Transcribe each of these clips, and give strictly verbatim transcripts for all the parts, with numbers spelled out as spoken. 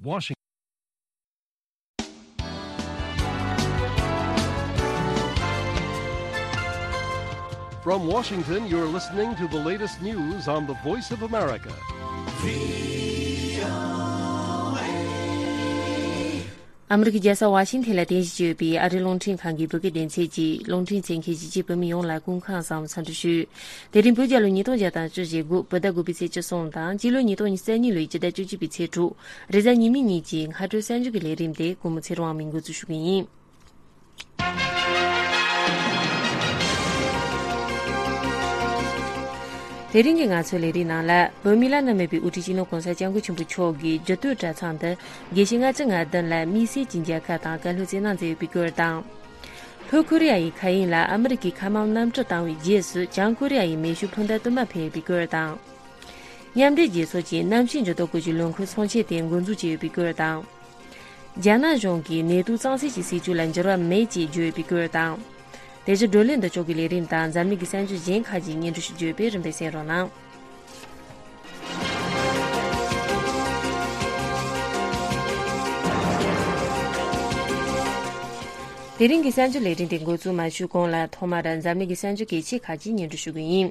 Washington. From Washington, you're listening to the latest news on the Voice of America. ཨ་མི་རི་ཀའི་རྒྱལ་ས་ཝ་ཤིང་ཐན་ལ་རྟེན་གཞི་བྱས་ཡོད་པའི་ཨ་རིའི་རླུང་འཕྲིན་ཁང་གི་བོད་སྐད་སྡེ་ཚན་གྱི་རླུང་འཕྲིན་གསན་མཁན་གཞིས་བྱེས་བོད་མི་ཡོངས་ལ་སྐུ་ཁམས་བཟང་འཚམས་འདྲི་ཞུ། དེ་རིང་བོད་རྒྱལ་ལོ་ཉིས་སྟོང་བརྒྱ་དང་བཅུ་ཞེ་དགུ་བོད་ཟླ་དགུ་པའི་ཚེས་བཅུ་གསུམ་དང་སྤྱི་ལོ་ཉིས་སྟོང་ཉེར་གཉིས་ལོའི་སྤྱི་ཟླ་བཅུ་གཅིག་པའི་ཚེས་དྲུག་རེས་གཟའ་ཉི་མའི་ཉིན་གྱི་སྔ་དྲོའི་གསར་འགྱུར་གྱི་ལས་རིམ་དེ་ཀུན་མོ་ཚེ་རིང་དབང་མོས་འགོ་འཛུགས་ཞུ་གི་ཡིན། དེ་རིང་གི་ང་ཚོའི་ལས་རིམ་ནང་ལ། བོད་མི་བླ་ན་མེད་པའི་དབུ་ཁྲིད་སྤྱི་ནོར་༸གོང་ས་༸སྐྱབས་མགོན་ཆེན་པོ་མཆོག་གིས་རྒྱུད་སྟོད་གྲྭ་ཚང་དུ་དགེ་བཤེས་ལྔ་བཅུ་ང་བདུན་ལ་དམིགས་བསལ་གྱི་མཇལ་ཁ་དང་བཀའ་སློབ་སྩལ་གནང་མཛད་ཡོད་པའི་སྐོར་དང་། ལྷོ་ཀོ་རི་ཡ་ཡི་མཁའ་དབྱིངས་ལ་ཨ་མི་རི་ཀའི་མཁའ་དམག་གནམ་གྲུ་བཏང་བའི་རྗེས་སུ་བྱང་ཀོ་རི་ཡ་ཡི་མེ་ཤུགས་འཕུར་མདའ་དུ་མ་འཕེན་ཡོད་པའི་སྐོར་དང་། མཉམ་འབྲེལ་རྒྱལ་ཚོགས་ཀྱི་གནམ་གཤིས་འགྱུར་ལྡོག་སྐོར་གྱི་ལས་འགུལ་ཚོགས་ཆེན་དེ་འགོ་འཛུགས་བྱས་ཡོད་པའི་སྐོར་དང་། རྒྱ་ནག་གཞུང་གིས་ནེ་ཏུའུ་གཙང་སེལ་གྱི་སྲིད་བྱུས་ལ་འགྱུར་བ་མེད་ཅེས་བརྗོད་ཡོད་པའི་སྐོར་དང་། དེ་བཞིན་བགྲོ་གླེང་འདི་ཕྱོགས་ཀྱི་ལས་རིམ་དང་འཛམ་གླིང་གི་གསར་འགྱུར་གཞན་ཁག་ཅིག་སྙན་སྒྲོན་ཞུ་རྒྱུ་ཡོད་པས་རིམ་པས་གསན་རོགས་གནང་། དེ་རིང་གི་གསར་འགྱུར་ལས་རིམ་དེ་འགོ་འཛུགས་མ་ཞུས་གོང་ལ་ཐོག་མར་འཛམ་གླིང་གི་གསར་འགྱུར་གལ་ཆེ་ཁག་ཅིག་སྙན་སྒྲོན་ཞུ་གི་ཡིན།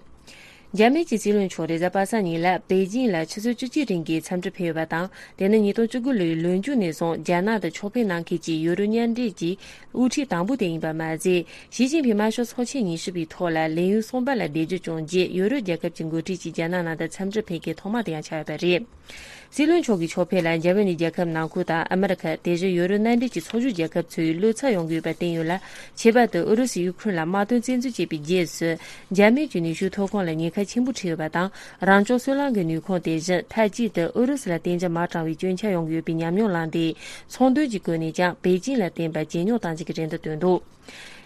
འཇར་མན་གྱི་སྲིད་བློན་མཆོག་རེས་གཟའ་པ་སངས་ཉིན་ལ་པེ་ཅིང་ལ་ཆུ་ཚོད་བཅུ་གཅིག་རིང་གི་འཚམས་འདྲི་ཕེབས་ཡོད་པ་དང་། དེ་ནི་ཉིས་སྟོང་བཅུ་དགུ་ལོའི་ལོ་མཇུག་ནས་བཟུང་རྒྱ་ནག་ཏུ་ཕྱོགས་ཕེབས་གནང་མཁན་གྱི་ཡུ་རོབ་མཉམ་འབྲེལ་གྱི་དབུ་ཁྲིད་དང་པོ་དེ་ཡིན་པ་མ་ཟད། ཞི་ཅིན་ཕིང་དམར་ཤོག་ཚོགས་ཆེན་ཉི་ཤུ་པའི་ཐོག་ལ་ལས་ཡུན་གསུམ་པ་ལ་བསྡད་རྒྱུ་བྱུང་རྗེས། ཡུ་རོབ་རྒྱལ་ཁབ་ཀྱི་འགོ་ཁྲིད་ཅིག་རྒྱ་ནག་ནང་དུ་འཚམས་འདྲི་ཕེབས་མཁན་ཐོག་མ་དེ་ཡང་ཆགས་ཡོད་པ་རེད། སྲིད་བློན་མཆོག་གི་ཕྱོགས་ཕེབས་ལ་འཇར་མ་ནི་རྒྱལ་ཁབ་ནང་ཁུལ་དང་ཨ་མི་རི་ཁ། དེ་བཞིན་ཡུ་རོབ་མནའ་འབྲེལ་གྱི་ཚོགས་ཞུགས་རྒྱལ་ཁབ་ཚོས་བློ་འཚབ་ཡོང་གི་ཡོད་པ་བསྟན་ཡོད་ལ། ཁྱད་པར་དུ་ཨུ་རུ་སུས་ཡུ་ཁུ་རེན་ལ་དམག་དོན་བཙན་འཛུལ་བྱས་པའི་རྗེས་སུ། འཇར་མན་གྱི་ནུས་ཤུགས་ཐོན་ཁུངས་ལ་ཉེན་ཁ་ཆེན་པོ་འཕྲད་ཡོད་པ་དང་། རང་སྐྱོང་སོལ་རླངས་ཀྱི་ནུས་ཁུངས་དེ་བཞིན་མཐའ་གཅིག་ཏུ་ཨུ་རུ་སུ་ལ་གཏན་འཇགས་མ་དྲངས་པའི་སྐྱོན་ཆ་ཡོང་གི་ཡོད་པའི་ཉམས་མྱོང་བླངས་ཏེ། ཚོང་དོན་གྱི་སྒོ་ནས་ཀྱང་པེ་ཅིང་ལ་བརྟེན་པ་ཇེ་ཉུང་གཏང་རྒྱུ་གི་རེ་འདུན་བཏོན་འདུག་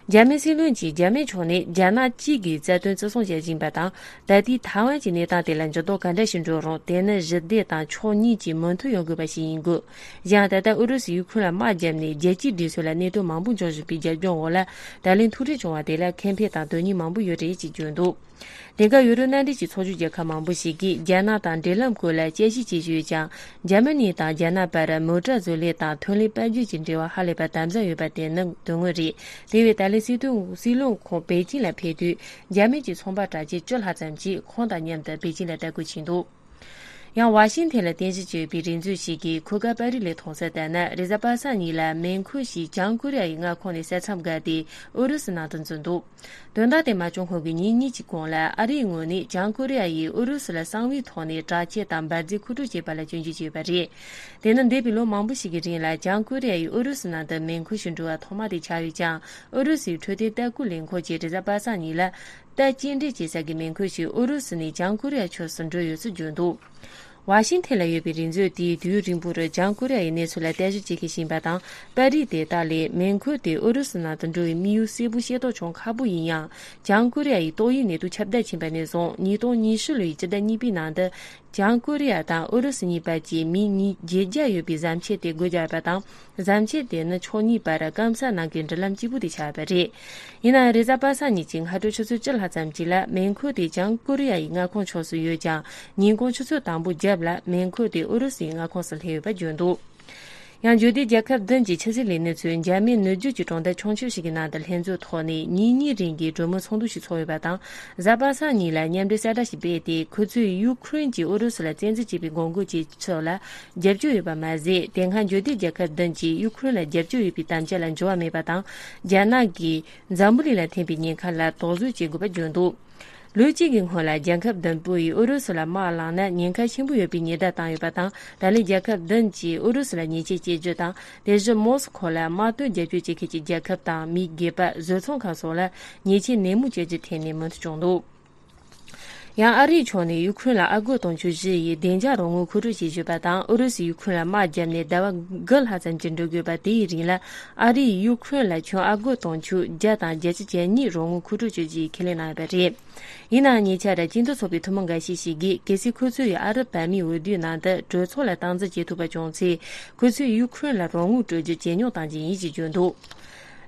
འཇར་མན་སྲིད་བློན་གྱིས་འཇར་མན་ཕྱོགས་ནས་རྒྱ་ནག་གཅིག་གི་རྩ་དོན་བརྩི་སྲུང་བྱེད་བཞིན་པ་དང་། ད་ལྟའི་ཐའེ་ཝན་གྱི་གནས་སྟངས་དེ་ལ་འགྱུར་ལྡོག་ག་འདྲ་ཞིག་འགྲོ་རུང་། དེ་ནི་ཞི་བདེ་དང་ཕྱོགས་གཉིས་ཀྱི་མོས་མཐུན་ཡོང་དགོས་པ་ཞིག་ཡིན་དགོས། གཞན་ད་ལྟ་ཨུ་རུ་སུས་ཡུ་ཁུ་རེན་ལ་དམག་བརྒྱབ་ནས། རྒྱལ་སྤྱིའི་སྒྲིག་སྲོལ་ལ་གནད་དོན་མང་པོ་འབྱུང་བཞིན་པའི་རྒྱབ་ལྗོངས་འོག་ལ། ད་ལན་ཐུག་འཕྲད་བྱུང་བ་དེ་ལ་ཁེ་ཕན་དང་དོན་སྙིང་མང་པོ་ཡོད་རེད་ཅེས་བརྗོད་འདུག་དེང་སྐབས་ཡུ་རོབ་མནའ་འབྲེལ་གྱི་ཚོགས་ཞུགས་རྒྱལ་ཁབ་མང་པོ་ཞིག་གིས་རྒྱ་ནག་དང་འབྲེལ་ལམ་བཀོད་ལ་དཔྱད་ཞིབ་བྱེད་བཞིན་ཡོད་ཀྱང་། འཇར་མ་ནི་དང་རྒྱ་ནག་བར་མོ་ཊ་བཟོ་ལས་དང་ཐོན་ལས་དཔལ་འབྱོར་གྱི་འབྲེལ་བ་ཧ་ལས་པ་དམ་ཟབ་ཡོད་པ་དེ་ནི་དོན་དངོས་རེད། དེ་བས་ད་ལན་སྲིད་དོན་སྲིད་བློན་ཁོང་པེ་ཅིང་ལ་ཕེབས་དུས། འཇར་མན་གྱི་ཚོང་པ་གྲགས་ཅན་བཅུ་ལྷག་ཙམ་གྱིས་ཁོང་དང་མཉམ་དུ་པེ་ཅིང་ལ་ལྟ་སྐོར་ཕྱིན་འདུག་ཡང་ཝ་ཤིང་ཐན་ལ་རྟེན་གཞི་བྱས་ཡོད་པའི་རེ་མཛོད་ཞིག་གིས་ཁོ་དགའ་པ་རི་ལས་མཐོང་གསལ་ལྟར་ན། རེས་གཟའ་པ་སངས་ཉིན་ལ་མེ་འཁོར་ཞིག་བྱང་ཀོ་རི་ཡ་ཡི་མངའ་ཁོངས་ནས་ས་མཚམས་བརྒལ་ཏེ་ཨུ་རུ་སུ་ནང་དུ་འཛུལ་འདུག་དོན་དག་དེ་མ་བྱུང་སྔོན་གྱི་ཉིན་གཉིས་ཀྱི་གོང་ལ། ཨ་རིའི་ངོས་ནས་བྱང་ཀོ་རི་ཡ་ཡིས་ཨུ་རུ་སུ་ལ་གསང་བའི་ཐོག་ནས་དྲག་ཆས་དང་འབར་རྫས་མཁོ་སྤྲོད་བྱས་པ་ལ་སྐྱོན་བརྗོད་བྱས་ཡོད་པ་རེད། དེ་ནི་འདས་པའི་ལོ་མང་པོ་ཞིག་གི་རིང་ལ་བྱང་ཀོ་རི་ཡ་ཡིས་ཨུ་རུ་སུ་ནང་དུ་མེ་འཁོར་ཞིག་འགྲོ་བ་ཐོག་མ་དེ་ཆགས་ཡོད་ཀྱང་། ཨུ་རུ་སུའི་འཕྲོད་བསྟེན་ལྟ་སྐུལ་ལས་ཁུངས་ཀྱིས་རེས་གཟའ་པ་སངས་ཉིན་ལ། རྟ་སྐྱེལ་འདྲེན་བྱེད་ས་གི་མེ་འཁོར་ཞིག་ཨུ་རུ་སུ་ནས་བྱང་ཀོ་རི་ཡ་ཕྱོགས་སུ་འགྲོ་ཡོད་ཚུལ་བརྗོད་འདུག་ཝ་ཤིང་ཐན་ལ་ཡོད་པའི་རེ་མཛོད་དེས་དུས་ཡུན་རིང་པོར་བྱང་ཀོ་རི་ཡ་ཡི་གནས་ཚུལ་ལ་བརྟག་ཞིབ་བྱེད་མཁན་ཞིག་ཡིན་པ་དང་། པར་རིས་དེ་དག་ལས་མེ་འཁོར་དེ་ཨུ་རུ་སུ་ནང་དུ་འགྲོ་བའི་དམིགས་ཡུལ་གསལ་པོ་ཤེས་རྟོགས་བྱུང་ཁག་པོ་ཡིན་ཡང་། བྱང་ཀོ་རི་ཡ་ཡི་ཏོག་དབྱིབས་ནད་དུག་ཁྱབ་གདལ་ཕྱིན་པ་ནས་བཟུང་། ཉིས་སྟོང་ཉི་ཤུ་ལོའི་སྤྱི་ཟླ་གཉིས་པའི་ནང་དུ། བྱང་ཀོ་རི་ཡ་དང་ཨུ་རུ་སུ་གཉིས་བར་གྱི་མི་ཉིས་བརྒྱད་བརྒྱ་ཡོད་པའི་གཟབ་མཆེད་དེ་སྒོ་བརྒྱབ་པ་དང་། གཟབ་མཆེད་དེ་ནི་ཕྱོགས་གཉིས་བར་སྐམ་ས་ནང་གི་འབྲེལ་ལམ་གཅིག་པུ་དེ་ཆགས་པ་རེད། ཡིན་ནའང་། རེས་གཟའ་པ་སངས་ཉིན་གྱི་སྔ་དྲོ་ཆུ་ཚོད་བཅུ་ལྷག་ཙམ་ཅིག་ལ་མེ་འཁོར་དེ་བྱང་ཀོ་རི་ཡ་ཡི་མངའ་ཁོངས་ཕྱོགས་སུ་ཡོད་ཀྱང་། ཉིན་གུང་ཆུ་ཚོད་དང་པོ་བརྒྱབ་ལ་མེ་འཁོར་དེ་ཨུ་རུ་སུའི་མངའ་ཁོངས་སུ་སླེབས་ཡོད་པ་བརྗོད་འདུག་ཡང་འཇུ་བདེ་རྒྱལ་ཁབ་བདུན་གྱི་ཕྱི་སྲིད་ལས་སྣེ་ཚོས་འཇར་མན་ནུབ་རྒྱུད་ཀྱི་གྲོང་རྡལ་ཆུང་ཆུང་ཞིག་གི་ནང་དུ་ལྷན་འཛོམས་ཐོག་ནས་ཉིན་གཉིས་རིང་གི་གྲོས་མོལ་ཚོགས་འདུ་ཞིག་ཚོགས་ཡོད་པ་དང་། གཟའ་པ་སངས་ཉིན་ལ་མཉམ་འབྲེལ་གསལ་བསྒྲགས་ཤིག་སྤེལ་ཏེ། ཁོ་ཚོས་ཡུ་ཁུ་རེན་གྱིས་ཨུ་རུ་སུ་ལ་བཙན་འཛུལ་བྱས་པའི་འགོག་རྒོལ་བྱེད་ཕྱོགས་ལ་རྒྱབ་སྐྱོར་ཡོད་པ་མ་ཟད། དེ་སྔ་འཇུ་བདེ་རྒྱལ་ཁབ་བདུན་གྱིས་ཡུ་ཁུ་རེན་ལ་རྒྱབ་སྐྱོར་ཡོད་པའི་དམ་བཅའ་ལ་འགྱུར་བ་མེད་པ་དང་། རྒྱ་ནག་གིས་འཛམ་བུ་གླིང་ལ་འཐེན་པའི་ཉེན་ཁ་ལ་དོགས་ཟོན་བྱེད་དགོས་པ་བརྗོད་འདུག་ལོ་གཅིག་གི་སྔོན་ལ་རྒྱལ་ཁབ་བདུན་པོ་ཡིས་ཨུ་རུ་སུ་ལ་དམག་བསླངས་ན་ཉེན་ཁ་ཆེན་པོ་ཡོད་པའི་ཉེན་བརྡ་བཏང་ཡོད་པ་དང་། ད་ལན་རྒྱལ་ཁབ་བདུན་གྱིས་ཨུ་རུ་སུ་ལ་ཉེས་ཆད་གཅོད་རྒྱུ་དང་། དེ་བཞིན་མོ་སི་ཁོ་ལ་དམག་དོན་རྒྱབ་སྐྱོར་བྱེད་མཁན་གྱི་རྒྱལ་ཁབ་དང་མི་སྒེར་པ། བཟོ་ཚོང་ཁང་སོགས་ལ་ཉེས་ཆད་ནན་མོ་གཅོད་རྒྱུའི་ཐད་ནས་མོས་མཐུན་བྱུང་འདུག་ཡང་ཨ་རིའི་ཕྱོགས་ནས་ཡུ་ཁུ་རེན་ལ་ཨ་སྒོར་དུང་ཕྱུར་བཞི་ཡི་བདེ་འཇགས་རོགས་དངུལ་མཁོ་སྤྲོད་བྱེད་བཞིན་པ་དང་། ཨུ་རུ་སུས་ཡུ་ཁུ་རེན་ལ་དམག་བརྒྱབ་ནས་ཟླ་བ་དགུ་ལྷག་ཙམ་གྱི་འགྲོ་དགོས་པ་དེའི་རིང་ལ། ཨ་རིས་ཡུ་ཁུ་རེན་ལ་ཁྱོན་ཨ་སྒོར་དུང་ཕྱུར་བརྒྱ་དང་བརྒྱད་ཅུ་གྱ་གཉིས་རོགས་དངུལ་མཁོ་སྤྲོད་བྱེད་རྒྱུའི་ཁས་ལེན་གནང་ཡོད་པ་རེད། ཡིན་ནའང་། ཉེ་ཆར་སྤྱི་མཐུན་ཚོགས་པའི་ཐུན་མོང་འགའ་ཤས་ཤིག་གིས། གལ་སྲིད་ཁོ་ཚོ་ཡིས་ཨ་རབ་བར་མའི་འོས་བསྡུའི་ནང་དུ་གྲོས་ཚོགས་ལ་སྟངས་འཛིན་བྱེད་ཐུབ་པ་བྱུང་ཚེ། ཁོ་ཚོས་ཡུ་ཁུ་རེན་ལ་རོགས་དངུལ་སྤྲོད་རྒྱུ་ཇེ་ཉུང་གཏང་རྒྱུ་ཡིན་ཞེས་བརྗོད་འདུག་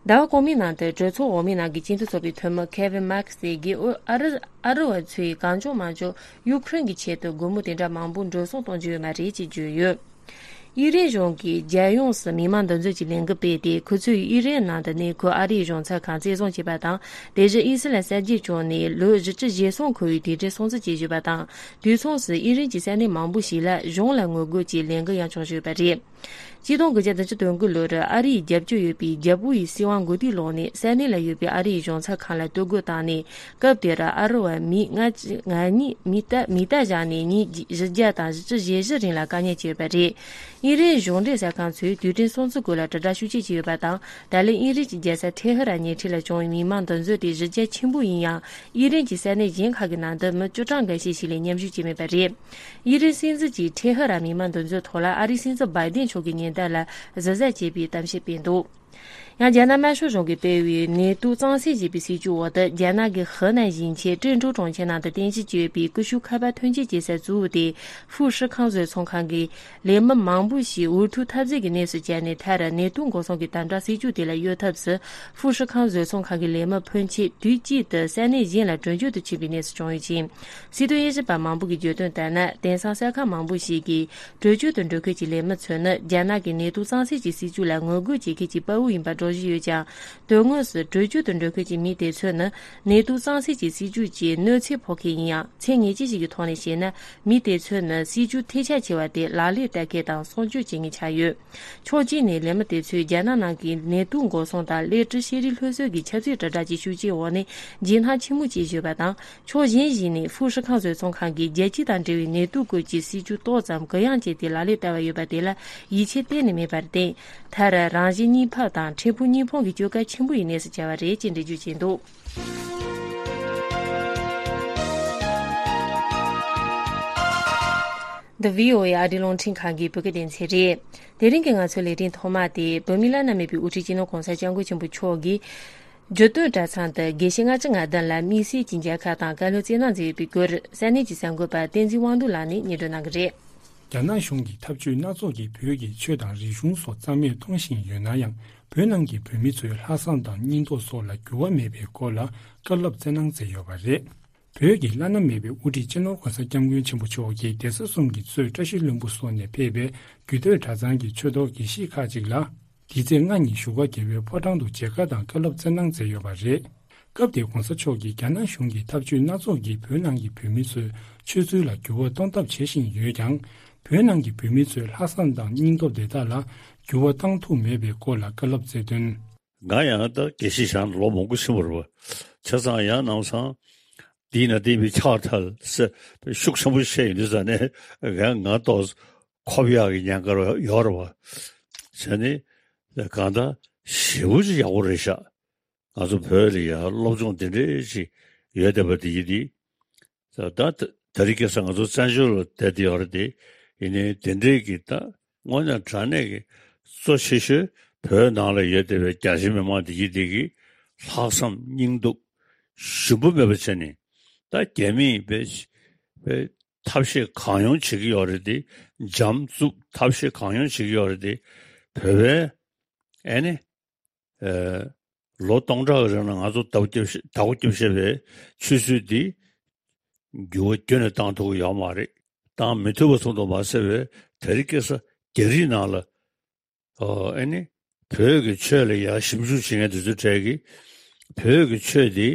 ཟླ་བ་གོང་མའི་ནང་དུ་གྲོས་ཚོགས་འོག་མའི་ནང་གི་སྤྱི་མཐུན་ཚོགས་པའི་འཐུས་མི་ཁེ་ཝིན་མཱ་ཁེ་སི་གིས། ཨུ་ཨ་རི་ཨ་རི་བ་ཚོས་གང་བྱུང་མང་བྱུང་ཡུ་ཁུ་རེན་གྱི་ཆེད་དུ་སྒོར་མོ་དེ་འདྲ་མང་པོ་འགྲོ་སོང་གཏོང་རྒྱུ་ཡོད་མ་རེད་ཅེས་བརྗོད་ཡོད། དབྱི་རན་གཞུང་གིས་རྒྱལ་ཡོངས་སུ་མི་མང་འདུ་འཛོམས་ཀྱི་ལས་འགུལ་སྤེལ་ཏེ། ཁོ་ཚོས་དབྱི་རན་ནང་དུ་གནས་འཁོད་ཨ་རིའི་གཞུང་ཚབ་ཁང་རྩེ་བཟུང་བྱས་པ་དང་། དེ་བཞིན་དབྱི་སི་ལན་གསར་བརྗེ་བྱུང་ནས་ལོ་བཞི་བཅུ་ཞེ་གསུམ་འཁོར་བའི་དུས་དྲན་སྲུང་བརྩི་བྱེད་བཞིན་པ་དང་། དུས་མཚུངས་སུ་དབྱི་རན་གྱི་ས་གནས་མང་པོ་ཞིག་ལ་གཞུང་ལ་ངོ་རྒོལ་གྱི་ལས་འགུལ་ཡང་བྱུང་བཞིན་པ་རེད། ཆིག་སྟོང་དགུ་བརྒྱ་བདུན་ཅུ་དོན་དགུ་ལོར་ཨ་རིའི་རྒྱབ་སྐྱོར་ཡོད་པའི་རྒྱལ་པོ་ཡི་སྲིད་དབང་མགོ་རྟིང་བསླངས་ནས། ས་གནས་ལ་ཡོད་པའི་ཨ་རིའི་གཞུང་ཚབ་ཁང་ལ་གཏོར་རྒོལ་བཏང་ནས། སྐབས་དེར་ཨ་རི་བ་མི་ལྔ་བཅུ་ང་གཉིས་མི་རྟ་མི་རྟ་བཞག་ནས་ཉིན་བཞི་བརྒྱ་དང་བཞི་བཅུ་ཞེ་བཞི་རིང་ལ་དཀའ་ངལ་སྤྱད་པ་རེད། དབྱིན་རན་གཞུང་འབྲེལ་གསར་ཁང་ཚོས་དུས་དྲན་སྲུང་བརྩི་སྐོར་ལ་དྲིལ་བསྒྲགས་ཤུགས་ཆེ་བྱས་ཡོད་པ་དང་། ད་ལན་དབྱིན་རན་གྱི་རྒྱལ་ས་ཐེ་ཧི་རན་ཉེ་འཁྲིས་ལ་བྱུང་བའི་མི་མང་འདུ་འཛོམས་དེ་གཞི་རྒྱ་ཆེན་པོ་ཡིན་ཡང་། དབྱིན་རན་གྱི་ས་གནས་གཞན་ཁག་གི་ནང་དུ་མི་བཅུ་གྲངས་འགའ་ཤས་ཤིག་ལས་མཉམ་ཞུགས་བྱས་མེད་པ་རེད། དབྱིན་རན་སྲིད་འཛིན་གྱིས་ཐེ་ཧི་རན་མི་མང་འདུ་འཛོམས་ཐོག་ལ་ཨ་རིའི་སྲིད་འཛིན་བྷའི་ཏན་མཆོག་གི་ཉེན་བརྡ་ལ་གཟབ་གཟབ་བྱེད་པའི་གཏམ་བཤད་སྤེལ་འདུག་ཡང་རྒྱ་ནག་དམར་ཤོག་གཞུང་གིས་སྤེལ་བའི་ནེ་ཏུའུ་གཙང་སེལ་ཅེས་པའི་སྲིད་ཇུས་འོག་ཏུ། རྒྱ་ནག་གི་ཧེ་ནན་ཞིང་ཆེན་ཀྲེང་ཀྲོའུ་གྲོང་ཁྱེར་ནང་དུ་རྟེན་གཞི་བྱས་ཡོད་པའི་ཀུ་ཤུ་ཁ་པར་ཐོན་སྐྱེད་བྱེད་ས་གཙོ་བོ་དེ་ཧྥུ་ཧྲི་ཁང་བཟོ་ཚོང་ཁང་གི་ལས་མི་མང་པོ་ཞིག་འུ་ཐུག་འཐབ་འཛིང་གི་གནས་སུ་གྱར་ནས། མཐར་ནེ་ཏུའུ་འགོག་སྲུང་གི་དམ་དྲག་སྲིད་ཇུས་དེ་ལ་གཡོལ་ཐབས་སུ། ཧྥུ་ཧྲི་ཁང་བཟོ་ཚོང་ཁང་གི་ལས་མི་ཕོན་ཆེ་དུས་གཅིག་ཏུ་ས་གནས་གཞན་ལ་བྲོས་བྱོལ་དུ་ཕྱིན་པའི་གནས་སུ་བྱུང་ཡོད་ཅིང་། སྲིད་དོན་དབྱེ་ཞིབ་པ་མང་པོ་གིས་བརྗོད་དོན་ལྟར་ན། དེང་སང་གསར་ཁང་མང་པོ་ཞིག་གིས་བྲོས་བྱོལ་དུ་འགྲོ་མཁན་གྱི་ལས་མི་ཚོ་ནི་རྒྱ་ནག་གི་ནེ་ཏུའུ་གཙང་སེལ་གྱི་སྲིད་ཇུས་ལ་ངོ་རྒོལ་བྱེད་མཁན་གྱི་དཔའ་བོ་ཡིན་པ་སྒྲོག་བཞིན་ཡོད་ཀྱང་། དོན་དངོས་སུ་བྲོས་བྱོལ་དུ་འགྲོ་མཁན་གྱི་མི་དེ་ཚོ་ནི་ནེ་ཏུའུ་གཙང་སེལ་གྱི་སྲིད་ཇུས་ཀྱི་གནོད་འཚེ་ཕོག་མཁན་ཡིན་ཡང་། ཚད་ངེས་ཅན་ཞིག་གི་ཐོག་ནས་བཤད་ན། མི་དེ་ཚོ་ནི་སྲིད་ཇུས་ཐལ་ཆ་ཆེ་བ་དེ་ལག་ལེན་བསྟར་མཁན་དང་སྲུང་སྐྱོབ་བྱེད་མཁན་ཆགས་ཡོད། ཕྱོགས་གཅིག་ནས་ལས་མི་དེ་ཚོས་རྒྱ་ནག་ནང་གི་ནེ་ཏུའུ་འགོག་སྲུང་དང་ཀླད་ཀྲི་ཤེས་རིག་སློབ་གསོ་གི་ཆབ་སྲིད་དྲིལ་བསྒྲགས་ཀྱི་ཤུགས་རྐྱེན་འོག་ནས་འཇིགས་སྣང་ཆེན་མོ་སྐྱེས་བཞིན་པ་དང་། ཕྱོགས་གཞན་ཞིག་ནས་ཧྥུ་ཧྲི་ཁང་བཟོ་ཚོང་ཁང་གིས་རྒྱལ་སྤྱི་དང་འབྲེལ་བའི་ནེ་ཏུའུ་སྐོར་གྱི་སྲིད་ཇུས་ཏོག་ཙམ་གུ་ཡངས་བྱས་ཏེ་ལག་ལེན་བསྟར་བ་ཡོད་པ་དེ་ལ་ཡིད་ཆེས་གཏན་ནས་མེད་པར་བརྟེན། མཐར་རང་གཞན་གཉིས་ཕན་དང་ཕྲན་བུ་གཉིས་ཕན་གྱི་སྐྱོན་ཁ་ཆེན་པོ་ཡི་གནས་སུ་གྱར་བ་རེད་ཅེས་འགྲེལ་བརྗོད་བྱས་འདུག་འདི་བྷི་ཨོ་ཨེ་ཨ་རིའི་རླུང་འཕྲིན་ཁང་གི་བོད་སྐད་སྡེ་ཚན་རེད། དེ་རིང་གི་ང་ཚོའི་ལས་རིམ་ཐོག་མ་དེ། བོད་མིའི་བླ་ན་མེད་པའི་དབུ་ཁྲིད་སྤྱི་ནོར་གོང་ས་སྐྱབས་མགོན་ཆེན་པོ་མཆོག་གིས་རྒྱུད་སྟོད་གྲྭ་ཚང་དུ་དགེ་བཤེས་ལྔ་བཅུ་ང་བདུན་ལ་དམིགས་བསལ་གྱི་མཇལ་ཁ་དང་བཀའ་སློབ་སྩལ་གནང་མཛད་ཡོད་པའི་སྐོར། ས་གནས་ཀྱི་གསར་འགོད་པ་བསྟན་འཛིན་དབང་འདུས་ལགས་ནས་སྙན་སྒྲོན་གནང་གི་རེད། རྒྱ་ནག་གཞུང་གིས་འཐབ་ཇུས་སྣ་ཚོགས་ཀྱིས་བོད་ཀྱི་ཆོས་དང་རིག་གཞུང་སོགས་རྩ་མེད་གཏོང་བཞིན་ཡོད་ན་ཡང་། བོད་ནང་གི་བོད་མི་ཚོའི་ལྷག་བསམ་དང་སྙིང་སྟོབས་སོགས་ལ་འགྱུར་བ་མེད་པའི་སྐོར་ལ་བཀའ་སློབ་སྩལ་གནང་མཛད་ཡོད་པ་རེད། བོད་ཀྱི་བླ་ན་མེད་པའི་དབུ་ཁྲིད་སྤྱི་ནོར་གོང་ས་སྐྱབས་མགོན་ཆེན་པོ་མཆོག་གིས་གདན་ས་གསུམ་གྱི་གཙོས་བཀྲ་ཤིས་ལྷུན་པོ་སོགས་ནས་ཕེབས་པའི་རྒྱུད་སྟོད་གྲྭ་ཚང་གི་ཆོས་ཐོག་དགེ་བཤེས་ཁག་ཅིག་ལ། འདི་ཚེས་ལྔ་ཉིན་བཞུགས་སྒར་རྒྱལ་བའི་ཕོ་བྲང་དུ་མཇལ་ཁ་དང་བཀའ་སློབ་སྩལ་གནང་མཛད་ཡོད་པ་རེད། སྐབས་དེར་གོང་ས་མཆོག་གིས་རྒྱ་ནག་གཞུང་གི་ཐབས་ཇུས་སྣ་ཚོགས་ཀྱིས་བོད་ནང་གི་བོད་མི་ཚོའི་ཆོས་ཚུལ་ལ་འགྱུར་བ་གཏོང་ཐབས་བྱེད་བཞིན་ཡོད་ཀྱང་། བོད་ནང་གི་བོད་མི་ཚོའི་ལྷག་བསམ་དང་སྙིང་སྟོབས་དེ་དག་ལ་འགྱུར་བ་གཏོང་ཐུབ་མེད་པའི་སྐོར་ལ་བཀའ་སློབ་སྩལ་དོན། ང་ཡང་ད་དགེ་བཤེས་བྱས་ནས་ལོ་མང་པོ་ཕྱིན་པ་རེད་པ། བྱས་ཙང་ཡང་ནང་སང་འདི་ན་བསྟན་པའི་ཕྱག་ཐལ་ཟེར་ཤུགས་ཆེན་པོ་བཤད་ཡོང་དུས་ཙང་ནས། ང་ང་ཏོག་ཁོབ་ཡག་གི་ཉེན་ཁ་ཡོད་རེད་པ། བྱས་ནས་གང་ལྟར་ཞེ་པོ་ཅིག་ཡག་པོ་རེད་ཤག་ང་ཚོ་བོད་ལ་ཡང་སློབ་སྦྱོང་དེ་འདྲས་ཅིག་ཡོད་བསྡད་པ་དེ་ཡིན་དེ། ད་ད་ད་རེས་ཁ་སང་ང་ཚོ་བཙན་བྱོལ་ལ་བསྡད་དེ་ཡོད་རེད་དེ། ཡིན་ནའི་དེ་འདྲས་ཀྱི་ད་དངོས་གནས་དྲང་གནས་ཀྱི་གཙོ་ཆེ་ཤོས་བོད་ནང་ལ་ཡོད་བསྡད་པའི་རྒྱ་ཆེ་མི་མང་དེ་ཡིན་དེ་གི་ལྷག་བསམ་སྙིང་སྟོབས་ཞུམ་པ་མེད་པ་བྱས་ནས། ད་རྒྱ་མིས་བས་བས་ཐབས་ཤེས་གང་ཡོང་བྱེད་ཀྱི་ཡོད་རེད་དེ། འཇམ་རྩུབ་ཐབས་ཤེས་གང་ཡོང་བྱེད་ཀྱི་ཡོད་རེད་དེ། བོད་པའི་ཨེ་ནི། ཨེ། ལོ་སྟོང་ཕྲག་གི་རིང་ལ་ང་ཚོ་བདག་པོ་རྒྱབ་བཞག་བདག་པོ་རྒྱབ་བཞག་པའི་ཆོས་སྲོལ་འདི་འགྱུར་བ་ཁྱོན་ནས་བཏང་ཐུབ་ཀྱི་ཡོད་མ་རེད། བཏང་མི་ཐུབ་པ་ཙམ་དུ་མ་ཟད་པའི་དེ་རིང་ཁ་སང་རྒྱ་རིགས་ནང་ལ། ཨོ། ཨེ་ནི། བོད་ཀྱི་ཆོས་ལ་ཡར་ཞིབ་འཇུག་བྱེད་མཁན་དེ་ཚོའི་གྲས་ཀྱིས་བོད་ཀྱི་ཆོས་འདི་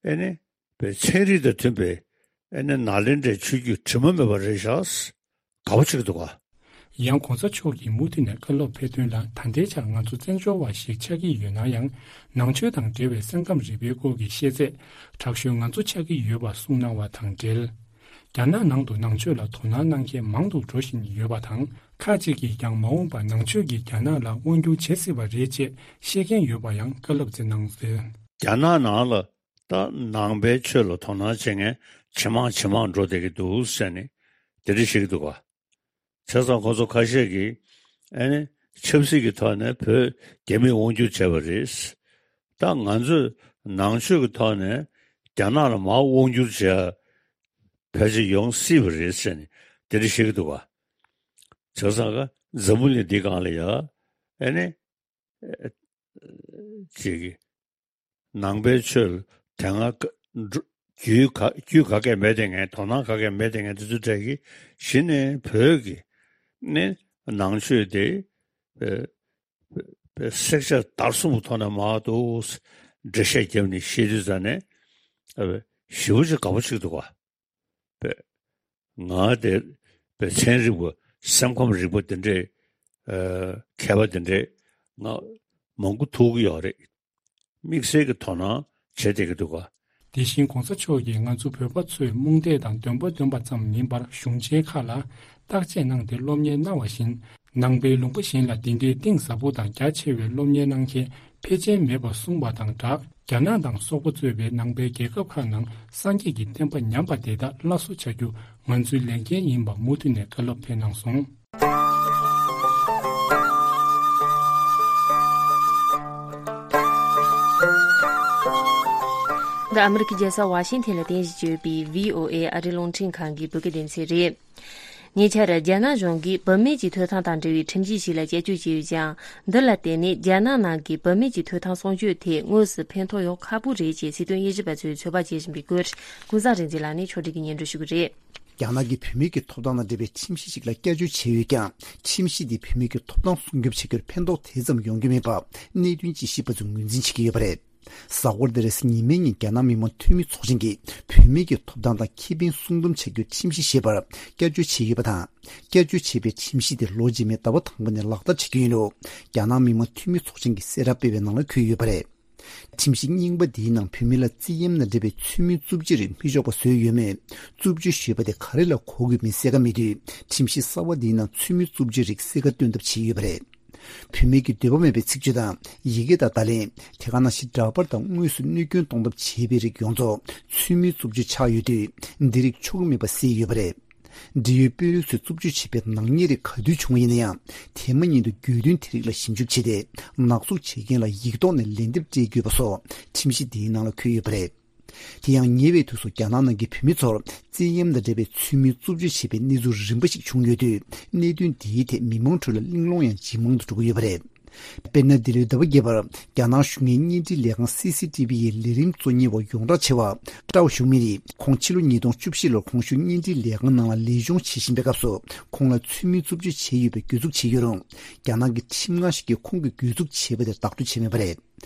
ཨེ་ནི། པའི་ཚན་རིག་དང་མཐུན་པའི་ཨེ་ནི་ནཱ་ལེནྡྲའི་ཆོས་བརྒྱུད་དྲི་མ་མེད་པ་རེད་ཤག་དགའ་པོ་བྱེད་ཀྱི་འདུག་ག་ཡང་གོང་ས་མཆོག་གིས་མུ་མཐུད་ནས་བཀའ་སློབ་ཕེབས་དོན་ལ། ད་ལྟའི་ཆར་ང་ཚོ་བཙན་བྱོལ་བ་ཞིག་ཆགས་ཀྱི་ཡོད་ན་ཡང་། ནང་ཆོས་དང་འབྲེལ་བའི་ས་ཁམས་རིག་པའི་སྐོར་གྱི་ཤེས་ཚད་དྲག་ཤོས་ང་ཚོ་ཆགས་ཀྱི་ཡོད་པ་གསུངས་གནང་བ་དང་འབྲེལ། རྒྱ་ནག་ནང་དུ་ནང་ཆོས་ལ་དོ་སྣང་གནང་མཁན་མང་དུ་འགྲོ་བཞིན་ཡོད་པ་དང་། ཁག་ཅིག་གིས་ཀྱང་མ་འོངས་པར་ནང་ཆོས་ཀྱིས་རྒྱ་ནག་ལ་དབང་བསྒྱུར་བྱེད་སྲིད་པ་རེད་ཅེས་བཤད་མཁན་ཡོད་པ་ཡང་བཀའ་སློབ་སྩལ་གནང་ཟེར། རྒྱ་ནག་ནང་ལ་ད་ནང་པའི་ཆོས་ལ་དོ་སྣང་བྱེད་མཁན་ཇེ་མང་ཇེ་མང་འགྲོ་བསྡད་ཀྱི་འདུག་ཟེར་ནས་དེ་འདྲ་བཤད་ཀྱི་འདུག་ག་བྱས་ཙང་ཁོ་ཚོ་ཁ་ཤས་ཀྱིས་ཨེ་ནི་ཆབ་སྲིད་ཀྱི་ཐོག་ནས་བོད་རྒྱ་མིས་དབང་བསྒྱུར་བྱས་པ་རེད། ད་ང་ཚོས་ནང་ཆོས་ཀྱི་ཐོག་ནས་རྒྱ་ནག་ལ་མར་དབང་བསྒྱུར་བྱས་ཕལ་ཆེར་ཡོང་སྲིད་པ་རེད་ཟེར་ནས་དེ་འདྲ་བཤད་ཀྱི་འདུག་ག་བྱས་ཙང་ཀ་འཛམ་བུ་གླིང་འདི་སྒང་ལ་ཡ་ཨེ་ནི་ཅིག་གི་ནང་པའི་ཆོས་ལ་དེ་སྔ་ཀ་འགྲོ་རྒྱུས་ག་རྒྱུས་ག་གས་མེད་དེ་ངས་དོ་སྣང་ག་གས་མེད་དེ་ངས་དེ་ཚོ་གྲས་ཀྱིས་གཞི་ནས་བོད་ཀྱི་ནི་ ནང་ཆོས་དེ་བསྲེག་བཅད་བརྡར་གསུམ་གྱི་ཐོག་ནས་མར་དུ་འགྲེལ་བཤད་བརྒྱབ་ནས་བཤད་དུས་ཙ་ནས་ཞེ་པོ་ཅིག་དགའ་པོ་ཅིག་འདུག་ག། པས། ང་དེ་པས་ཚན་རིག་པ་སེམས་ཁམས་རིག་པ་དེ་འདྲས་མཁས་པ་དེ་འདྲས་ང་མང་པོ་ཐུག་གི་ཡོད་རེད། དམིགས་བསལ་གྱི་དོ་སྣང་བྱེད་བསྡད་ཀྱི་འདུག་ག། དེ་བཞིན་གོང་ས་མཆོག་གིས་ང་ཚོ་བོད་པ་ཚོས་རྨོངས་དད་དང་འདོན་པ་འདོན་པ་ཙམ་མིན་པར་གཞུང་ཆེན་ཁག་ལ་བརྟག་དཔྱད་གནང་སྟེ་སློབ་གཉེར་གནང་བ་བཞིན། ནང་པའི་ལུང་པ་གཞན་ལ་འདི་འདྲའི་གཏིང་ཟབ་པོ་དང་རྒྱ་ཆེ་བའི་སློབ་གཉེར་གནང་མཁན་ཕལ་ཆེར་མེད་པར་གསུངས་པ་དང་སྦྲགས། རྒྱ་ནག་དང་སོག་པོ་གཙོས་པའི་ནང་པའི་རྒྱལ་ཁབ་ཁག་ནང་སངས་རྒྱས་ཀྱི་བསྟན་པ་ཉམས་པ་དེ་དག་སླར་གསོ་བྱ་རྒྱུ་ང་ཚོའི་ལས་འགན་ཡིན་པ་མུ་མཐུད་ནས་བཀའ་སློབ་ཕེབས་གནང་སོང་། འདི་ཨ་མི་རི་ཀའི་རྒྱལ་ས་ཝ་ཤིང་ཐན་ལ་རྟེན་གཞི་བྱས་ཡོད་པའི་བྷི་ཨོ་ཨེ་ཨ་རིའི་རླུང་འཕྲིན་ཁང་གི་བོད་སྐད་སྡེ་ཚན་རེད། ཉེ་ཆར་རྒྱ་ནག་གཞུང་གིས་བུད་མེད་ཀྱི་ཐོབ་ཐང་དང་འབྲེལ་བའི་ཁྲིམས་གཞི་ཞིག་ལ་བསྐྱར་བཅོས་བྱས་ཡོད་ཅིང་། འདི་ལ་བརྟེན་ནས་རྒྱ་ནག་ནང་གི་བུད་མེད་ཀྱི་ཐོབ་ཐང་སྲུང་སྐྱོབ་ཐད་དངོས་སུ་ཕན་ཐོགས་ཡོང་ཁག་པོ་རེད་ཅེས་སྲིད་དོན་དབྱེ་ཞིབ་པ་ཚོས་ཚོད་དཔག་བྱེད་བཞིན་པའི་སྐོར། ཀུན་བཟང་རིག་འཛིན་ལགས་ནས་ཕྱོགས་སྒྲིག་གིས་སྙན་སྒྲོན་ཞུ་གི་རེད། རྒྱ་ནག་གིས་བུད་མེད་ཀྱི་ཐོབ་ཐང་དང་འབྲེལ་བའི་ཁྲིམས་གཞི་ཞིག་ལ་བསྐྱར་བཅོས་བྱས་ཡོད་ཀྱང་། ཁྲིམས་གཞི་དེས་བུད་མེད་ཀྱི་ཐོབ་ཐང་སྲུང་སྐྱོབ་བྱེད་རྒྱུར་ཕན་ཐོགས་དེ་ཙམ་ཡོང་གི་མེད་པ་གནད་དོན་དཔྱད་ཞིབ་པ་ཚོས་ངོས་འཛིན་བྱེད་ཀྱི་ཡོད་པ་རེད། གཟའ་འཁོར་འདིར་ཉི་མའི་ཉིན་རྒྱ་ནག་མི་དམངས་འཐུས་མི་ཚོགས་ཆེན་གྱིས་བུད་མེད་ཀྱི་ཐོབ་ཐང་དང་ཁེ་ཕན་སྲུང་སྡོམ་བྱ་རྒྱུའི་ཁྲིམས་གཞི་ཞེས་པར་བསྐྱར་བཅོས་བྱས་ཡོད་པ་དང་། བསྐྱར་བཅོས་བྱས་པའི་ཁྲིམས་གཞི་དེ་ལོ་རྗེས་མའི་ཟླ་བ་དང་པོ་ནས་ལག་བསྟར་བྱེད་རྒྱུ་ཡིན་ལུགས་རྒྱ་ནག་མི་དམངས་འཐུས་མི་ཚོགས་ཆེན་གྱིས་གསལ་བསྒྲགས་སྤེལ་བའི་ནང་ལ་འཁོད་ཡོད་པ་རེད། ཁྲིམས་གཞི་རྙིང་པ་འདིའི་ནང་བུད་མེད་ལ་བཙན་གཡེམ་དང་འབྲེལ་བའི་ཚུལ་མིན་རྩུབ་སྤྱོད་རིགས་མི་ཆོག་པ་བཟོས་ཡོད་མེད། རྩུབ་སྤྱོད་ཞེས་པ་དེ་ག་རེ་ལ་གོ་དགོས་མིན་གསལ་ཁ་མེད་དུས། ཁྲིམས་གཞི་གསར་བ་འདིའི་ནང་ཚུལ་མིན་རྩུབ་སྤྱོད་རིགས་གསལ་ཁ་སྟོན་ཐབས་བྱས་ཡོད་པ་རེད། བུད་མེད་ཀྱི་འདོད་པ་མེད་པའི་ཚིག་བརྗོད་དང་ཡི་གེ་དང་བརྡ་ལན། དེ་ག་ནང་བཞིན་འདྲ་པར་དང་དངོས་སུ་གནོད་སྐྱོན་གཏོང་ཐབས་བྱེད་པའི་རིགས་ཡོངས་རྫོགས་ཚུལ་མིན་རྩུབ་སྤྱོད་ཆགས་ཡོད་དུས། འདི་རིགས་ཆོག་གི་མེད་པ་གསལ་ཡོད་པ་རེད། འབྲེལ་ཡོད་དཔོན་རིགས་ཚོས་རྩུབ་སྤྱོད་བྱེད་པའི་ནག་ཉེས་རིགས་ག་དུས་བྱུང་བ་ཡིན་ན་ཡང་། དེ་མ་ཉིད་དུ་དགོས་འདུན་དེ་རིགས་ལ་ཞིབ་འཇུག་བྱས་ཏེ། ནག་འཛུགས་བྱེད་མཁན་ལ་ཡིག་ཐོག་ནས་ལན་འདེབས་སྤྲད་དགོས་པ་སོགས་ཁྲིམས་གཞི་འདིའི་ནང་ལ་འཁོད་ཡོད་པ་རེད། དེ་ཡང་ཉེ་བའི་དུས་སུ་རྒྱ་ནག་ནང་གི་བུད་མེད་ཚོར་བཙན་གཡེམ་དང་འབྲེལ་བའི་ཚུལ་མིན་རྩུབ་སྤྱོད་བྱེད་པའི་གནས་ཚུལ་རིམ་པ་ཞིག་བྱུང་ཡོད་དུས། གནད་དོན་འདིའི་ཐད་མི་མང་ཁྲོད་ལ་གླེང་སློང་ཡང་ཇེ་མང་དུ་འགྲོ་གི་ཡོད་པ་རེད། དཔེར་ན། འདི་ལོའི་ཟླ་བ་བརྒྱད་པར་རྒྱ་ནག་གཞུང་གཉེར་བརྙན་འཕྲིན་ལས་ཁང་སི་སི་ཏི་བི་ཡི་ལས་རིམ་གཙོ་གཉེར་བ་ཡོངས་གྲགས་ཆེ་བ་ཀྲའོ་ཞུང་མིན་ཡིས། ཁོང་ཕྱི་ལོ་ཉིས་སྟོང་བཅུ་བཞི་ལོར་གོང་ཞུས་བརྙན་འཕྲིན་ལས་ཁང་ནང་ལ་ལས་སྦྱོང་བྱེད་བཞིན་པའི་སྐབས་སུ། ཁོང་ལ་ཚུལ་མིན་རྩུབ་སྤྱོད་བྱས་ཡོད་པའི་གྱོད་འཛུགས་བྱས་ཡོད་རུང་། རྒྱ་ནག་གི་ཁྲིམས་ཁང་ཞིག་གིས་ཁོང་གི་གྱོད་འཛུགས་བྱས་པ་དེ་བདག་སྤྲོད་བྱས་མེད་པ་རེད།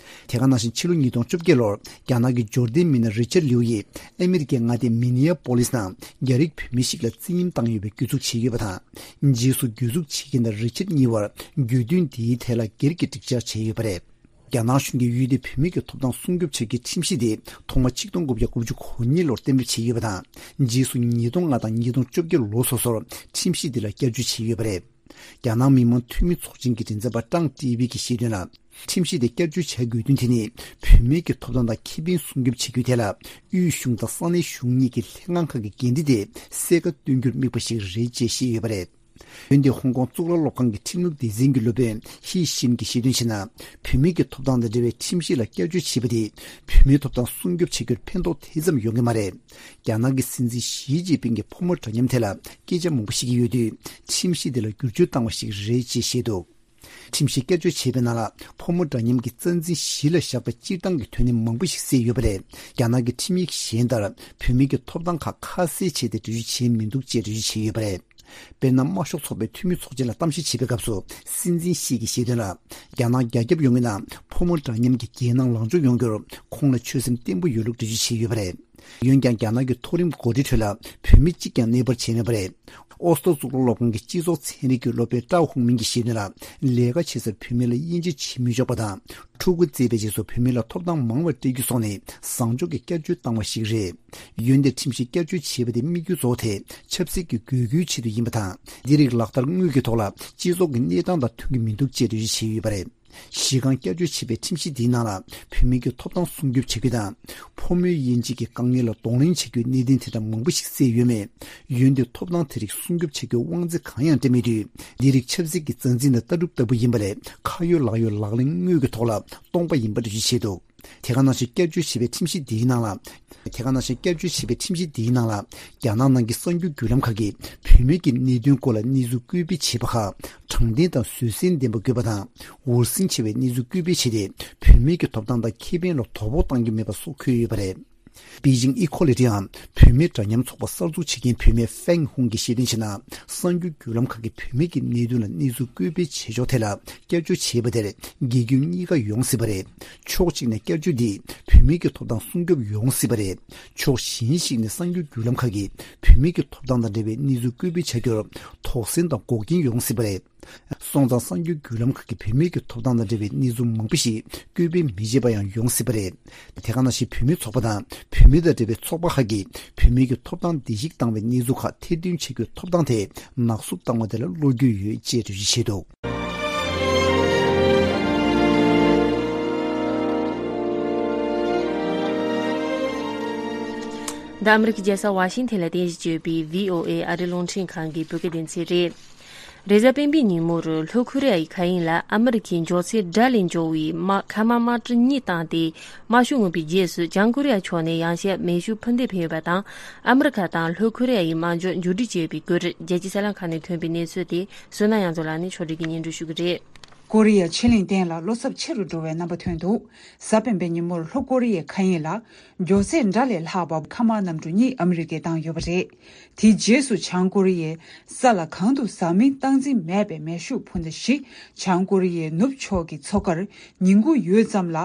དེ་ག་ནང་བཞིན་ཕྱི་ལོ་ཉིས་སྟོང་བཅོ་བརྒྱད་ལོར་རྒྱ་ནག་གི་འབྱོར་ལྡན་མི་སྣ་རི་ཅར་ལིའུ་ཡིས་ཨ་མི་རི་ཀའི་མངའ་སྡེ་མི་ནི་ཡ་པོ་ལིས་ནང་རྒྱ་རིགས་བུད་མེད་ཞིག་ལ་བཙན་གཡེམ་བཏང་ཡོད་པའི་གྱོད་འཛུགས་བྱས་ཡོད་པ་དང་། རྗེས་སུ་གྱོད་འཛུགས་བྱེད་མཁན་དང་རི་ཅར་གཉིས་བར་གྱོད་དོན་འདིའི་ཐད་ལ་སྒེར་གྱི་འགྲིག་འཆར་བྱས་ཡོད་པ་རེད། རྒྱ་ནག་གཞུང་གིས་ཡུལ་དེའི་བུད་མེད་ཀྱི་ཐོབ་ཐང་སྲུང་སྐྱོབ་བྱ་རྒྱུའི་ཁྲིམས་གཞི་དེ་ཐོག་མ་ཆིག་སྟོང་དགུ་བརྒྱ་དགུ་བཅུ་གོ་གཉིས་ལོར་གཏན་འབེབས་བྱས་ཡོད་པ་དང་། རྗེས་སུ་ཉིས་སྟོང་ལྔ་དང་ཉིས་སྟོང་བཅོ་བརྒྱད་ལོ་སོ་སོར་ཁྲིམས་གཞི་འདི་ལ་བསྐྱར་བཅོས་བྱས་ཡོད་པ་རེད། རྒྱ་ནག་མི་དམངས་འཐུས་མི་ཚོགས་ཆེན་གྱི་མགྲིན་ཚབ་པ་ཀྲང་ཀྲི་བི་གིས་བཤད་དོན་ལ། ཁྲིམས་གཞི་དེ་བསྐྱར་བཅོས་བྱ་དགོས་དོན་དེ་ནི། བུད་མེད་ཀྱི་ཐོབ་ཐང་དང་ཁེ་ཕན་སྲུང་སྐྱོབ་བྱེད་རྒྱུའི་ཐད་ལ། དབུས་གཞུང་དང་ས་གནས་གཞུང་གཉིས་ཀྱི་ལྷན་ཁང་ཁག་གི་འགན་འཁྲི་དེ་གསལ་ཁ་སྟོན་རྒྱུར་དམིགས་པ་ཞིག་རེད་ཅེས་བཤད་ཡོད་པ་རེད། འོན་ཏེ། ཧོང་ཀོང་གཙུག་ལག་སློབ་ཁང་གི་ཁྲིམས་ལུགས་སྡེ་ཚན་གྱི་སློབ་དཔོན་ཧི་ཤིན་གྱིས་བཤད་དོན་བྱས་ན། བུད་མེད་ཀྱི་ཐོབ་ཐང་དང་འབྲེལ་བའི་ཁྲིམས་གཞི་ལ་བསྐྱར་བཅོས་བྱས་པ་དེས། བུད་མེད་ཐོབ་ཐང་སྲུང་སྐྱོབ་བྱེད་རྒྱུར་ཕན་ཐོགས་དེ་ཙམ་ཡོང་གི་མ་རེད། རྒྱ་ནག་གི་སྲིད་འཛིན་ཞི་ཅིན་ཕིང་གིས་ཕོ་མོ་འདྲ་མཉམ་ཐད་ལ་སྐད་ཆ་མང་པོ་བཤད་ཀྱི་ཡོད་དུས། ཁྲིམས་གཞི་འདི་ལ་བསྒྱུར་བཅོས་བཏང་བ་ཞིག་རེད་ཅེས་བཤད་འདུག། ཁྲིམས་གཞི་བསྐྱར་བཅོས་བྱས་པའི་ནང་ལ། ཕོ་མོ་འདྲ་མཉམ་གྱི་རྩ་འཛིན་གཞི་ལ་བཞག་པའི་སྤྱིར་བཏང་གི་དོན་ནི་མང་པོ་ཞིག་གསལ་ཡོད་པ་རེད། རྒྱ་ནག་གི་ཁྲིམས་ཡིག་གཞན་ལྟར། བུད་མེད་ཀྱི་ཐོབ་ཐང་ཁག་ཁ་གསལ་བྱས་ཏེ་འགྲེལ་བརྗོད་བྱས་མི་འདུག་ཅེས་འགྲེལ་བརྗོད་བྱས་ཡོད་པ་རེད། དཔེར་ན། དམར་ཤོག་ཚོགས་པའི་འཐུས་མི་ཚོགས་ཆེན་ལ་གཏམ་བཤད་བྱེད་པའི་སྐབས་སུ། སྲིད་འཛིན་ཞི་གིས་བཤད་དོན་ལ། རྒྱ་ནག་རྒྱ་ཁྱབ་ཡོངས་ཀྱི་ནང་ཕོ་མོ་འདྲ་མཉམ་གྱི་རྒྱལ་ནང་ལངས་ཕྱོགས་ཡོང་རྒྱུར། ཁོང་ལ་ཆོད་སེམས་བརྟན་པོ་ཡོད་ལུགས་འགྲེལ་བརྗོད་བྱས་ཡོད་པ་རེད། འོན་ཀྱང་། རྒྱ་ནག་གི་མཐོ་རིམ་འགོ་ཁྲིད་ཁྲོད་ལ་བུད་མེད་གཅིག་ཀྱང་གནས་སྤར་བྱས་མེད་པ་རེད། ཨོ་སྟོད་གཙུག་ལག་སློབ་ཁང་གི་སྤྱི་ཚོགས་ཚན་རིག་གི་སློབ་དཔོན་ཀྲའོ་ཧུང་མིན་གྱིས་བཤད་དོན་ལ། ལས་ཀ་བྱེད་སར་བུད་མེད་ལ་དབྱེ་འབྱེད་བྱེད་མི་ཆོག་པ་དང་། ཕྲུ་གུ་བཙས་པའི་རྗེས་སུ་བུད་མེད་ལ་ཐོབ་ཐང་མང་བ་སྤྲད་རྒྱུ་སོགས་ནི་བཟང་ཕྱོགས་ཀྱི་བསྐྱར་བཅོས་བཏང་བ་ཞིག་རེད། འོན་ཏེ། ཁྲིམས་གཞི་བསྐྱར་བཅོས་བྱས་པ་དེ་དམིགས་ཡུལ་གཙོ་བོ་དེ་ཆབ་སྲིད་ཀྱི་དགོས་མཁོའི་ཆེད་དུ་ཡིན་པ་དང་། འདི་རིགས་ལག་བསྟར་དངོས་ཀྱི་ཐོག་ལ་སྤྱི་ཚོགས་ཀྱི་གནས་སྟངས་དང་མཐུན་གྱི་མི་འདུག་ཅེས་འགྲེལ་བརྗོད་བྱས་ཡོད་པ་རེད། གཞི་རྐང་བསྐྱར་བཅོས་བྱས་པའི་ཁྲིམས་གཞི་འདིའི་ནང་ལ། བུད་མེད་ཀྱི་ཐོབ་ཐང་སྲུང་སྐྱོབ་བྱ་རྒྱུ་དང་། ཕོ་མོའི་དབྱེ་འབྱེད་ཀྱི་དཀའ་ངལ་ལ་གདོང་ལེན་བྱ་རྒྱུའི་གནད་དོན་དེ་འདྲ་མང་པོ་ཞིག་གསལ་ཡོད་མེད། འོན་ཏེ། ཐོབ་ཐང་དེ་རིགས་སྲུང་སྐྱོབ་བྱ་རྒྱུའི་དབང་ཚད་གང་ཡང་སྤྲད་མེད་དུས། འདི་རིགས་ཆབ་སྲིད་ཀྱི་རྩ་འཛིན་དང་ལྟ་གྲུབ་ལྟ་བུ་ཡིན་པ་ལས། ཁ་ཡོད་ལག་ཡོད་ལག་ལེན་དངོས་ཀྱི་ཐོག་ལ་སྟོང་པ་ཡིན་པ་འགྲེལ་བརྗོད་བྱས་འདུག། དེ་ག་ནང་བཞིན། བསྐྱར་བཅོས་བྱས་པའི་ཁྲིམས་གཞི་འདིའི་ནང་ལ། དེ་ག་ནང་བཞིན། བསྐྱར་བཅོས་བྱས་པའི་ཁྲིམས་གཞི་འདིའི་ནང་ལ། རྒྱ་ནག་ནང་གི་གསར་འགྱུར་བརྒྱུད་ལམ་ཁག་གིས་བུད་མེད་ཀྱི་གནད་དོན་སྐོར་ལ་གནས་ཚུལ་སྐུལ་སྤེལ་བྱེད་པ་ཁག་དྲང་བདེན་དང་བཟོད་བསྲན་ལྡན་པ་དགོས་པ་དང་། འུར་ཟིང་ཆེ་བའི་གནས་ཚུལ་སྐུལ་སྤེལ་བྱས་ཏེ། བུད་མེད་ཀྱི་ཐོབ་ཐང་དང་ཁེ་ཕན་ལ་དོ་ཕོག་གཏང་རྒྱུ་མེད་པ་སོགས་འཁོད་ཡོད་པ་རེད། པེ་ཅིང་ཨི་ཁོ་ལི་ཊི་ཨམ་བུད་མེད་འདྲ་མཉམ་ཚོགས་པ་གསར་འཛུགས་བྱེད་མཁན་བུད་མེད་ཧྥེང་ཧུང་གིས་བཤད་དོན་བྱས་ན། གསར་འགྱུར་བརྒྱུད་ལམ་ཁག་གིས་བུད་མེད་ཀྱི་གནད་དོན་ལ་གནས་ཚུལ་བཀོད་སྤེལ་བྱེད་ཕྱོགས་ཐད་ལ་བསྐྱར་བཅོས་བྱས་པ་དེར་དགེ་སྐྱོན་གཉིས་ཀ་ཡོང་སྲིད་པ་རེད། ཕྱོགས་གཅིག་ནས་བསྐྱར་བཅོས་འདིས་བུད་མེད་ཀྱི་ཐོབ་ཐང་སྲུང་སྐྱོབ་ཡོང་སྲིད་པ་རེད། ཕྱོགས་གཞན་ཞིག་ནས་གསར་འགྱུར་བརྒྱུད་ལམ་ཁག་གིས་བུད་མེད་ཀྱི་ཐོབ་ཐང་དང་འབྲེལ་བའི་གནས་ཚུལ་བཀོད་སྤེལ་བྱ་རྒྱུར་དོགས་ཟོན་དང་འགོག་རྐྱེན་ཡོང་སྲིད་པ་རེད། སོང་ཙང་གསར་འགྱུར་བརྒྱུད་ལམ་ཁག་གིས་བུད་མེད་ཀྱི་ཐོབ་ཐང་དང་འབྲེལ་བའི་གནས་ཚུལ་མང་པོ་ཞིག་བཀོད་སྤེལ་མི་བྱེད་པ་ཡང་ཡོང་སྲིད་པ་རེད། དེ་ག་ནང་བཞིན་བུད་མེད་ཚོགས་པ་དང་བུད་མེད་དང་འབྲེལ་བའི་ཚོགས་པ་ཁག་གིས་བུད་མེད་ཀྱི་ཐོབ་ཐང་བརྡལ་བཤིག་བཏང་བའི་གནས་ཚུལ་ཁག་ཐེར་འདོན་བྱེད་རྒྱུའི་ཐོབ་ཐང་དེ་ནག་བསུབ་བཏང་བ་དེ་ལ་བློ་འགྱོད་ཡོད་ཅེས་འགྲེལ་བརྗོད་བྱས་འདུག་འདི་ཨ་མི་རི་ཀའི་རྒྱལ་ས་ཝ་ཤིང་ཐན་ལ་རྟེན་གཞི་བྱས་ཡོད་པའི་བྷི་ཨོ་ཨེ་ཨ་རིའི་རླུང་འཕྲིན་ཁང་གི་བོད་སྐད་སྡེ་ཚན་རེད། རེས་གཟའ་སྤེན་པའི་ཉིན་མོར་ལྷོ་ཁོ་རེ་ཡའི་མཁའ་དབྱིངས་ལ་ཨ་མི་རི་ཁའི་མགྱོགས་ཚད་སྒྲ་ལས་མགྱོགས་པའི་དམག་མཁའ་དམག་དམག་གྲུ་གཉིས་བཏང་སྟེ། དམག་ཤུགས་མངོན་པའི་རྗེས་སུ་བྱང་ཀོ་རི་ཡ་ཕྱོགས་ནས་ཡང་བསྐྱར་མེ་ཤུགས་འཕུར་མདེལ་འཕེན་ཡོད་པ་དང་། ཨ་མི་རི་ཁ་དང་ལྷོ་ཁོ་རེ་ཡའི་དམག་འཇོག་མཇུག་སྒྲིལ་བྱས་ཡོད་པའི་སྐོར། རྒྱལ་སྤྱིའི་གསར་ལམ་ཁག་ནས་ཐོན་པའི་གནས་ཚུལ་དེ་བསོད་ནམས་དབྱངས་མཚོ་ལགས་ནས་ཕྱོགས་སྒྲིག་གིས་སྙན་སྒྲོན་ཞུ་གི་རེད། ཀོ་རི་ཡ་ཕྱེད་གླིང་སྟེང་ལ་བློ་འཚབ་ཆེ་རུ་འགྲོ་བའི་རྣམ་པ་ཐོན་འདུག་གཟའ་སྤེན་པའི་ཉིན་མོར་ལྷོ་ཀོ་རི་ཡའི་མཁའ་དབྱིངས་ལ་མགྱོགས་ཚད་སྒྲ་ལས་ལྷག་པ་མཁའ་དམག་གནམ་གྲུ་གཉིས་ཨ་མི་རི་ཀས་བཏང་ཡོད་པ་རེད། དེའི་རྗེས་སུ་བྱང་ཀོ་རི་ཡས་ས་ལ་གང་དུ་ཟག་མེད་སྟངས་འཛིན་མེད་པའི་མེ་ཤུགས་འཕུར་མདའ་བཞི་བྱང་ཀོ་རི་ཡའི་ནུབ་ཕྱོགས་ཀྱི་མཚོ་ཁར་ཉིན་གུང་ཡོལ་ཙམ་ལ་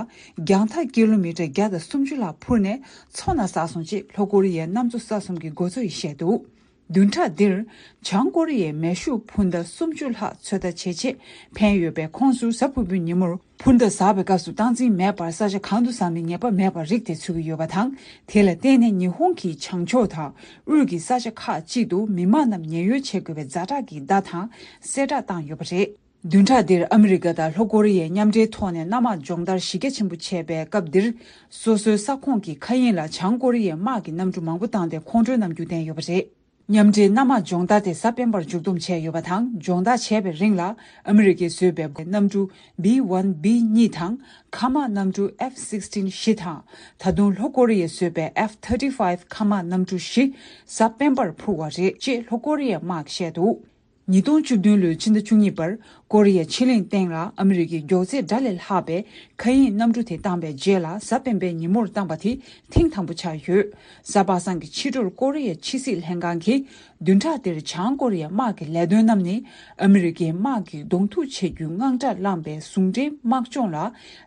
རྒྱང་ཐག་ཀི་ལོ་མི་ཊར་བརྒྱ་དང་སུམ་ཅུ་ལྷག་འཕུར་ནས་མཚོ་ནང་ཟགས་སོང་ཅེས་ལྷོ་ཀོ་རི་ཡའི་གནམ་མཚོ་ས་གསུམ་གྱི་འགོ་གཙོ་ཡིས་བཤད་འདུག་བདུན་ཕྲག་འདིར་བྱང་ཀོ་རི་ཡས་མེ་ཤུགས་འཕུར་མདའ་སུམ་ཅུ་ལྷག་ཚོད་ལྟ་བྱེད་ཆེད་འཕེན་ཡོད་པའི་ཁོངས་སུ་གཟའ་ཕུར་བུའི་ཉིན་མོར་འཕུར་མདའ་ཟགས་པའི་སྐབས་སུ་སྟངས་འཛིན་མེད་པར་ས་ཆ་གང་དུ་ཟག་མེད་ངེས་པ་མེད་པར་རིགས་དེ་ཚུད་ཀྱི་ཡོད་པ་དང་། དེ་ལ་བརྟེན་ནས་ཉི་ཧོང་གི་བྱང་ཕྱོགས་དང་དབུས་ཀྱི་ས་ཆ་ཁག་ཅིག་ཏུ་མི་མང་རྣམས་ཉེན་གཡོལ་བྱེད་དགོས་པའི་ཛ་དྲག་གི་བརྡ་དང་གསལ་བསྒྲགས་བཏང་ཡོད་པ་རེད། བདུན་ཕྲག་འདིར་ཨ་མི་རི་ཀ་དང་ལྷོ་ཀོ་རི་ཡས་མཉམ་འབྲེལ་ཐོག་ནས་གནམ་དམག་སྦྱོང་བརྡར་གཞི་རྒྱ་ཆེན་པོ་བྱས་པའི་སྐབས་འདིར། སོ་སོའི་ས་ཁོངས་ཀྱི་མཁའ་དབྱིངས་ལ་བྱང་ཀོ་རི་ཡའི་དམག་གི་གནམ་གྲུ་མང་པོ་བཏང་སྟེ་ཁོང་ཁྲོའི་རྣམ་འགྱུར་བསྟན་ཡོད་པ་རེད། མཉམ་འབྲེལ་གནམ་དམག་སྦྱོང་བརྡར་དེ་གཟའ་སྤེན་པར་མཇུག་བསྡོམས་བྱས་ཡོད་པ་དང་། སྦྱོང་བརྡར་བྱས་པའི་རིང་ལ་ཨ་མི་རི་ཀས་བཟོས་པའི་གནམ་གྲུ་B one B གཉིས་དང་། མཁའ་དམག་གནམ་གྲུ་F sixteen བཞི་དང་། ད་དུང་ལྷོ་ཀོ་རི་ཡས་བཟོས་པའི་F thirty five མཁའ་དམག་གནམ་གྲུ་བཞི་གཟའ་སྤེན་པར་འཕུར་བ་རེད་ཅེས་ལྷོ་ཀོ་རི་ཡའི་དམག་གིས་བཤད་འདུག་ཉིས་སྟོང་བཅུ་བདུན་ལོའི་ཕྱི་ཟླ་བཅུ་གཉིས་པར་ཀོ་རི་ཡ་ཕྱེད་གླིང་སྟེང་ལ་ཨ་མི་རི་ཀའི་མགྱོགས་ཚད་སྒྲ་ལས་ལྷག་པའི་མཁའ་དབྱིངས་གནམ་གྲུ་དེ་བཏང་པའི་རྗེས་ལ་གཟའ་སྤེན་པའི་ཉིན་མོར་བཏང་པ་དེ་ཐེངས་དང་པོ་ཆགས་ཡོད། གཟའ་པ་སངས་ཀྱི་ཕྱི་དྲོར་ཀོ་རི་ཡ་ཕྱི་སྲིད་ལྷན་ཁང་གིས་བདུན་ཕྲག་འདིར་བྱང་ཀོ་རི་ཡའི་དམག་གི་ལས་དོན་རྣམས་ནི་ཨ་མི་རི་ཀའི་དམག་གི་གདོང་ཐུག་བྱེད་རྒྱུའི་དངངས་སྐྲག་བསླངས་པའི་ཟུང་འབྲེལ་དམག་སྦྱོང་ལ་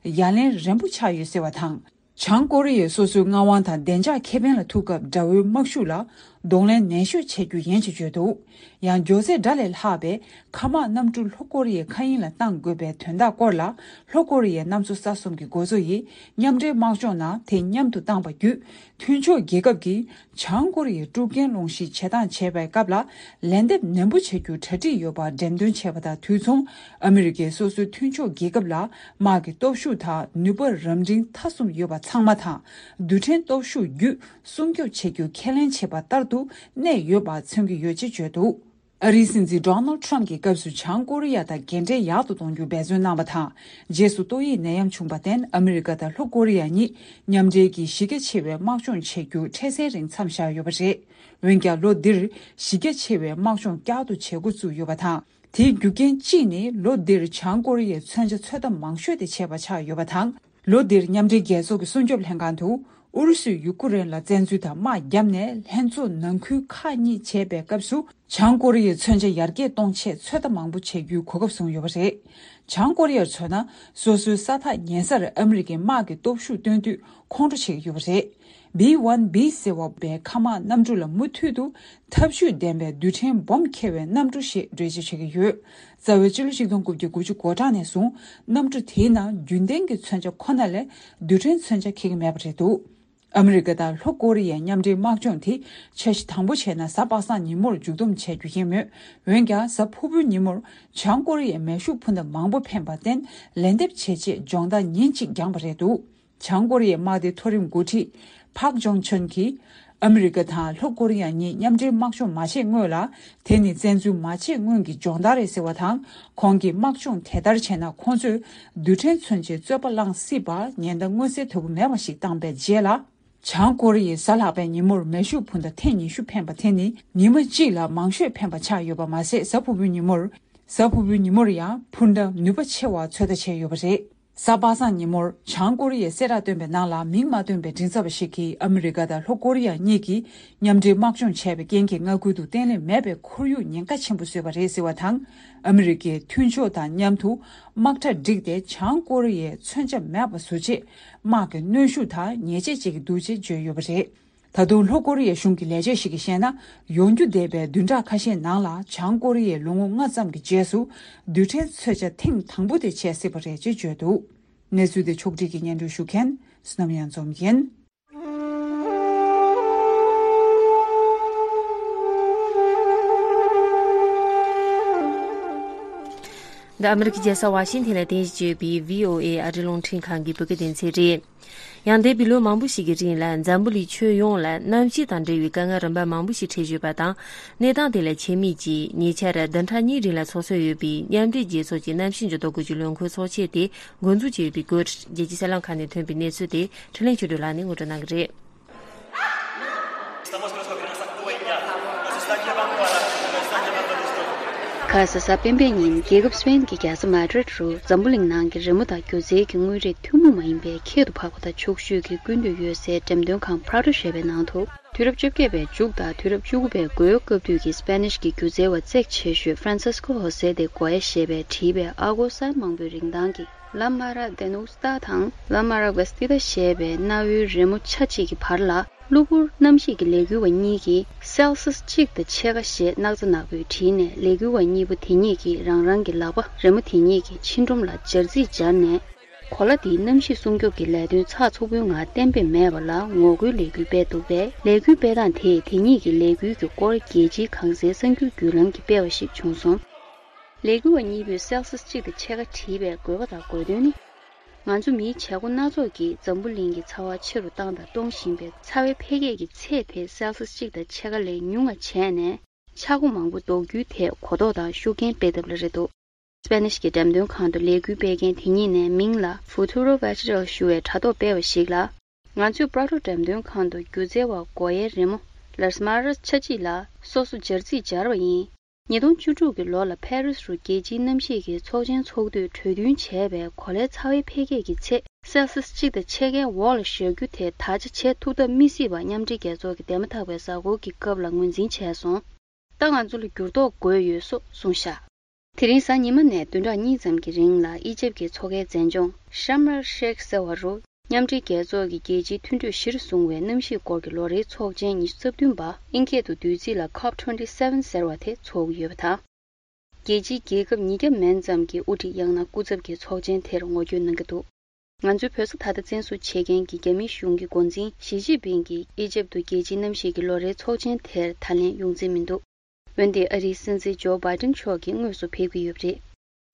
ཡ་ལན་རན་པོ་ཆགས་ཡོད་ཟེར་བ་དང་། བྱང་ཀོ་རི་ཡས་སོ་སོའི་མངའ་དབང་དང་བདེ་འཇགས་ཁེ་ཕན་ལ་ཐུག་སྐབས་དགྲ་བོའི་དམག་ཤུགས་ལ་གདོང་ལེན་ནན་ཤོས་བྱེད་རྒྱུ་ཡིན་ཞེས་བརྗོད་འདུག་ཡང་མགྱོགས་ཚད་སྒྲ་ལས་ལྷག་པའི་མཁའ་དམག་གནམ་གྲུ་ལྷོ་ཀོ་རི་ཡའི་མཁའ་དབྱིངས་ལ་བཏང་དགོས་པའི་དོན་དག་སྐོར་ལ་ལྷོ་ཀོ་རི་ཡའི་གནམ་མཚོ་ས་གསུམ་གྱི་འགོ་གཙོ་ཡིས་མཉམ་འབྲེལ་དམག་སྦྱོང་ནང་དེ་མཉམ་དུ་བཏང་པ་བརྒྱུད། མཐུན་ཕྱོགས་རྒྱལ་ཁབ་ཀྱིས་བྱང་ཀོ་རི་ཡའི་དཀྲུག་རྐྱེན་སློང་གཞིའི་བྱེད་སྟངས་བྱས་པའི་སྐབས་ལ་ལན་འདེབས་ནན་པོ་བྱ་རྒྱུར་གྲ་སྒྲིག་ཡོད་པ་འགྲེམས་སྟོན་བྱས་པ་དང་དུས་མཚུངས། ཨ་མི་རི་ཀས་སོ་སོའི་མཐུན་ཕྱོགས་རྒྱལ་ཁབ་ལ་དམག་གི་སྟོབས་ཤུགས་དང་ནུས་པ་རབ་འབྲིང་ཐ་གསུམ་ཡོད་པ་ཚང་མ་དང་། རྡུལ་ཕྲན་སྟོབས་ཤུགས་བརྒྱུད་སྲུང་སྐྱོབ་བྱེད་རྒྱུ་ཁས་ལེན་བྱས་པ་ལྟར་དུ་གནས་ཡོད་པ་མཚོན་གྱི་ཡོད་ཅེས་བརྗོད་འདུག་ཨ་རིའི་སྲིད་འཛིན་ཌོ་ནལ་ཌི་ཊརམ་ཕི་གྱི་སྐབས་སུ་བྱང་ཀོ་རི་ཡ་དང་འགན་འབྲེལ་ཡག་ཏུ་གཏོང་རྒྱུར་འབད་བརྩོན་གནང་བ་དང་། རྗེས་སུ་ཏོག་དབྱིབས་ནད་ཡམས་བྱུང་བར་བརྟེན་ཨ་མི་རི་ཀ་དང་ལྷོ་ཀོ་རི་ཡ་གཉིས་མཉམ་འབྲེལ་གྱིས་གཞི་རྒྱ་ཆེ་བའི་དམག་སྦྱོང་བྱེད་རྒྱུ་འཕྲལ་སེལ་རིང་མཚམས་བཞག་ཡོད་པ་རེད། འོན་ཀྱང་ལོ་འདིར་གཞི་རྒྱ་ཆེ་བའི་དམག་སྦྱོང་བསྐྱར་དུ་བྱེད་འགོ་བཙུགས་ཡོད་པ་དང་། དེའི་རྒྱུ་རྐྱེན་གཅིག་ནི་ལོ་འདིར་བྱང་ཀོ་རི་ཡའི་མཚོན་ཆ་ཚོད་ལྟ་མང་ཤོས་དེ་བྱས་པ་ཆགས་ཡོད་པ་དང་། ལོ་འདིར་མཉམ་འབྲེལ་རྒྱལ་ཚོགས་ཀྱི་སྲུང་སྐྱོབ་ལྷན་ཁང་དུ་ཨུ་རུ་སུས་ཡུ་ཀུ་རེན་ལ་བཙན་འཛུལ་དང་དམག་བརྒྱབ་ནས་ལྷན་ཚོགས་ནང་ཁུལ་ཁག་གཉིས་བྱས་པའི་སྐབས་སུ། བྱང་ཀོ་རི་ཡའི་མཚོན་ཆ་ཡར་རྒྱས་གཏོང་ཆེད་ཚོད་ལྟ་མང་པོ་བྱེད་རྒྱུའི་གོ་སྐབས་བཟུང་ཡོད་པ་རེད། བྱང་ཀོ་རི་ཡར་མཚོན་ན། སོ་སོའི་ས་ཐག་ཉེ་སར་ཨ་མི་རི་ཀའི་དམག་གི་སྟོབས་ཤུགས་བཏོན་དུས་ཁོང་ཁྲོ་བྱེད་ཀྱི་ཡོད་པ་རེད། B one B ཟེར་བ་བའི་མཁའ་དམག་གནམ་གྲུ་ལ་མུ་མཐུད་དུ་འཐབ་ཇུས་ལྡན་པའི་རྡུལ་ཕྲན་སྦོམ་འཁྱེར་བའི་གནམ་གྲུ་ཞེས་འགྲེལ་བརྗོད་བྱེད་ཀྱི་ཡོད། རྩ་བའི་སྤྱི་ལོ་ཆིག་སྟོང་དགུ་བརྒྱ་དགུ་བཅུ་གོ་གྲངས་ནས་བཟུང་གནམ་གྲུ་དེའི་ནང་རྒྱུན་ལྡན་གྱི་མཚོན་ཆ་ཁོ་ན་ལས་རྡུལ་ཕྲན་མཚོན་ཆ་འཁྱེར་གྱི་མེད་པ་རེད་འདུག་ཨ་མི་རི་ཀ་དང་ལྷོ་ཀོ་རི་ཡའི་མཉམ་འབྲེལ་དམག་སྦྱོང་དེ་འཆར་གཞི་དང་པོ་བྱས་ན་གཟའ་པ་སངས་ཉིན་མོར་མཇུག་བསྡོམས་བྱེད་རྒྱུ་ཡིན་མོད། འོན་ཀྱང་གཟའ་ཕུར་བུའི་ཉིན་མོར་བྱང་ཀོ་རི་ཡས་མེ་ཤུགས་འཕུར་མདའ་མང་པོ་འཕེན་པར་བརྟེན་ལན་འདེབས་བྱེད་ཆེད་སྦྱོང་བརྡར་ཉིན་གཅིག་འགྱངས་པ་རེད་འདུག་བྱང་ཀོ་རི་ཡའི་དམག་སྡེའི་མཐོ་རིམ་འགོ་ཁྲིད་ཕག་ཇོང་ཆོན་གྱིས་ཨ་མི་རི་ཀ་དང་ལྷོ་ཀོ་རི་ཡ་གཉིས་མཉམ་འབྲེལ་དམག་སྦྱོང་མ་བྱས་སྔོན་ལ། དེ་ནི་བཙན་འཛུལ་མ་བྱས་སྔོན་གྱི་སྦྱོང་བརྡར་རེད་ཟེར་བ་དང་། ཁོང་གིས་དམག་སྦྱོང་དེ་ལྟར་བྱས་ན་ཁོང་ཚོས་རྡུལ་ཕྲན་མཚོན་ཆའི་རྩོད་པ་བསླངས་སྲིད་པ་ཉེན་བརྡ་མངོན་གསལ་དོད་པོ་མེད་པ་ཞིག་བཏང་པའི་རྗེས་ལ། བྱང་ཀོ་རི་ཡས་གཟའ་ལྷག་པའི་ཉིན་མོར་མེ་ཤུགས་འཕུར་མདའ་ཐེངས་ཉི་ཤུ་འཕེན་པ་དེ་ནི་ཉི་མ་གཅིག་ལ་མང་ཤོས་འཕེན་པ་ཆགས་ཡོད་པ་མ་ཟད། གཟའ་ཕུར་བུའི་ཉིན་མོར། གཟའ་ཕུར་བུའི་ཉིན་མོར་ཡང་འཕུར་མདའ་ནུས་པ་ཆེ་བ་ཚོད་ལྟ་བྱས་ཡོད་པ་རེད། གཟའ་པ་སངས་ཉིན་མོར་བྱང་ཀོ་རི་ཡས་གསལ་བསྒྲགས་བཏོན་པའི་ནང་ལ། མིང་མ་བཏོན་པའི་མགྲིན་ཚབ་པ་ཞིག་གིས་ཨ་མི་རི་ཀ་དང་ལྷོ་ཀོ་རི་ཡ་གཉིས་ཀྱིས་མཉམ་འབྲེལ་དམག་སྦྱོང་བྱས་པའི་རྐྱེན་གྱིས། མངའ་ཁུལ་དུ་བརྟན་ལྷིང་མེད་པའི་ཁོར་ཡུག་ཉེན་ཁ་ཆེན་པོ་བཟོས་པ་རེད་ཟེར་བ་དང་། ཨ་མི་རི་ཀས་མཐུན་ཕྱོགས་དང་མཉམ་དུ་དམག་གྲ་བསྒྲིགས་ཏེ། བྱང་ཀོ་རི་ཡས་མཚོན་ཆ་མེད་པ་བཟོ་ཆེད་དམག་གི་གནོན་ཤུགས་དང་ཉེས་ཆད་བཅད་ཀྱི་འདུག་ཅེས་བརྗོད་ཡོད་པ་རེད། ད་དུང་ལྷོ་ཀོ་རི་ཡའི་གཞུང་གི་ལས་བྱེད་ཞིག་གིས་བཤད་ན། ཡོང་རྒྱུ་བསྡད་པའི་བདུན་ཕྲག་ཁ་ཤས་ནང་ལ། བྱང་ཀོ་རི་ཡས་ལོ་ངོ་ལྔ་ཙམ་གྱི་རྗེས་སུ་རྡུལ་ཕྲན་མཚོན་ཆ་ཐེངས་དང་པོ་དེ་བྱེད་སྲིད་པ་རེད་ཅེས་བརྗོད་འདུག། གནས་ཚུལ་དེ་ཕྱོགས་སྒྲིག་གིས་སྙན་སྒྲོན་ཞུ་མཁན་བསོད་ནམས་གཡང་འཛོམས་ཡིན། འདི་ཨ་མི་རི་ཀའི་རྒྱལ་ས་ཝ་ཤིང་ཐན་ལ་རྟེན་གཞི་བྱས་ཡོད་པའི་བྷི་ཨོ་ཨེ་ཨ་རིའི་རླུང་འཕྲིན་ཁང་གི་བོད་སྐད་སྡེ་ཚན་རེད། ཡང་འདས་པའི་ལོ་མང་པོ་ཞིག་གི་རིང་ལ་འཛམ་བུ་གླིང་ཁྱོན་ཡོངས་ལ་གནམ་གཤིས་དང་འབྲེལ་བའི་དཀའ་ངལ་རིམ་པ་མང་པོ་ཞིག་འཕྲད་བཞིན་པ་དང་། གནས་སྟངས་དེ་ལ་ཆེད་དམིགས་ཀྱིས་ཉེ་ཆར་བདུན་ཕྲག་གཉིས་རིང་ལ་འཚོགས་སྲོལ་ཡོད་པའི་མཉམ་འབྲེལ་རྒྱལ་ཚོགས་ཀྱི་གནམ་གཤིས་འགྱུར་ལྡོག་སྐོར་གྱི་ལས་འགུལ་ཚོགས་ཆེན་དེ་འགོ་འཛུགས་བྱས་ཡོད་པའི་སྐོར། རྒྱལ་སྤྱིའི་གསར་ལམ་ཁག་ནས་ཐོན་པའི་གནས་ཚུལ་དེ་འཕྲིན་ལས་ཆོས་སྒྲོན་ལགས་ནས་ངོ་སྤྲོད་གནང་གི་རེད། ཁ་ས་གཟའ་སྤེན་པའི་ཉིན་རྒྱལ་ཁབ་སི་པེན་གྱི་རྒྱལ་ས་མ་ཌི་རིད་རུ་འཛམ་བུ་གླིང་ནང་གི་རི་མོ་དང་སྒྱུ་རྩལ་གྱི་དངོས་རིགས་ཐུན་མོང་མ་ཡིན་པའི་ཁྱད་དུ་འཕགས་པ་དང་ཕྱོགས་བཞུགས་ཀྱི་ཀུན་འདུས་ཡོད་སའི་འགྲེམས་སྟོན་ཁང་Prado་ཞེས་པའི་ནང་དུ། དུས་རབས་བཅོ་བརྒྱད་པའི་མཇུག་དང་དུས་རབས་བཅུ་དགུ་པའི་འགོའི་སྐབས་དུས་ཀྱི་སི་པེ་ནིཤ་གི་སྒྱུ་རྩལ་བ་བརྩེགས་ཆེ་ཤོས་Francisco José de Goya་ཞེས་པས་བྲིས་པའི་ཨ་སྒོར་སའི་མང་པོའི་རིན་ཐང་གི་La Mara Venusta དང་La Mara Vestida་ཞེས་པའི་གནའ་བོའི་རི་མོ་ཆ་གཅིག་གི་བར་ལ། གློ་བུར་གནམ་གཤིས་ཀྱི་ལས་འགུལ་བ་གཉིས་ཀྱིས་སེལ་སིས་གཅིག་དང་ཕྱེད་ཀ་ཞེས་སྣག་ཚ་ནག་པོས་བྲིས་ནས། ལས་འགུལ་བ་གཉིས་པོ་དེ་གཉིས་ཀྱིས་རང་རང་གི་ལག་པ་རི་མོ་དེ་གཉིས་ཀྱི་ཕྱི་སྒྲོམ་ལ་སྦྱར་རྩིས་སྦྱར་ནས། གོ་ལ་འདིའི་གནམ་གཤིས་སྲུང་སྐྱོབ་ཀྱི་ལས་དོན་ཚགས་ཚུད་པོའི་ངང་གཏན་འབེབས་མེད་པ་ལ་ངོ་རྒོལ་ལས་འགུལ་སྤེལ་འདུག་པས། ལས་འགུལ་སྤེལ་སྟངས་དེས་དེ་གཉིས་ཀྱི་ལས་འགུལ་གྱི་སྐོར་རྒྱལ་སྤྱིའི་གང་ཟག་གསར་འགྱུར་བརྒྱུད་ལམ་གྱིས་སྤེལ་བ་ཞིག་བྱུང་སོང་། ལས་འགུལ་བ་གཉིས་པོས་སེལ་སིས་གཅིག་དང་ཕྱེད་ཀ་བྲིས་པའི་དགོས་པ་དང་དགོས་དོན་ནི། ང་ཚོ་མིའི་བྱེད་སྒོ་སྣ་ཚོགས་ཀྱིས་འཛམ་བུ་གླིང་གི་ཚ་བ་ཆེ་རུ་བཏང་དང་གཏོང་བཞིན་པའི་ཚ་བའི་འཕེལ་རྒྱས་ཀྱི་ཚད་དེ་སེལ་སིས་གཅིག་དང་ཕྱེད་ཀ་ལས་ཉུང་བ་བྱས་ནས། ཆག་སྒོ་མང་པོ་ཟློག་རྒྱུའི་ཐད་གོ་རྟོགས་དང་ཤུགས་རྐྱེན་སྤེལ་ཐབས་ལ་རེད་འདུག། སི་པེ་ནིཤ་གི་འགྲེམས་སྟོན་ཁང་དུ་ལས་འགུལ་སྤེལ་མཁན་དེ་གཉིས་ནས་མིང་ལ་Futuro Vegetal ཞུ་བའི་དྲ་ཐོག་སྤེལ་བ་ཞིག་ལ། ང་ཚོས་Prado་འགྲེམས་སྟོན་ཁང་དུ་སྒྱུ་རྩལ་བ་སྒོ་ཡའི་རི་མོ་Las Maras་ཆ་གཅིག་ལ་སོ་སོ་སྦྱར་རྩིས་སྦྱར་བ་ཡིན། ཉིས་སྟོང་བཅུ་དྲུག་གི་ལོ་ལ་ཕ་རི་སི་རུ་རྒྱལ་སྤྱིའི་གནམ་གཤིས་ཀྱི་ཚོགས་ཆེན་ཚོགས་དུས་གྲོས་མཐུན་བྱས་པའི་གོ་ལའི་ཚ་བའི་འཕེལ་རྒྱས་ཀྱི་ཚད་སེལ་སིས་གཅིག་དང་ཕྱེད་ཀའི་འོག་ལ་བཞག་རྒྱུ་དེ་ད་ཆ་བྱེད་ཐུབ་ཐབས་མི་སྲིད་པ་མཉམ་འབྲེལ་རྒྱལ་ཚོགས་ཀྱི་འདས་མ་ཐག་པའི་གཟའ་འཁོར་གྱི་སྐབས་ལ་ངོས་འཛིན་བྱས་སོང་། ད་ང་ཚོ་ལ་འགྱུར་ལྡོག་དགོས་ཡོད་སོགས་གསུངས་བཞག། དེ་རིང་གཟའ་ཉི་མ་ནས་བདུན་ཕྲག་གཉིས་ཙམ་གྱི་རིང་ལ་ཨི་ཇེབ་ཀྱི་མཚོ་ཁའི་མཛེས་ལྗོངས་Sharm el Sheikh་ཟེར་བ་རུ། མཉམ་འབྲེལ་རྒྱལ་ཚོགས་ཀྱི་རྒྱལ་སྤྱིའི་མཐུན་གྲོས་གཞིར་བཟུང་བའི་གནམ་གཤིས་སྐོར་གྱི་ལོ་རེའི་ཚོགས་ཆེན་ཉི་ཤུ་རྩ་བདུན་པ་ཨིན་སྐད་དུ་བསྡུས་ཚིག་ལ་ཀོབ་ཊུ་ཝེན་ཊི་སེ་ཝེན་ཟེར་བ་དེ་ཚོགས་ཀྱི་ཡོད་པ་དང་། རྒྱལ་སྤྱིའི་རྒྱལ་ཁབ་ཉིས་བརྒྱ་མན་ཙམ་གྱི་དབུ་ཁྲིད་ཡང་ན་སྐུ་ཚབ་ཀྱིས་ཚོགས་ཆེན་དེར་ངོ་སྤྲོད་གནང་གི་འདུག། ང་ཚོའི་བོད་ས་ད་ལྟ་བཙན་བཟུང་བྱེད་མཁན་གྱི་རྒྱ་མིའི་གཞུང་གི་འགོ་འཛིན་ཞི་ཅིན་ཕིང་གིས་ཨི་ཇེབ་ཏུ་རྒྱལ་སྤྱིའི་གནམ་གཤིས་ཀྱི་ལོ་རེའི་ཚོགས་ཆེན་དེར་ད་ལན་ཡོང་རྩིས་མི་འདུག། འོན་ཏེ་ཨ་རིའི་སྲིད་འཛིན་ཇོ་བྷའི་ཏིན་མཆོག་གིས་དངོས་སུ་ཕེབས་ཀྱི་ཡོད་པ་རེད།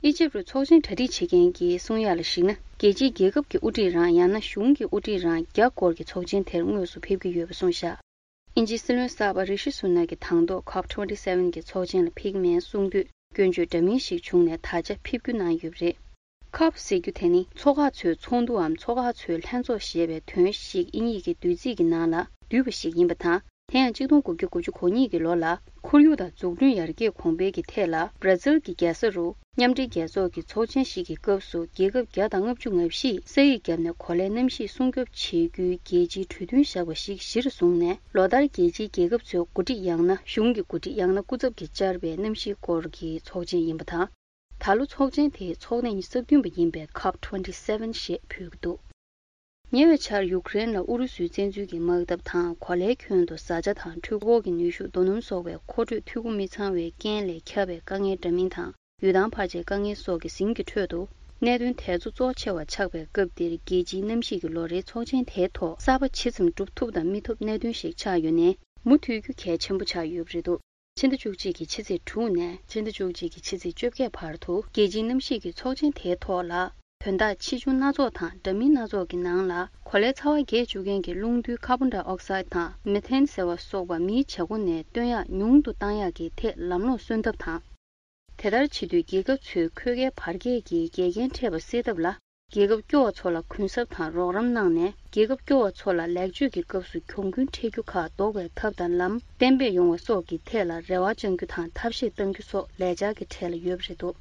ཨི་ཇེབ་རུ་ཚོགས་ཆེན་གྲ་སྒྲིག་བྱེད་མཁན་གྱིས་གསུང་ཡག་ལ་གཞིགས་ན། རྒྱལ་སྤྱིའི་རྒྱལ་ཁབ་ཀྱི་དབུ་ཁྲིད་རང་ཡང་ན་གཞུང་གི་དབུ་ཁྲིད་རང་བརྒྱ་སྐོར་གྱི་ཚོགས་ཆེན་དེར་དངོས་སུ་ཕེབས་ཀྱི་ཡོད་པ་གསུངས་བཞག། དབྱིན་ཇིའི་སྲིད་བློན་གསར་པ་རི་ཤི་སུ་ནག་གིས་དང་ཐོག་ཀོབ་ཊུ་ཝེན་ཊི་སེ་ཝེན་གྱི་ཚོགས་ཆེན་ལ་ཕེབས་ཀྱི་མེད་གསུང་དུས། སྐྱོན་བརྗོད་འདྲ་མིན་ཞིག་བྱུང་ནས་ད་ཆ་ཕེབས་རྒྱུ་གནང་ཡོད་པ་རེད། ཀོབ་ཟེར་རྒྱུ་དེ་ནི་མཚོ་ཁག་ཚོའི་ཚོགས་འདུའམ་མཚོ་ཁག་ཚོའི་ལྷན་ཚོགས་ཞེས་པའི་དོན་ཞིག་དབྱིན་ཡིག་གི་བསྡུས་ཚིག་གི་ནང་ལ་བསྡུས་པ་ཞིག་ཡིན་པ་དང་། དེ་ཡང་གཅིག་སྟོང་དགུ་བརྒྱ་དགུ་བཅུ་གོ་གཉིས་ཀྱི་ལོ་ལ་ཁོར་ཡུག་དང་འཛུགས་སྐྲུན་ཡར་རྒྱས་གོང་འཕེལ་གྱི་ཐད་ལ་བྷར་ཛིལ་གྱི་རྒྱལ་ས་རུ་མཉམ་འབྲེལ་རྒྱལ་ཚོགས་ཀྱི་ཚོགས་ཆེན་ཞིག་གི་སྐབས་སུ་རྒྱལ་ཁབ་བརྒྱ་དང་ལྔ་བཅུ་ང་བཞིས་ས་ཡིག་བརྒྱབ་ནས་གོ་ལའི་གནམ་གཤིས་སྲུང་སྐྱོབ་བྱེད་རྒྱུའི་རྒྱལ་སྤྱིའི་གྲོས་མཐུན་བཞག་པ་ཞིག་གཞིར་བཟུང་ནས། ལོ་ལྟར་རྒྱལ་སྤྱིའི་རྒྱལ་ཁབ་ཚོའི་འགོ་ཁྲིད་ཡང་ན་གཞུང་གི་འགོ་ཁྲིད་ཡང་ན་སྐུ་ཚབ་ཀྱིས་བཅར་བའི་གནམ་གཤིས་སྐོར་གྱི་ཚོགས་ཆེན་ཡིན་པ་དང་། ད་ལོ་ཚོགས་ཆེན་དེའི་ཚོགས་གནས་ཉི་ཤུ་རྩ་བདུན་པ་ཡིན་པའི་ཀོབ་ཊུ་ཝེན་ཊི་སེ་ཝེན་ཞེས་འབོད་ཀྱི་འདུག། ཉེ་བའི་ཆར་ཡུཀ་རེན་ལ་ཨུ་རུ་སུའི་བཙན་འཛུལ་གྱི་དམག་འཐབ་དང་། གོ་ལའི་ཁྱོན་དུ་བཟའ་བཅའ་དང་འཕྲུལ་འཁོར་གྱི་ནུས་ཤུགས་རྡོ་སྣུམ་སོགས་པའི་མཁོ་སྤྲོད་འཐུས་སྒོ་མི་ཚང་བའི་རྐྱེན་ལས་ཁྱབ་པའི་དཀའ་ངལ་འདྲ་མིན་དང་། ཡུལ་ཐང་ཕར་ཆེར་དཀའ་ངལ་སོགས་ཀྱི་ཟིང་གི་ཁྲོད་དུ། གནད་དོན་དེ་ཚོ་གཙོ་ཆེ་བ་ཆགས་པའི་སྐབས་འདིར། རྒྱལ་སྤྱིའི་གནམ་གཤིས་ཀྱི་ལོ་རེའི་ཚོགས་ཆེན་དེའི་ཐོག་གསར་པ་ཇི་ཙམ་སྒྲུབ་ཐུབ་དང་མི་ཐུབ་གནད་དོན་ཞིག་ཆགས་ཡོད་ནའི། མུ་མཐུད་རྒྱུ་གལ་ཆེན་པོ་ཆགས་ཡོད་པ་རེད་འདུག། ཕྱི་ཟླ་བཅུ་གཅིག་གི་ཕྱི་ཚེས་དྲུག་ནས་ཕྱི་ཟླ་བཅུ་གཅིག་གི་ཕྱི་ཚེས་བཅོ་བརྒྱད་བར་དུ། རྒྱལ་སྤྱིའི་གནམ་གཤིས་ཀྱི་ཚོགས་ཆེན་དེའི་ཐོག་ལ། དོན་དག་ཆེ་ཆུང་སྣ་ཚོགས་དང་འདྲ་མིན་སྣ་ཚོགས་ཀྱི་ནང་ལ། གོ་ལའི་ཚ་བ་རྒྱས་བཅུག་མཁན་གྱི་རླུང་རྡུལ་ཀར་བོན་ཌའི་ཨོག་སའིད་དང་མེ་ཐེན་ཟེར་བ་སོགས་པ་མིའི་བྱེད་སྒོ་ནས་བཏོན་ཡག་ཉུང་དུ་བཏང་ཡག་གི་ཐད་ལམ་ལྷོང་སོན་ཐབས་དང་། དེ་ལྟར་བྱེད་དུས། རྒྱལ་ཁབ་ཚོས་ཁོལ་ཁའི་བར་ཁྱད་ཀྱི་འགལ་རྐྱེན་འཕྲད་པ་སེལ་ཐབས་ལ། རྒྱལ་ཁབ་སྐྱོ་བ་ཚོ་ལ་གུན་གསབ་དང་རོགས་རམ་གནང་ནས། རྒྱལ་ཁབ་སྐྱོ་བ་ཚོ་ལ་ལེགས་བཅོས་ཀྱི་སྐབས་སུ་གྱོང་གུན་འཕྲད་རྒྱུ་ཁག་ཟློག་པའི་ཐབས་དང་ལམ་གཏན་འབེབས་ཡོང་བ་སོགས་ཀྱི་ཐད་ལ་རེ་བ་བཅང་རྒྱུ་དང་ཐབས་ཤེས་གཏང་རྒྱུ་སོགས་ལས་འཆར་གྱི་གྲས་ལ་ཡོད་པ་རེད་འདུག།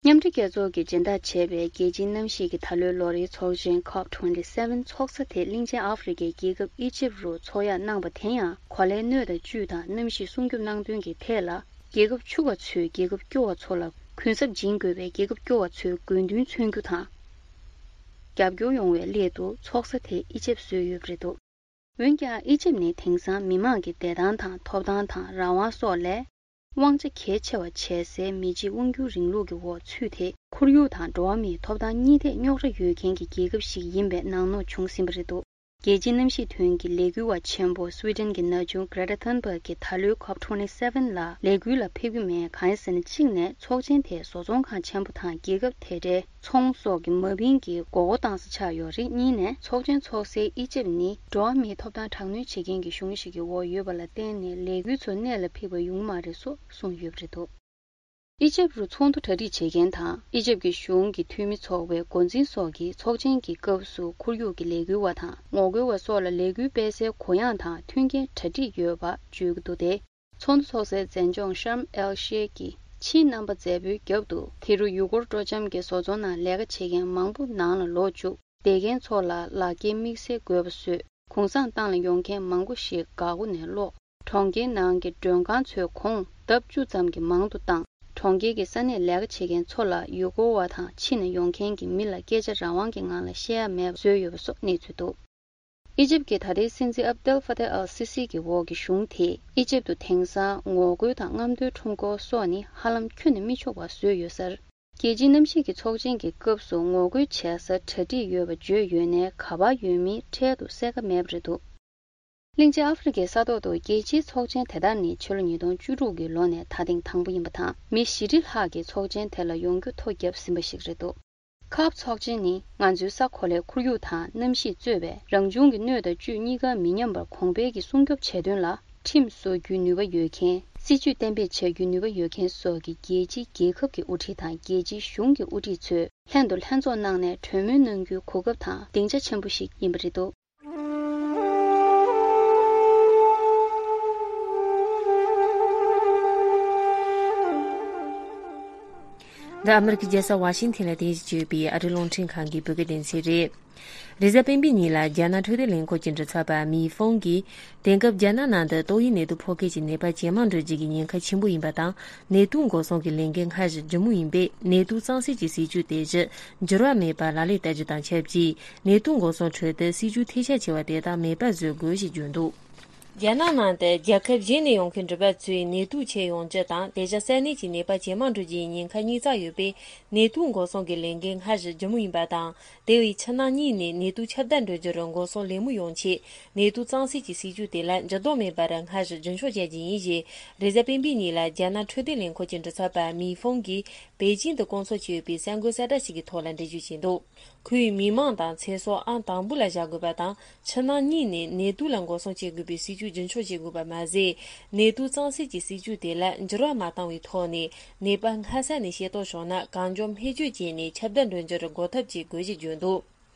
མཉམ་འབྲེལ་རྒྱལ་ཚོགས་ཀྱིས་སྦྱིན་བདག་བྱས་པའི་རྒྱལ་སྤྱིའི་གནམ་གཤིས་ཀྱི་ད་ལོའི་ལོ་རེའི་ཚོགས་ཆེན་ཁོབ་ཊུ་ཝེན་ཊི་སེ་ཝེན་ཚོགས་ས་དེ་གླིང་ཆེན་ཨ་ཧྥེ་རི་ཁའི་རྒྱལ་ཁབ་ཨི་ཇིབ་རུ་འཚོགས་ཡག་གནང་པ་དེ་ཡང་གོ་ལའི་སྣོད་དང་བཅུད་དང་གནམ་གཤིས་སྲུང་སྐྱོབ་གནང་དོན་གྱི་ཐད་ལ། རྒྱལ་ཁབ་ཕྱུག་པ་ཚོས་རྒྱལ་ཁབ་སྐྱོ་བ་ཚོ་ལ་གུན་གསབ་སྦྱིན་དགོས་པའི་རྒྱལ་ཁབ་སྐྱོ་བ་ཚོའི་དགོས་འདུན་མཚོན་རྒྱུ་དང་། རྒྱབ་སྐྱོར་ཡོང་བའི་སླད་དུ་ཚོགས་ས་དེ་ཨི་ཇིབ་བཟོས་ཡོད་པ་རེད་འདུག་འོན་ཀྱང་ཨི་ཇིབ་ནི་དེང་སང་མི་དམངས་ཀྱི་བདེ་ཐང་དང་ཐོབ་ཐང་དང་རང་དབང་སོགས་ལས། དབང་ཆ་གལ་ཆེ་བ་བྱེད་སའི་མི་གཅིག་དབང་སྒྱུར་རིང་ལུགས་ཀྱི་འོག་ཚུད་དེ། ཁོར་ཡུག་དང་འགྲོ་བ་མིའི་ཐོབ་ཐང་གཉིས་ཐད་རྙོག་དྲ་ཡོད་མཁན་གྱི་རྒྱལ་ཁབ་ཞིག་ཡིན་པའི་ནང་ནོར་བྱུང་ཟིན་པ་རེད་འདུག་རྒྱལ་སྤྱིའི་གནམ་གཤིས་དོན་གྱི་ལས་འགུལ་བ་ཆེན་པོ་སུའེ་ཏན་གྱི་ན་ཆུང་Greta Thunberg་གྱིས་ད་ལོའི་ཁོབ་ཊུ་ཝེན་ཊི་སེ་ཝེན་ལ་ལས་འགུལ་ལ་ཕེབས་ཀྱི་མེད། གང་ཡིན་ཟེར་ན། གཅིག་ནས་ཚོགས་ཆེན་དེ་བཟོ་ཚོང་ཁང་ཆེན་པོ་དང་རྒྱལ་ཁབ་དེ་འདྲའི་ཚོང་སོགས་ཀྱི་མ་བིན་གྱི་མགོ་སྐོར་བཏང་ས་ཆགས་ཡོད་རེད། གཉིས་ནས་ཚོགས་ཆེན་ཚོགས་སའི་ཨི་ཇིབ་ནི་འགྲོ་བ་མིའི་ཐོབ་ཐང་དྲག་གནོན་བྱེད་མཁན་གྱི་གཞུང་ཞིག་གི་འོག་ཡོད་པ་ལ་བརྟེན་ནས་ལས་འགུལ་ཚོ་གནད་ལ་ཕིགས་པ་ཡོང་གི་མ་རེད་སོགས་གསུངས་ཡོད་པ་རེད་འདུག་ཨི་ཇིབ་རུ་ཚོགས་འདུ་གྲ་སྒྲིག་བྱེད་མཁན་དང་ཨི་ཇིབ་ཀྱི་གཞུང་གི་འཐུས་མི་ཚོགས་པའི་འགོ་འཛིན་སོགས་ཀྱིས་ཚོགས་ཆེན་གྱི་སྐབས་སུ་ཁོར་ཡུག་གི་ལས་འགུལ་བ་དང་ངོ་རྒོལ་བ་སོགས་ལ་ལས་འགུལ་སྤེལ་སའི་གུ་ཡངས་དང་མཐུན་རྐྱེན་གྲ་སྒྲིག་ཡོད་པ་བརྗོད་ཀྱི་འདུག་སྟེ། ཚོགས་འདུ་ཚོགས་སའི་མཛེས་ལྗོངས་ཤརམ་ཨེལ་ཤེ་ཁི་ཕྱིའི་རྣམ་པ་མཛེས་པོའི་རྒྱབ་ཏུ་དེ་རུ་ཡུལ་སྐོར་སྤྲོ་འཆམ་གྱི་བཟོ་ཚོང་ནང་ལས་ཀ་བྱེད་མཁན་མང་པོ་ནང་ལ་ལོག་བཅུག་བསྡད་མཁན་ཚོ་ལ་ལག་འཁྱེར་དམིགས་བསལ་དགོས་པ་བཟོས། གུང་སེང་བཏང་ལ་ཡོང་མཁན་མང་པོ་ཞིག་འགག་སྒོ་ནས་སློག་གྲོང་ཁྱེར་ནང་གི་མགྲོན་ཁང་ཚོའི་གོང་ལྡབ་བཅུ་ཙམ་གྱིས་མང་དུ་བཏང་། གྲོང་ཁྱེར་གྱི་ས་གནས་ལས་ཀ་བྱེད་མཁན་ཚོ་ལ་ཡུལ་སྐོར་བ་དང་ཕྱི་ནས་ཡོང་མཁན་གྱི་མི་ལ་སྐད་ཆ་རང་དབང་གི་ངང་ལ་བཤད་ཡ་མེད་པ་བཟོས་ཡོད་པ་སོགས་གནས་ཚུལ་འདུག་ཨི་ཇིབ་ཀྱི་ད་ལྟའི་སྲིད་འཛིན་ཨབ་དེལ་ཧྥ་ཏེ་ཨལ་སི་སི་གི་འོག་གི་གཞུང་དེས་ཨི་ཇིབ་ཏུ་དེང་སང་ངོ་རྒོལ་དང་རྔམ་སྟོན་ཁྲོམ་སྐོར་སོགས་ནི་ཧ་ལམ་ཁྱོན་ནས་མི་ཆོག་པ་བཟོས་ཡོད་སར། རྒྱལ་སྤྱིའི་གནམ་གཤིས་ཀྱི་ཚོགས་ཆེན་གྱི་སྐབས་སུ་ངོ་རྒོལ་བྱེད་སར་གྲ་སྒྲིག་ཡོད་པ་བརྗོད་ཡོད་ནའི་ག་པར་ཡོད་མིན་འཕྲལ་དུ་གསལ་ཁ་མེད་པ་རེད་འདུག་གླིང་ཆེན་ཨ་ཧྥེ་རི་ཁའི་ས་ཐོག་ཏུ་རྒྱལ་སྤྱིའི་ཚོགས་ཆེན་དེ་དག་ནི་ཕྱི་ལོ་ཉིས་སྟོང་བཅུ་དྲུག་གི་ལོ་ནས་ད་ཐེངས་དང་པོ་ཡིན་པ་དང་། མི་བཞི་ཁྲི་ལྷག་གིས་ཚོགས་ཆེན་དེ་ལ་ཡོང་རྒྱུ་ཐོ་བརྒྱབ་ཟིན་པ་ཞིག་རེད་འདུག་ཁབ་ཚོགས་ཆེན་ནི་ང་ཚོའི་ས་གོ་ལའི་ཁོར་ཡུག་དང་གནམ་གཤིས་གཙོས་པའི་རང་བྱུང་གི་སྣོད་དང་བཅུད་གཉིས་ཀ་མི་ཉམས་པར་གོང་འཕེལ་གྱིས་སྲུང་སྐྱོབ་བྱེད་དོན་ལ་ཁྲིམས་བཟོ་རྒྱུའི་ནུས་པ་ཡོད་མཁན། སྲིད་ཇུས་གཏན་འབེབས་བྱ་རྒྱུའི་ནུས་པ་ཡོད་མཁན་སོགས་ཀྱི་རྒྱལ་སྤྱིའི་རྒྱལ་ཁབ་ཀྱི་དབུ་ཁྲིད་དང་རྒྱལ་སྤྱིའི་གཞུང་གི་དབུ་ཁྲིད་ཚོས་ལྷན་དུ་ལྷན་ཚོགས་གནང་ནས་གྲོས་མོལ་གནང་རྒྱུའི་གོ་སྐབས་དང་སྡིངས་ཆ་ཆེན་པོ་ཞིག་ཡིན་པ་རེད་འདུག་འདི་ཨ་མི་རི་ཀའི་རྒྱལ་ས་ཝ་ཤིང་ཐན་ལ་རྟེན་གཞི་བྱས་ཡོད་པའི་ཨ་རིའི་རླུང་འཕྲིན་ཁང་གི་བོད་སྐད་སྡེ་ཚན་རེད། རེས་གཟའ་སྤེན་པའི་ཉིན་ལ་རྒྱ་ནག་འཕྲོད་བསྟེན་ལས་ཁུངས་ཀྱི་མགྲིན་ཚབ་པ་མི་ཧྥང་གིས། དེང་སྐབས་རྒྱ་ནག་ནང་དུ་ཏོག་དབྱིབས་ནད་དུག་ཕོག་མཁན་གྱི་ནད་པ་ཇེ་མང་འགྲོ་རྒྱུ་གི་ཉེན་ཁ་ཆེན་པོ་ཡིན་པ་དང་། ནད་དུག་འགོག་སྲུང་གི་ལས་འགན་སྔར་བཞིན་ལྗིད་མོ་ཡིན་པས། ནད་དུག་གཙང་སེལ་གྱི་སྲིད་ཇུས་དེ་བཞིན་འགྱུར་བ་མེད་པར་ལག་ལེན་བསྟར་རྒྱུ་དང་ཆབས་ཅིག་ནད་དུག་འགོག་སྲུང་ཁྲོད་དུ་སྲིད་ཇུས་ཐལ་ཆ་ཆེ་བ་དེ་དག་མེད་པར་བཟོ་དགོས་ཞེས་བརྗོད་འདུག་རྒྱ་ནག་ནང་དུ་རྒྱལ་ཁབ་གཞན་ནས་ཡོང་མཁན་འགྲུལ་པ་ཚོས་ནད་དུག་ཁྱེར་ཡོང་རྒྱུ་དང་། དེ་བཞིན་ས་གནས་ཀྱི་ནད་པ་ཇེ་མང་འགྲོ་རྒྱུའི་ཉེན་ཁ་རྙེད་ཚར་ཡོད་པས། ནད་དུག་འགོག་སྲུང་གི་ལས་འགན་སྔར་བཞིན་ལྗིད་མོ་ཡིན་པ་དང་། དེ་བས་ཕྱི་ནང་གཉིས་ནས་ནད་དུག་ཁྱབ་གདལ་འགྲོ་རྒྱུར་འགོག་སྲུང་ལེགས་མོ་ཡོང་ཆེད། ནད་དུག་གཙང་སེལ་གྱི་སྲིད་ཇུས་དེ་ལ་འགྱུར་ལྡོག་མེད་པར་སྔར་བཞིན་རྒྱུན་འཁྱོངས་བྱ་རྒྱུ་ཡིན་ཞེས། རེས་གཟའ་སྤེན་པའི་ཉིན་ལ་རྒྱ་ནག་འཕྲོད་བསྟེན་ལས་ཁུངས་ཀྱི་མགྲིན་ཚབ་པ་མི་ཧྥང་གིས་པེ་ཅིང་དུ་བསྐོང་ཚོགས་བྱས་ཡོད་པའི་གསར་འགོད་གསལ་བསྒྲགས་ཤིག་གི་ཐོག་ལ་འགྲེལ་བརྗོད་བྱས་འདུག་ཁོས་མི་མང་དང་ཚེ་སྲོག་ཨང་དང་པོ་ལ་བཞག་དགོས་པ་དང་། ཕྱི་ནང་གཉིས་ནས་ནད་དུག་ལ་འགོག་སྲུང་བྱེད་དགོས་པའི་སྲིད་ཇུས་རྒྱུན་འཁྱོངས་བྱེད་དགོས་པ་མ་ཟད། ནད་དུག་གཙང་སེལ་གྱི་སྲིད་ཇུས་དེ་ལ་འགྱུར་བ་མ་བཏང་བའི་ཐོག་ནས། ནད་པ་སྔ་ས་ནས་ཤེས་རྟོགས་བྱུང་ན། གང་མགྱོགས་སྨན་བཅོས་བྱས་ནས་ཁྱབ་གདལ་འགྲོ་རྒྱུར་འགོག་ཐབས་བྱེད་དགོས་ཞེས་བརྗོད་འདུག་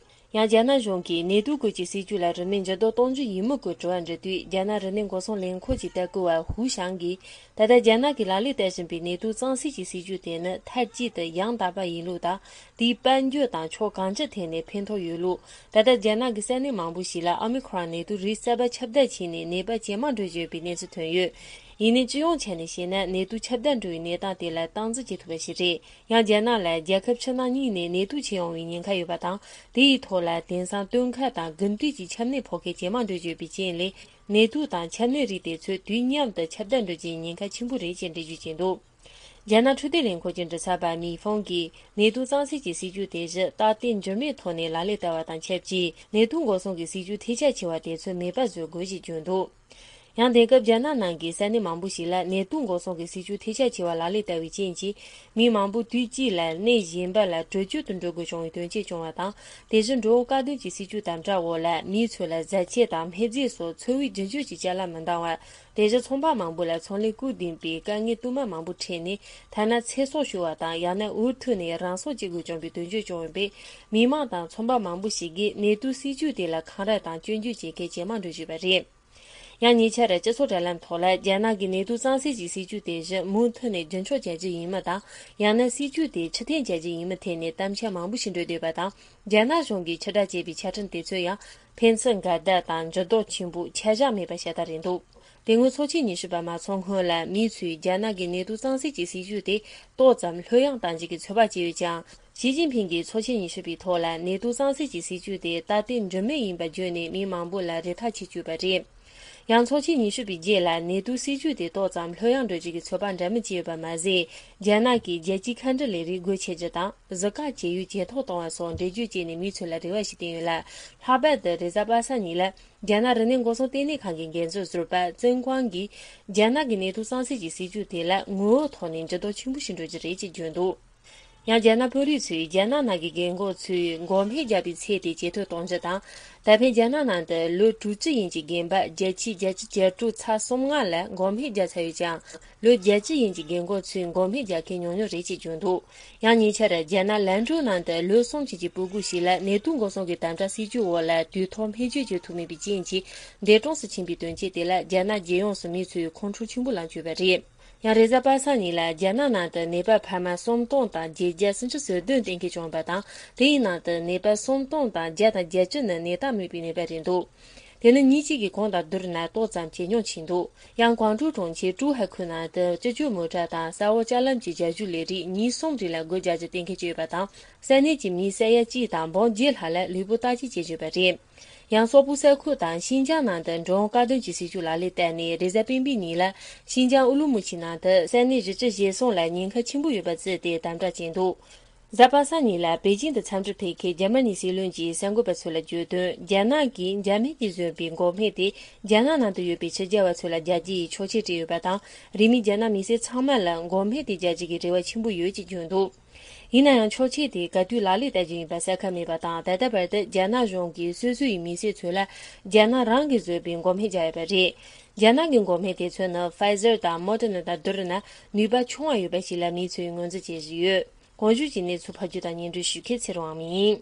ཡང་རྒྱ་ནག་གཞུང་གིས་ནད་དུག་སྐོར་གྱི་སྲིད་ཇུས་ལ་རིན་མེད་འགྱུར་ལྡོག་གཏོང་རྒྱུ་ཡིན་མིན་སྐོར་དྲི་བ་འདྲི་དུས། རྒྱ་ནག་རིག་གནས་འགོག་སྲུང་ལས་ཁུངས་ཀྱི་ལྟ་སྐུལ་བ་ཧུའུ་ཞང་གིས། ད་ལྟ་རྒྱ་ནག་གིས་ལག་ལེན་བསྟར་བཞིན་པའི་ནད་དུག་གཙང་སེལ་གྱི་སྲིད་ཇུས་དེ་ནི་མཐའ་གཅིག་ཏུ་ཡང་དག་པ་ཡིན་ལུགས་དང་། དེའི་དཔལ་འབྱོར་དང་ཕྱོགས་གང་ཅིའི་ཐད་ནས་ཕན་ཐོགས་ཡོད་ལུགས། ད་ལྟ་རྒྱ་ནག་གི་ས་གནས་མང་པོ་ཞིག་ལ་ཨོ་མི་ཁོ་རོན་ནད་དུག་རིགས་གསར་པ་ཁྱབ་གདལ་ཕྱིན་ནས་ནད་པ་ཇེ་མང་འགྲོ་བཞིན་ཡོད་པའི་གནས་ཚུལ་ཐོན་ཡོད། ཡིན་ནའི་སྤྱི་ཡོངས་ཆ་ནས་བཤད་ན། ནད་དུག་ཁྱབ་གདལ་འགྲོ་བའི་གནས་སྟངས་དེ་ལ་སྟངས་འཛིན་བྱེད་ཐུབ་པ་ཞིག་རེད། ཡང་རྒྱ་ནག་ལ་རྒྱལ་ཁབ་ཕྱི་ནང་གཉིས་ནས་ནད་དུག་ཁྱེར་ཡོང་བའི་ཉེན་ཁ་ཡོད་པ་དང་། དེ་ཡི་ཐོག་ལ་དེང་སང་སྟོན་ཁ་དང་དགུན་དུས་ཀྱི་ཆམ་ནད་ཕོག་མཁན་ཇེ་མང་འགྲོ་བཞིན་ཡོད་པའི་རྐྱེན་ལས། ནད་དུག་དང་ཆམ་ནད་རིགས་དེ་ཚོ་དུས་མཉམ་དུ་ཁྱབ་གདལ་འགྲོ་རྒྱུའི་ཉེན་ཁ་ཆེན་པོ་རེད་ཅེས་འགྲེལ་བརྗོད་བྱས་འདུག་རྒྱ་ནག་འཕྲོད་བསྟེན་ལས་ཁུངས་ཀྱི་མགྲིན་ཚབ་པ་མི་ཧྥང་གིས། ནད་དུག་གཙང་སེལ་གྱི་སྲིད་ཇུས་དེ་བཞིན་རྟག་བརྟན་འགྱུར་མེད་ཐོག་ནས་ལག་ལེན་བསྟར་བ་དང་ཆབས་ཅིག་ནད་དུག་འགོག་སྲུང་གི་སྲིད་ཇུས་ཐལ་ཆ་ཆེ་བ་དེ་ཚོ་མེད་པ་བཟོ་དགོས་ཞེས་བརྗོད་འདུག་ཡང་དེང་སྐབས་རྒྱ་ནག་ནང་གི་ས་གནས་མང་པོ་ཞིག་ལ་ནད་དུག་འགོག་སྲུང་གི་སྲིད་ཇུས་ཐལ་ཆ་ཆེ་བ་ལག་ལེན་བསྟར་བའི་རྐྱེན་གྱིས། མི་མང་པོ་དུས་གཅིག་ལ་གནས་གཞན་པ་ལ་བྲོས་བྱོལ་དུ་འགྲོ་དགོས་བྱུང་བའི་དོན་རྐྱེན་བྱུང་བ་དང་། དེ་བཞིན་འགྲོ་འོང་བཀག་སྡོམ་གྱི་སྲིད་ཇུས་དང་འདྲ་བོ་ལ། མི་ཚོ་ལ་བཟའ་ཆས་དང་སྨན་རྫས་སོགས་འཚོ་བའི་རྒྱུན་སྤྱོད་ཀྱི་ཅ་ལག་མི་འདང་བ། དེ་བཞིན་ཚོང་པ་མང་པོ་ལ་ཚོང་ལས་སྐུལ་འདེད་པའི་དཀའ་ངལ་དུ་མ་མང་པོ་འཕྲད་ནས། ཐ་ན་ཚེ་སྲོག་ཤོར་བ་དང་། ཡང་ན་འུ་ཐུག་ནས་རང་སྲོག་བཅད་དགོས་བྱུང་བའི་དོན་རྐྱེན་བྱུང་ཡོད་པས། མི་མང་དང་ཚོང་པ་མང་པོ་ཞིག་གིས་ནད་དུག་སྲིད་ཇུས་དེ་ལ་འཁང་ར་དང་སྐྱོན་བརྗོད་བྱེད་མཁན་ཇེ་མང་འགྲོ་བཞིན་པ་རེད། ཡང་ཉེ་ཆར་སྤྱི་ཚོགས་དྲ་ལམ་ཐོག་ལ་རྒྱ་ནག་གི་ནེ་ཏུ་གཙང་སེལ་གྱི་སྲིད་ཇུས་དེ་བཞིན་མུ་མཐུད་ནས་རྒྱུན་འཁྱོངས་བྱ་རྒྱུ་ཡིན་མིན་དང་། ཡང་ན་སྲིད་ཇུས་དེ་ཕྱིར་འཐེན་བྱ་རྒྱུ་ཡིན་མིན་ཐད་ནས་གཏམ་འཆལ་མང་པོ་ཞིག་འགྲོ་བསྡད་པ་དང་། རྒྱ་ནག་གཞུང་གིས་ཕྱིར་བསྒྲགས་བྱས་པའི་ཆ་འཕྲིན་དེ་ཚོ་ཡང་ཕན་ཚུན་འགལ་ཟླ་དང་འགྱུར་ལྡོག་ཆེན་པོ་ཆ་བཞག་མེད་པ་ཞེ་དྲག་རེད་འདུག་དེ་སྔོན་ཚོགས་ཆེན་ཉི་ཤུ་པ་མ་ཚོགས་སྔོན་ལ་མི་ཚོས་རྒྱ་ནག་གི་ནེ་ཏུ་གཙང་སེལ་གྱི་སྲིད་ཇུས་དེ་ཏོག་ཙམ་ལྷོད་ཡངས་གཏང་རྒྱུ་གི་ཚོད་དཔག་བྱས་ཡོད་ཀྱང་། ཞི་ཅིན་ཕིང་གིས་ཚོགས་ཆེན་ཉི་ཤུ་པའི་ཐོག་ལ་ནེ་ཏུ་གཙང་སེལ་གྱི་སྲིད་ཇུས་དེ་ད་ལྟའི་འགྲུབ་མེད་ཡིན་པ་བརྗོད་ནས་མི་མང་པོ་ལ་རེ་ཐག་ཆོད་བཅུག་པ་རེད། ཡང་ཚོགས་ཆེན་ཉི་ཤུ་པའི་རྗེས་ལ་ནེ་ཏུ་སྲིད་ཇུས་དེ་ཏོག་ཙམ་ལྷོད་ཡངས་འགྲོ་རྒྱུ་གི་ཚོད་དཔག་འདྲ་མིན་བྱས་ཡོད་པ་མ་ཟད། རྒྱ་ནག་གིས་རྒྱལ་སྤྱིའི་མཁའ་འགྲུལ་ལས་རིགས་སྒོ་ཕྱེ་རྒྱུ་དང་། གཟུགས་ཁ་བཅད་ཡུལ་ཇེ་མཐོར་གཏོང་བ་སོགས་འགྲེལ་བརྗོད་བྱས་ནས་མི་ཚོ་ལ་རེ་བ་ཞིག་བསྟན་ཡོད་ལ། ལྷག་པར་དུ་རེས་གཟའ་པ་སངས་ཉིན་ལ། རྒྱ་ནག་རིག་གནས་འགོག་སྲུང་ལྟེ་གནས་ཁང་གི་འགན་འཛིན་ཟུར་པ་ཙིན་ཀོང་གིས། རྒྱ་ནག་གི་ནེ་ཏུ་གཙང་སེལ་གྱི་སྲིད་ཇུས་དེ་ལ་ངོ་བོའི་ཐོག་ནས་འགྱུར་ལྡོག་ཆེན་པོ་ཞིག་འགྲོ་རྒྱུ་རེད་ཅེས་བརྗོད་འདུག་ཡང་རྒྱ་ནག་དཔོན་རིགས་ཚོས་རྒྱ་ནག་ནང་གི་རྒན་རྒོན་ཚོས་འགོག་སྨན་རྒྱག་པའི་ཚད་དེ་ཇེ་མཐོར་གཏོང་རྒྱུ་དང་། ད་ཕན་རྒྱ་ནག་ནང་དུ་ལོ་དྲུག་ཅུ་ཡན་གྱི་རྒན་པ་བརྒྱ་ཆའི་བརྒྱད་ཅུ་གྱ་དྲུག་ཚེག་གསུམ་ལྔ་ལ་འགོག་སྨན་རྒྱག་ཚར་ཡོད་ཀྱང་། ལོ་བརྒྱད་ཅུ་ཡན་གྱི་རྒན་རྒོན་ཚོས་འགོག་སྨན་རྒྱག་མཁན་ཉུང་ཉུང་རེད་ཅེས་བརྗོད་འདུག་ཡང་ཉེ་ཆར་རྒྱ་ནག་ལན་ཀྲོའུ་ནང་དུ་ལོ་གསུམ་ཅན་གྱི་སྤུ་གུ་ཞིག་ལ་ནད་དུག་འགོག་སྲུང་གི་དམ་དྲག་སྲིད་ཇུས་འོག་ལ་དུས་ཐོག་སྨན་བཅོས་བྱེད་ཐུབ་མེད་པའི་རྐྱེན་གྱིས་འདས་གྲོངས་སུ་ཕྱིན་པའི་དོན་རྐྱེན་དེ་ལ་རྒྱ་ནག་རྒྱལ་ཡོངས་སུ་མི་ཚོས་ཁོང་ཁྲོ་ཆེན་པོ་ལངས་བཅུག་པ་རེད། ཡང་རེས་གཟའ་པ་སངས་ཉིན་ལ་རྒྱ་ནག་ནང་དུ་ནད་པ་འཕར་མ་སུམ་སྟོང་དང་བརྒྱད་བརྒྱ་སུམ་ཅུ་སོ་བདུན་གཏན་འཁེལ་བྱུང་བ་དང་། དེའི་ནང་དུ་ནད་པ་སུམ་སྟོང་དང་བརྒྱ་དང་བརྒྱད་ཅུ་ནི་ནད་རྟགས་མེད་པའི་ནད་པ་རེད་འདུག་དེ་ནི་ཉིན་གཅིག་གི་གོང་དང་བསྡུར་ན་ཏོག་ཙམ་ཇེ་ཉུང་ཕྱིན་འདུག་ཡང་ཀོང་ཀྲོའུ་གྲོང་ཁྱེར་ཀྲུའུ་ཧའེ་ཁུལ་ནང་དུ་སྤྱི་སྤྱོད་མོ་ཊ་དང་ས་འོག་ལྕགས་ལམ་གྱི་རྒྱ་སྒྱུར་ལས་རིགས་ཉིན་གསུམ་རིང་ལ་སྒོ་རྒྱག་རྒྱུ་གཏན་འཁེལ་བྱས་ཡོད་པ་དང་། ས་གནས་ཀྱི་མི་ས་ཡ་གཅིག་དང་འབུམ་བརྒྱད་ལྷག་ལ་ལུས་པོ་བརྟག་དཔྱད་བྱེད་བཞིན་པ་རེད། ཡང་སོག་པོ་ས་ཁུལ་དང་ཤིན་ཅང་ནང་དུ་འགྲོ་འོང་སྐྱེལ་འདྲེན་གྱི་སྲིད་ཇུས་ལག་ལེན་བསྟར་ནས། རེས་གཟའ་སྤེན་པའི་ཉིན་ལ་ཤིན་ཅང་ཨུ་ལུ་མུ་ཆི་ནང་དུ་ས་གནས་བཞི་བཅུ་ཞེ་གསུམ་ལ་ཉེན་ཁ་ཆེན་པོ་ཡོད་པ་བརྩིས་ཏེ་དམ་དྲག་བྱས་འདུག་གཟའ་པ་སངས་ཉིན་ལ་པེ་ཅིང་དུ་འཚམས་འདྲིར་ཕེབས་མཁན་འཇར་མ་ནིའི་སྲིད་བློན་གྱིས་གསར་འགོད་པ་ཚོ་ལ་བརྗོད་དོན། རྒྱ་ནག་གིས་འཇར་མན་གྱིས་བཟོས་པའི་འགོག་སྨན་དེ་རྒྱ་ནག་ནང་དུ་ཡོད་པའི་ཕྱི་རྒྱལ་བ་ཚོ་ལ་རྒྱག་རྒྱུ་ཡི་ཆོག་མཆན་སྤྲད་ཡོད་པ་དང་། རིས་མེད་རྒྱ་ནག་མི་སེར་ཚང་མ་ལ་འགོག་སྨན་དེ་རྒྱག་རྒྱུ་གི་རེ་བ་ཆེན་པོ་ཡོད་ཅེས་བརྗོད་འདུག་ཡིན་ན་ཡང་ཆོག་མཆན་དེ་ག་དུས་ལག་ལེན་བསྟར་རྒྱུ་ཡིན་པ་གསལ་ཁ་མེད་པ་དང་། ད་ལྟ་བར་དུ་རྒྱ་ནག་གཞུང་གིས་སོ་སོ་ཡི་མི་སེར་ཚོ་ལ་རྒྱ་ནག་རང་གིས་བཟོས་པའི་འགོག་སྨན་རྒྱག་ཡོད་པ་རེད། རྒྱ་ནག་གི་འགོག་སྨན་དེ་ཚོ་ནི་Pfizer་དང་Moderna་དང་བསྡུར་ན་ནུས་པ་ཆུང་བ་ཡོད་པ་ཞིག་ལ་མི་ཚོས་ངོས་འཛིན་བྱེད་བཞིན་ཡོད། གོང་ཞུས་ཀྱི་གནས་ཚུལ་ཕབ་སྒྱུར་དང་སྙན་སྒྲོན་ཞུ་མཁན་ཚེ་རིང་དབང་མོ་ཡིན།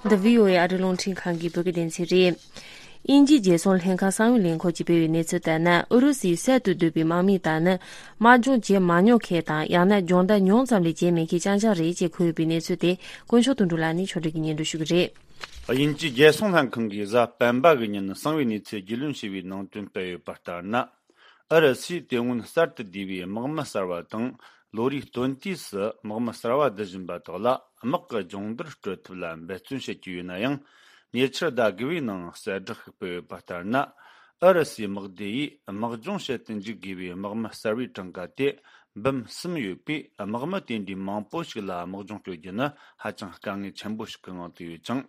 འདི་བྷི་ཨོ་ཨེ་ཨ་རིའི་རླུང་འཕྲིན་ཁང་གི་བོད་སྐད་སྡེ་ཚན་རེད། དབྱིན་ཇིའི་རྒྱལ་སྲུང་ལྷན་ཁང་གསང་བའི་ལས་ཁུངས་ཀྱིས་སྤེལ་བའི་གནས་ཚུལ་ལྟར་ན། ཨུ་རུ་སུའི་གསར་དུ་བསྡུས་པའི་དམག་མི་དག་ནི་དམག་སྦྱོང་བྱེད་མ་མྱོང་མཁན་དང་། ཡང་ན་སྦྱོང་བརྡར་ཉུང་ཙམ་ལས་བྱེད་མེད་མཁན་རྐྱང་རྐྱང་རེད་ཅེས་འཁོད་ཡོད་པའི་གནས་ཚུལ་དེ་དཀོན་མཆོག་དོན་གྲུབ་ལགས་ནས་ཕྱོགས་སྒྲིག་གིས་སྙན་སྒྲོན་ཞུ་གི་རེད། དབྱིན་ཇིའི་རྒྱལ་སྲུང་ལྷན་ཁང་གིས་གཟའ་སྤེན་པ་གི་ཉིན་གསང་བའི་གནས་ཚུལ་རྒྱུས་ལོན་བྱས་པའི་ནང་དོན་སྤེལ་ཡོད་པ་ལྟར་ན། ཨུ་རུ་སུས་དེ་སྔོན་གསར་དུ་བསྡུས་པའི་དམག་མི་གསར་བ་དང་། ལོ་རེའི་སྟོན་དུས་སུ་དམག་མི་གསར་བ་བསྡུ་བཞིན་པ་དག་ལ་དམག་གི་སྦྱོང་བརྡར་སྤྲོད་ཐབས་ལ་འབད་བརྩོན་བྱེད་ཀྱི་ཡོད་ན་ཡང་། ཉེ་ཆར་ཟླ་དགུ་བའི་ནང་གསལ་བསྒྲགས་ཤིག་སྤེལ་ཡོད་པ་ལྟར་ན། ཨུ་རུ་སུའི་དམག་སྡེ་ཡིས་དམག་སྦྱོང་བྱེད་དུ་འཇུག་དགོས་པའི་དམག་མི་གསར་བའི་གྲངས་ཀ་དེ་འབུམ་གསུམ་ཡོད་པས། དམག་མི་དེ་འདྲའི་མང་པོ་ཞིག་ལ་དམག་སྦྱོང་སྤྲོད་རྒྱུ་ནི་ཧ་ཅང་དཀའ་ངལ་ཆེན་པོ་ཞིག་གི་ངང་དུ་ཡོད་ཅིང་།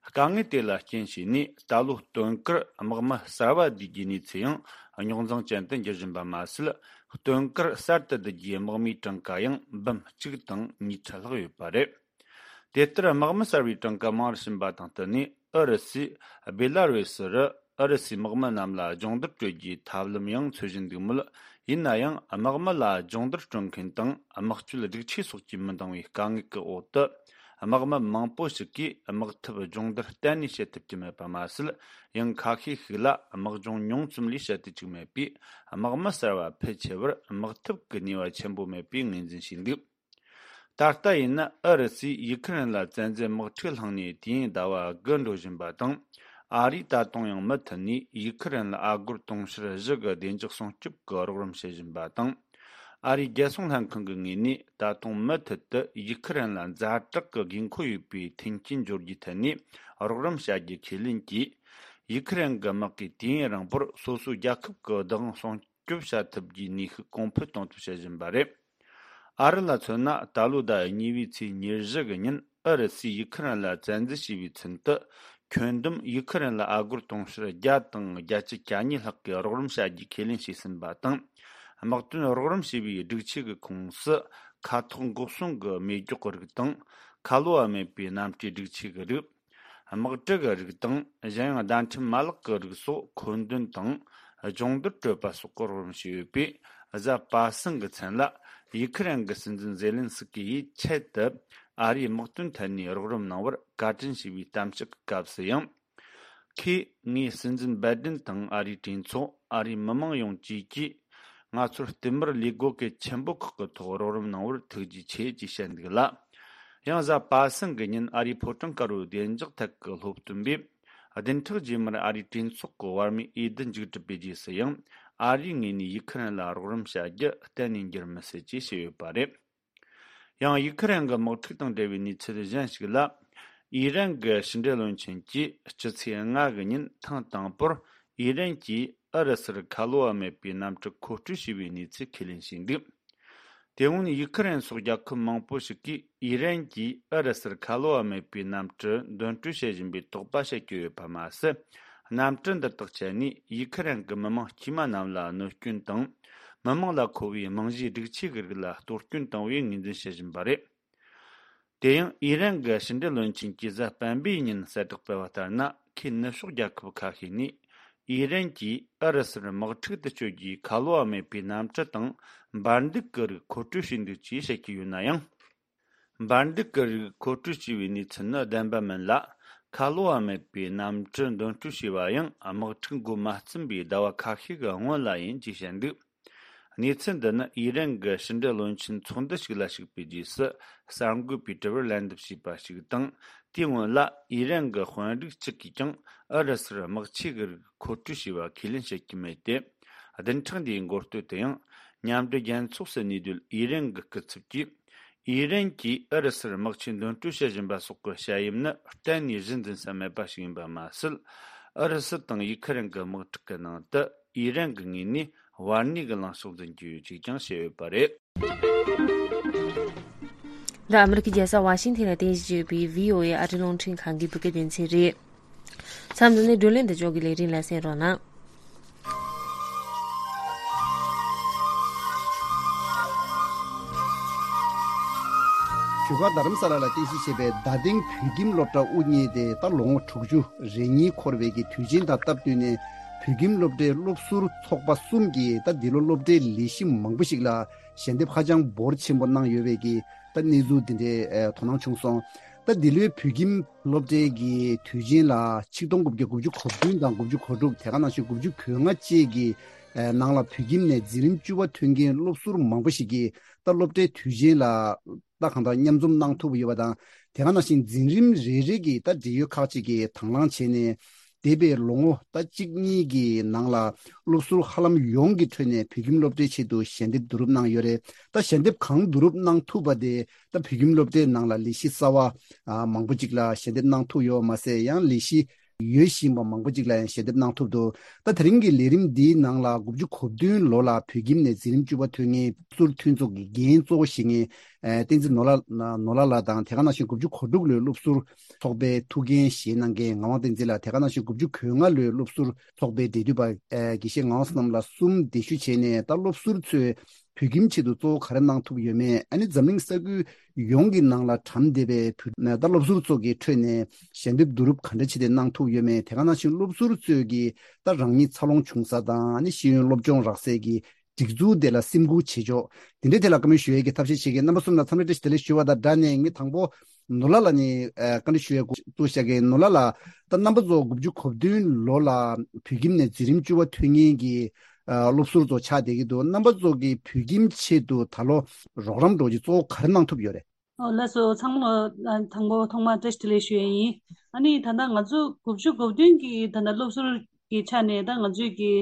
དཀའ་ངལ་དེ་ལ་རྐྱེན་བྱས་ནས། ད་ལོ་སྟོན་ཁར་དམག་མི་གསར་བ་བསྡུ་རྒྱུའི་གནས་ཚུལ་ཡང་རྙོག་འཛིང་ཅན་དུ་འགྱུར་བཞིན་པ་མ་ཟད། སྟོན་ཁར་གསར་དུ་བསྡུ་རྒྱུའི་དམག་མིའི་གྲངས་ཀ་ཡང་འབུམ་གཅིག་དང་ཉིས་ཁྲི་ལྷག་ཡོད་པ་རེད། དེ་ལྟར་དམག་མི་གསར་བའི་གྲངས་ཀ་མང་རུ་ཕྱིན་པ་དང་བསྟུན་ནས། ཨུ་རུ་སུས་སྦེ་ལ་རུ་སི་རུ་ཨུ་རུ་སུའི་དམག་མི་རྣམས་ལ་སྦྱོང་བརྡར་སྤྲོད་རྒྱུའི་ཐབས་ལམ་ཡང་འཚོལ་བཞིན་འདུག་མོད། ཡིན་ན་ཡང་། དམག་མི་ལ་སྦྱོང་བརྡར་སྤྲོད་མཁན་དང་། དམག་སྤྱོད་སྒྲིག་ཆས་སོགས་ཀྱིས་མི་འདང་བའི་དཀའ་ངལ་གྱི་འོག་ཏུ། དམག་མི་མང་པོ་ཞིག་གིས་དམག་འཐབ་སྦྱོང་བརྡར་གཏན་ནས་བྱེད་ཐུབ་ཀྱི་མེད་པ་མ་ཟད། ཡང་ཁ་ཤས་ཤིག་ལ་དམག་སྦྱོང་ཉུང་ཙམ་ལས་བྱེད་དུ་བཅུག་མེད་པས། དམག་མི་གསར་བ་ཕལ་ཆེ་བར་དམག་འཐབ་ཀྱི་ནུས་པ་ཆེན་པོ་མེད་པའི་ངོས་འཛིན་བྱས་འདུག་ད་ལྟ་ཡིན་ན། ཨུ་རུ་སུས་ཡུ་ཁུ་རེན་ལ་བཙན་འཛུལ་དམག་འཁྲུག་བསླངས་ནས་དུས་ཡུན་ཟླ་བ་དགུ་འགྲོ་བཞིན་པ་དང་། ཨ་རིས་ད་དུང་ཡང་མུ་མཐུད་ནས་ཡུ་ཁུ་རེན་ལ་ཨ་སྒོར་དུང་ཕྱུར་བཞི་གི་བདེ་འཇགས་སྲུང་སྐྱོབ་ཀྱི་རོགས་རམ་བྱེད་བཞིན་པ་དང་། ཨ་རིའི་རྒྱལ་སྲུང་ལྷན་ཁང་གི་ངོས་ནས། ད་དུང་མུ་མཐུད་དུ་ཡུ་ཁུ་རེན་ལ་ཛ་དྲག་གི་དགོས་མཁོ་ཡོད་པའི་མཐུན་རྐྱེན་སྦྱོར་རྒྱུའི་ཐད་ནས་རོགས་རམ་བྱ་རྒྱུ་ཁས་ལེན་གྱིས། ཡུ་ཁུ་རེན་གྱི་དམག་གིས་དུས་ཡུན་རིང་པོར་སོ་སོའི་རྒྱལ་ཁབ་ཀྱི་བདག་དབང་སྲུང་སྐྱོབ་བྱ་ཐུབ་རྒྱུའི་ནུས་ཤུགས་གོང་འཕེལ་གཏོང་ཐབས་བྱེད་བཞིན་པ་རེད། ཨ་རི་ལ་མཚོན་ན། ད་ལོའི་ཟླ་གཉིས་པའི་ཚེས་ཉེར་བཞི་གི་ཉིན། ཨུ་རུ་སུས་ཡུ་ཁུ་རེན་ལ་བཙན་འཛུལ་བྱས་པའི་ཚུན་དུ། ཁྱོན་བསྡོམས་ཡུ་ཁུ་རེན་ལ་ཨ་སྒོར་དུང་ཕྱུར་བརྒྱ་དང་བརྒྱད་ཅུ་གྱ་གཉིས་ལྷག་གི་རོགས་རམ་བྱ་རྒྱུའི་ཁས་ལེན་བྱས་ཟིན་པ་དང་། དམག་དོན་རོགས་རམ་བྱེད་པའི་སྒྲིག་ཆས་ཀྱི་ཁོངས་སུ། མཁའ་ཐོག་འགོག་སྲུང་གི་མེ་སྒྱོགས་རིགས་དང་། ཁ་ལོ་བ་མེད་པའི་གནམ་གྲུའི་སྒྲིག་ཆས་ཀྱི་རིགས། དམག་གྲུ་གི་རིགས་དང་། གཞན་ཡང་བརྡ་འཕྲིན་མ་ལག་གི་རིགས་སོགས་མཁོ་འདོན་དང་། སྦྱོང་བརྡར་སྤྲོད་པ་སོགས་ཀྱི་རོགས་རམ་བྱས་ཡོད་པས། གཟའ་པ་སངས་ཀྱི་མཚན་ལ། ཡུ་ཁུ་རེན་གྱི་སྲིད་འཛིན་ཛེ་ལན་སི་ཀི་ཡིས་ཆེད་དུ་ཨ་རིའི་དམག་དོན་ཐད་ནས་རོགས་རམ་གནང་བར་བཀའ་དྲིན་ཞུས་པའི་གཏམ་བཤད་ཀྱི་སྐབས་སུ་ཡང་། ཁོས་ངའི་སྲིད་འཛིན་བའི་ཌེན་དང་ཨ་རིའི་གྲོས་ཚོགས། ཨ་རིའི་མི་མང་ཡོངས་བཅས་ཀྱིས་ང་ཚོར་བསྟུད་མར་ལས་བགོ་སྐལ་ཆེན་པོ་ཁག་གི་ཐོག་རོགས་རམ་གནང་བར་ཐུགས་རྗེ་ཆེ་ཅེས་བཤད་འདུག་ལ། ཡང་གཟའ་པ་སངས་ཀྱི་ཉིན་ཨ་རིའི་ཕོ་བྲང་དཀར་པོའི་བདེ་འཇགས་ཐད་ཀྱི་སློབ་སྟོན་པས། བདུན་ཕྲག་རྗེས་མར་ཨ་རིའི་གྲོས་ཚོགས་ཀྱི་བར་མའི་འོས་བསྡུ་མཇུག་གྲུབ་པའི་རྗེས་སུ་ཡང་། ཨ་རིའི་ངོས་ནས་ཡུ་ཁུ་རེན་ལ་རོགས་རམ་བྱ་རྒྱུ་གཏན་ནས་འགྱུར་མི་སྲིད་ཅེས་བཤད་ཡོད་པ་རེད། ཡང་ཡུ་ཁུ་རེན་གྱི་དམག་འཁྲུག་དང་འབྲེལ་བའི་གནས་ཚུལ་གཞན་ཞིག་ལ། ཨི་རན་གྱི་ཕྱི་འབྲེལ་བློན་ཆེན་གྱིས་ཕྱི་ཚེས་ལྔ་གི་ཉིན་ཐེངས་དང་པོར་ཨི་རན་གྱིས་ཨུ་རུ་སུར་ཁ་ལོ་བ་མེད་པའི་གནམ་གྲུ་མཁོ་སྤྲོད་བྱས་པའི་གནས་ཚུལ་ཁས་ལེན་བྱས་འདུག་དེ་སྔོན་ཡུ་ཁུ་རེན་སོགས་རྒྱལ་ཁབ་མང་པོ་ཞིག་གིས་ཨི་རན་གྱིས་ཨུ་རུ་སུར་ཁ་ལོ་བ་མེད་པའི་གནམ་གྲུ་འདོན་སྤྲོད་བྱེད་བཞིན་པའི་དོགས་པ་བྱེད་ཀྱི་ཡོད་པ་མ་ཟད། གནམ་གྲུ་འདི་དག་སྤྱད་ནས་ཡུ་ཁུ་རེན་གྱི་མི་མང་དཀྱུས་མ་རྣམས་ལ་གནོད་སྐྱོན་དང་། མི་མང་ལ་མཁོ་བའི་རྨང་གཞིའི་སྒྲིག་ཆས་ཀྱི་རིགས་ལ་གཏོར་སྐྱོན་བཏང་བའི་ངོས་འཛིན་བྱེད་བཞིན་པ་རེད། དེ་ཡང་ཨི་རན་གྱི་ཕྱི་འབྲེལ་བློན་ཆེན་གྱིས་གཟའ་སྤེན་པའི་ཉིན་གསལ་བསྒྲགས་སྤེལ་བ་ལྟར་ན། ཁོས་ནུབ་ཕྱོགས་རྒྱལ་ཁབ་ཁ་ཤས་ནས་ཨི་རན་གྱིས་ཨུ་རུ་སུར་དམག་འཁྲུག་ཏུ་སྤྱོད་རྒྱུའི་ཁ་ལོ་བ་མེད་པའི་གནམ་གྲུ་དང་འབར་མདེལ་གྱི་རིགས་མཁོ་སྤྲོད་བྱས་འདུག་ཅེས་བཤད་ཀྱི་ཡོད་ན་ཡང་། འབར་མདེལ་གྱི་རིགས་མཁོ་སྤྲོད་བྱས་པའི་གནས་ཚུལ་ནི་བདེན་པ་མིན་ལ། ཁ་ལོ་བ་མེད་པའི་གནམ་གྲུ་འདོན་སྤྲོད་བྱས་པ་ཡང་དམག་འཁྲུག་འགོ་མ་བརྩམས་པའི་ཟླ་བ་ཁ་ཤས་ཀྱི་སྔོན་ལ་ཡིན་ཅེས་བཤད་འདུག་གནས་ཚུལ་འདི་ནི་ཨི་རན་གྱི་ཕྱི་འབྲེལ་བློན་ཆེན་ཚོགས་འདུ་ཞིག་ལ་ཞུགས་པའི་རྗེས་སུ་གསར་འགོད་པས་དྲི་བར་ལན་འདེབས་བྱས་པ་ཞིག་དང་། དེའི་སྔོན་ལ་ཨི་རན་གྱི་དཔོན་རིགས་གཅིག་གིས་ཀྱང་ཨུ་རུ་སུར་དམག་ཆས་ཀྱི་རིགས་མཁོ་སྤྲོད་བྱས་པ་ཁས་ལེན་བྱེད་ཀྱི་མེད་དེ། བདུན་ཕྲག་འདིའི་འགོ་སྟོད་དུ་ཡང་མཉམ་འབྲེལ་རྒྱལ་ཚོགས་སུ་གནས་སྡོད་ཨི་རན་གྱི་སྐུ་ཚབ་ཀྱིས། ཨི་རན་གྱིས་ཨུ་རུ་སུར་དམག་ཆས་འདོན་སྤྲོད་བྱེད་བཞིན་པ་སོགས་ཀྱི་བཤད་ཡུལ་ནི་གཏན་ནས་གཞི་འཛིན་ས་མེད་པ་ཞིག་ཡིན་པ་མ་ཟད། ཨུ་རུ་སུ་དང་ཡུ་ཁུ་རེན་གྱི་དམག་འཁྲུག་གི་ནང་དུ་ཨི་རན་གྱི་ངོས་ནས་བར་གནས་ཀྱི་ལངས་ཕྱོགས་འཛིན་གྱི་ཡོད་ཅེས་ཀྱང་བཤད་ཡོད་པ་རེད། འདི་ཨ་མི་རི་ཀའི་རྒྱལ་ས་ཝ་ཤིང་ཐན་ལ་རྟེན་གཞི་བྱས་པའི་བྷི་ཨོ་ཨེ་ཨ་རིའི་རླུང་འཕྲིན་ཁང་གི་བོད་སྐད་སྡེ་ཚན་རེད། མཚམས་འདི་ནས་བགྲོ་གླེང་འདི་ཕྱོགས་ཀྱི་ལས་རིམ་ལ་གསན་རོགས་གནང་། བཞུགས་སྒར་རྡ་རམ་ས་ལ་ལ་རྟེན་གཞི་བྱས་པའི་རྡ་སྟེང་བོད་ཁྱིམ་སློབ་གྲྭ་དབུ་བརྙེས་ཏེ་ད་ལོ་ངོ་དྲུག་ཅུ་རེ་གཉིས་འཁོར་བའི་གི་དུས་ཆེན་དང་སྟབས་བསྟུན་ནས། བོད་ཁྱིམ་སློབ་གྲྭའི་སློབ་ཟུར་ཚོགས་པ་གསུམ་གྱིས་ད་འདི་ལོ་སློབ་གྲྭའི་ལས་གཞི་མང་པོ་ཞིག་ལ་ཞལ་འདེབས་ཧ་ཅང་འབོར་ཆེན་པོ་གནང་ཡོད་པའི་གི་ད་གནས་ཚུལ་འདི་འདྲའི་ཨ་དོ་སྣང་བྱུང་སོང་། ད་འདི་ལོའི་བོད་ཁྱིམ་སློབ་གྲྭའི་གི་དུས་ཆེན་ལ་ཆིག་སྟོང་དགུ་བརྒྱ་དགུ་བཅུ་གོ་བདུན་དང་དགུ་བཅུ་གོ་དྲུག་དེ་ག་ནང་བཞིན་དགུ་བཅུ་གོ་ལྔ་བཅས་ཀྱི་ཨ་ནང་ལ་བོད་ཁྱིམ་ནས་འཛིན་རིམ་བཅུ་པ་ཐོན་མཁན་སློབ་ཟུར་མང་པོ་ཞིག་གིས་ད་སློབ་གྲྭའི་དུས་ཆེན་ལ་ད་གང་ལྟར་མཉམ་འཛོམས་གནང་ཐུབ་ཡོད་པ་དང་། དེ་ག་ནང་བཞིན་འཛིན་རིམ་རེ་རེ་གི་ད་འབྲེལ་ཡོད་ཁག་ཅིག་གིས་དང་བླངས་བྱས་ནས། འདས་པའི་ལོ་ངོ་ད་གཅིག་གཉིས་ཀྱི་ནང་ལ་སློབ་ཟུར་ཧ་ལམ་ཡོངས་ཀྱི་ཁྲོད་ནས་བོད་ཁྱིམ་སློབ་གྲྭའི་ཆེད་དུ་ཞལ་འདེབས་བསྡུ་རུབ་གནང་ཡོད་རེད། ད་ཞལ་འདེབས་གང་བསྡུ་རུབ་གནང་ཐུབ་པ་དེ་ད་བོད་ཁྱིམ་སློབ་གྲྭའི་ནང་ལ་ལས་གཞི་གསར་བ་ཨ་མང་པོ་ཅིག་ལ་ཞལ་འདེབས་གནང་ཐུབ་ཡོད་པ་མ་ཟད། ཡང་ལས་གཞི་ཡོད་བཞིན་པ་མང་པོ་ཅིག་ལ་ཡང་ཞལ་འདེབས་གནང་ཐུབ་འདུག་ད་དེ་རིང་གི་ལས་རིམ་འདིའི་ནང་ལ་དགུ་བཅུ་གོ་བདུན་ལོ་ལ་བོད་ཁྱིམ་ནས་འཛིན་རིམ་བཅུ་པ་ཐོན་མཁན་སློབ་ཟུར་མཐུན་ཚོགས་ཀྱི་འགན་གཙོ་བོ་བཞེས་མཁན་ཨ་བསྟན་འཛིན་ནོར་ལྷ་ནོར་ལྷ་ལགས་དང་། དེ་ག་ནང་བཞིན་དགུ་བཅུ་གོ་དྲུག་ལོའི་སློབ་ཟུར་ཚོགས་པའི་ཐུགས་འགན་བཞེས་གནང་མཁན་ངག་དབང་བསྟན་འཛིན་ལགས། དེ་ག་ནང་བཞིན་དགུ་བཅུ་གོ་ལྔ་ལོའི་སློབ་ཟུར་ཚོགས་པའི་འབྲེལ་མཐུད་པ་ཨ་དགེ་བཤེས་ངག་དབང་བསོད་ནམས་ལགས་གསུམ་གདན་ཞུ་བྱས་ནས། ད་སློབ་ཟུར་ཚོས་བོད་ཁྱིམ་ཆེད་དུ་གཙོ་བོ་ག་རེ་གནང་ཐུབ་ཡོད་མེད། ཨ་ནི་འཛམ་གླིང་ས་ཁུལ་ཡོངས་ཀྱི་ནང་ལ་གྲམ་བསྡད་པའི་བོད་ད་སློབ་ཟུར་ཚོ་གི་ཁྲོད་ནས་ཞལ་འདེབས་བསྡུ་རུབ་ག་འདྲ་བྱས་ཏེ་གནང་ཐུབ་ཡོད་མེད། དེ་ག་ནང་བཞིན་སློབ་ཟུར་ཚོས་ཀྱི་ད་རང་ཉིད་འཚར་ལོངས་བྱུང་ས་དང་། ཨ་ནི་ཤེས་ཡོན་སློབ་སྦྱོང་རག་སའི་གི་སྒྲིག་འཛུགས་དེ་ལ་སེམས་ཁུར་བྱེད་ཕྱོགས་དེ་འདྲའི་ཐད་ལ་བཀའ་མོལ་ཞུ་ཡས་ཀྱི་ཐབས་ཤེས་བྱེད་མཁན་རྣམ་པ་གསུམ་ལ་འཚམས་འདྲི་བཀྲ་ཤིས་བདེ་ལེགས་ཞུ་བ་དང་སྦྲགས་ནས། ངས་དང་པོ་ནོར་ལྷ་ལགས་ནས་ཨ་བཀའ་འདྲི་ཞུ་ཡས་འགོ་བཙུགས་བཞག་གི། ནོར་ལྷ་ལགས། ད་རྣམ་པ་ཚོ་དགུ་བཅུ་གོ་བདུན་ལོ་ལ་བོད་ཁྱིམ་ནས་འཛིན་རིམ་བཅུ་པ་ཐོན་མཁན་གྱི་ཨ་སློབ་ཟུར་ཚོ་ཆགས་བསྡད་ཀྱི་འདུག་རྣམ་པ་ཚོ་གིས་བོད་ཁྱིམ་ཆེད་དུ་ད་ལོ་རོགས་རམ་འདྲ་བོ་ཅིག་གཙོ་བོ་ག་རེ་གནང་ཐུབ་ཡོད་རེད། ཨོ་ལགས་སོ། ཚང་མ་ལ་དང་པོ་ཐོག་མར་བཀྲ་ཤིས་བདེ་ལེགས་ཞུ་ཡས་ཡིན། ཨ་ནི་ད་ལྟ་ང་ཚོ་དགུ་བཅུ་གོ་བདུན་གྱི་ད་ལྟ་སློབ་ཟུར་གྱི་ཆ་ནས་ད་ང་ཚོས་ཀྱི་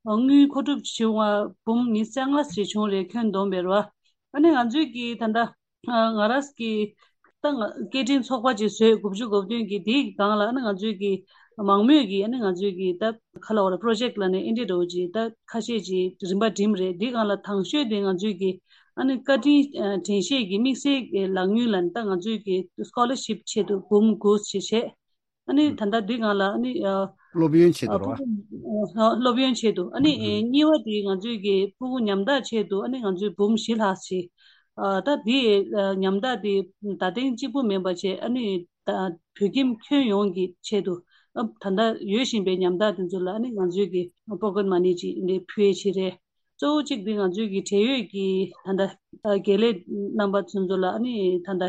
དངུལ་མཁོ་སྒྲུབ་བྱུང་བ་འབུམ་ཉི་ཤུ་རྩ་ལྔ་ཞིག་བྱུང་རེད། ཁྱོན་བསྡོམས་པས་རེད་བ། ཨ་ནི་ང་ཚོས་ཀྱི་ད་ལྟ་ང་རང་གི་ད་ང་སྐད་འཕྲིན་ཚོགས་པ་ཅིག་བཟོས། དགུ་བཅུ་གོ་བདུན་གྱི་དེའི་སྒང་ལ་ཨ་ནི་ང་ཚོས་ཀྱི་མང་མོས་ཀྱིས་ཨ་ནི་ང་ཚོས་ཀྱི་ད་ག་ལ་བ་ལ་པྲོ་ཇེག་ལ་ནས་ཨེ་འདྲ་འདྲ་བོ་ཅིག་ད་ཁ་ཤས་ཅིག་རིམ་པ་འགྲིམས་རེད། དེའི་སྒང་ལ་དང་ཤོས་དེ་ང་ཚོས་ཀྱི་ཨ་ནི་བཀའ་དྲིན་ཨ་དྲན་ཤེས་ཀྱི་དམིགས་བསལ་གྱི་ལག་དངུལ་ལ་ནི་ད་ང་ཚོས་ཀྱི་སྐོ་ལར་ཤིབ་ཆེད་དུ་འབུམ་དགུ་ཞིག་བྱས། ཨ་ནི་ད་ལྟ་འདི་སྒང་ལ་ཨ་ནི་ཨ་སློབ་ཡོན་ཆེད་དུ་རེད་བ། ཕྲུ་གུ་ཨ་སློབ་ཡོན་ཆེད་དུ། ཨ་ནི་ཨ་གཉིས་པ་དེ་ང་ཚོས་ཀྱི་ཕྲུ་གུ་ཉམ་ཐག་ཆེད་དུ་ཨ་ནི་ང་ཚོས་འབུམ་བཞི་ལྷག་ཞིག་ཨ་ད་དེ་ཨ་ཉམ་ཐག་དེ་ད་ཐེངས་གཅིག་པུ་མིན་པ་བྱས། ཨ་ནི་ད་བོད་ཁྱིམ་ཁྱོན་ཡོངས་ཀྱི་ཆེད་དུ་ཨ་ད་ལྟ་ཡོད་བཞིན་པའི་ཉམ་ཐག་དེ་ཚོ་ལ་ཨ་ནི་ང་ཚོས་ཀྱི་པོ་ཀེཊ་མ་ནི་ཅིག་འདི་ཕུལ་ཡས་བྱས་རེད། གཙོ་བོ་གཅིག་འདི་ང་ཚོས་ཀྱི་འབྲེལ་ཡོད་ཀྱི་ད་ལྟ་ཨ་དགེ་ལས་རྣམ་པ་ཚོ་ཚོ་ལ་ཨ་ནི་ད་ལྟ་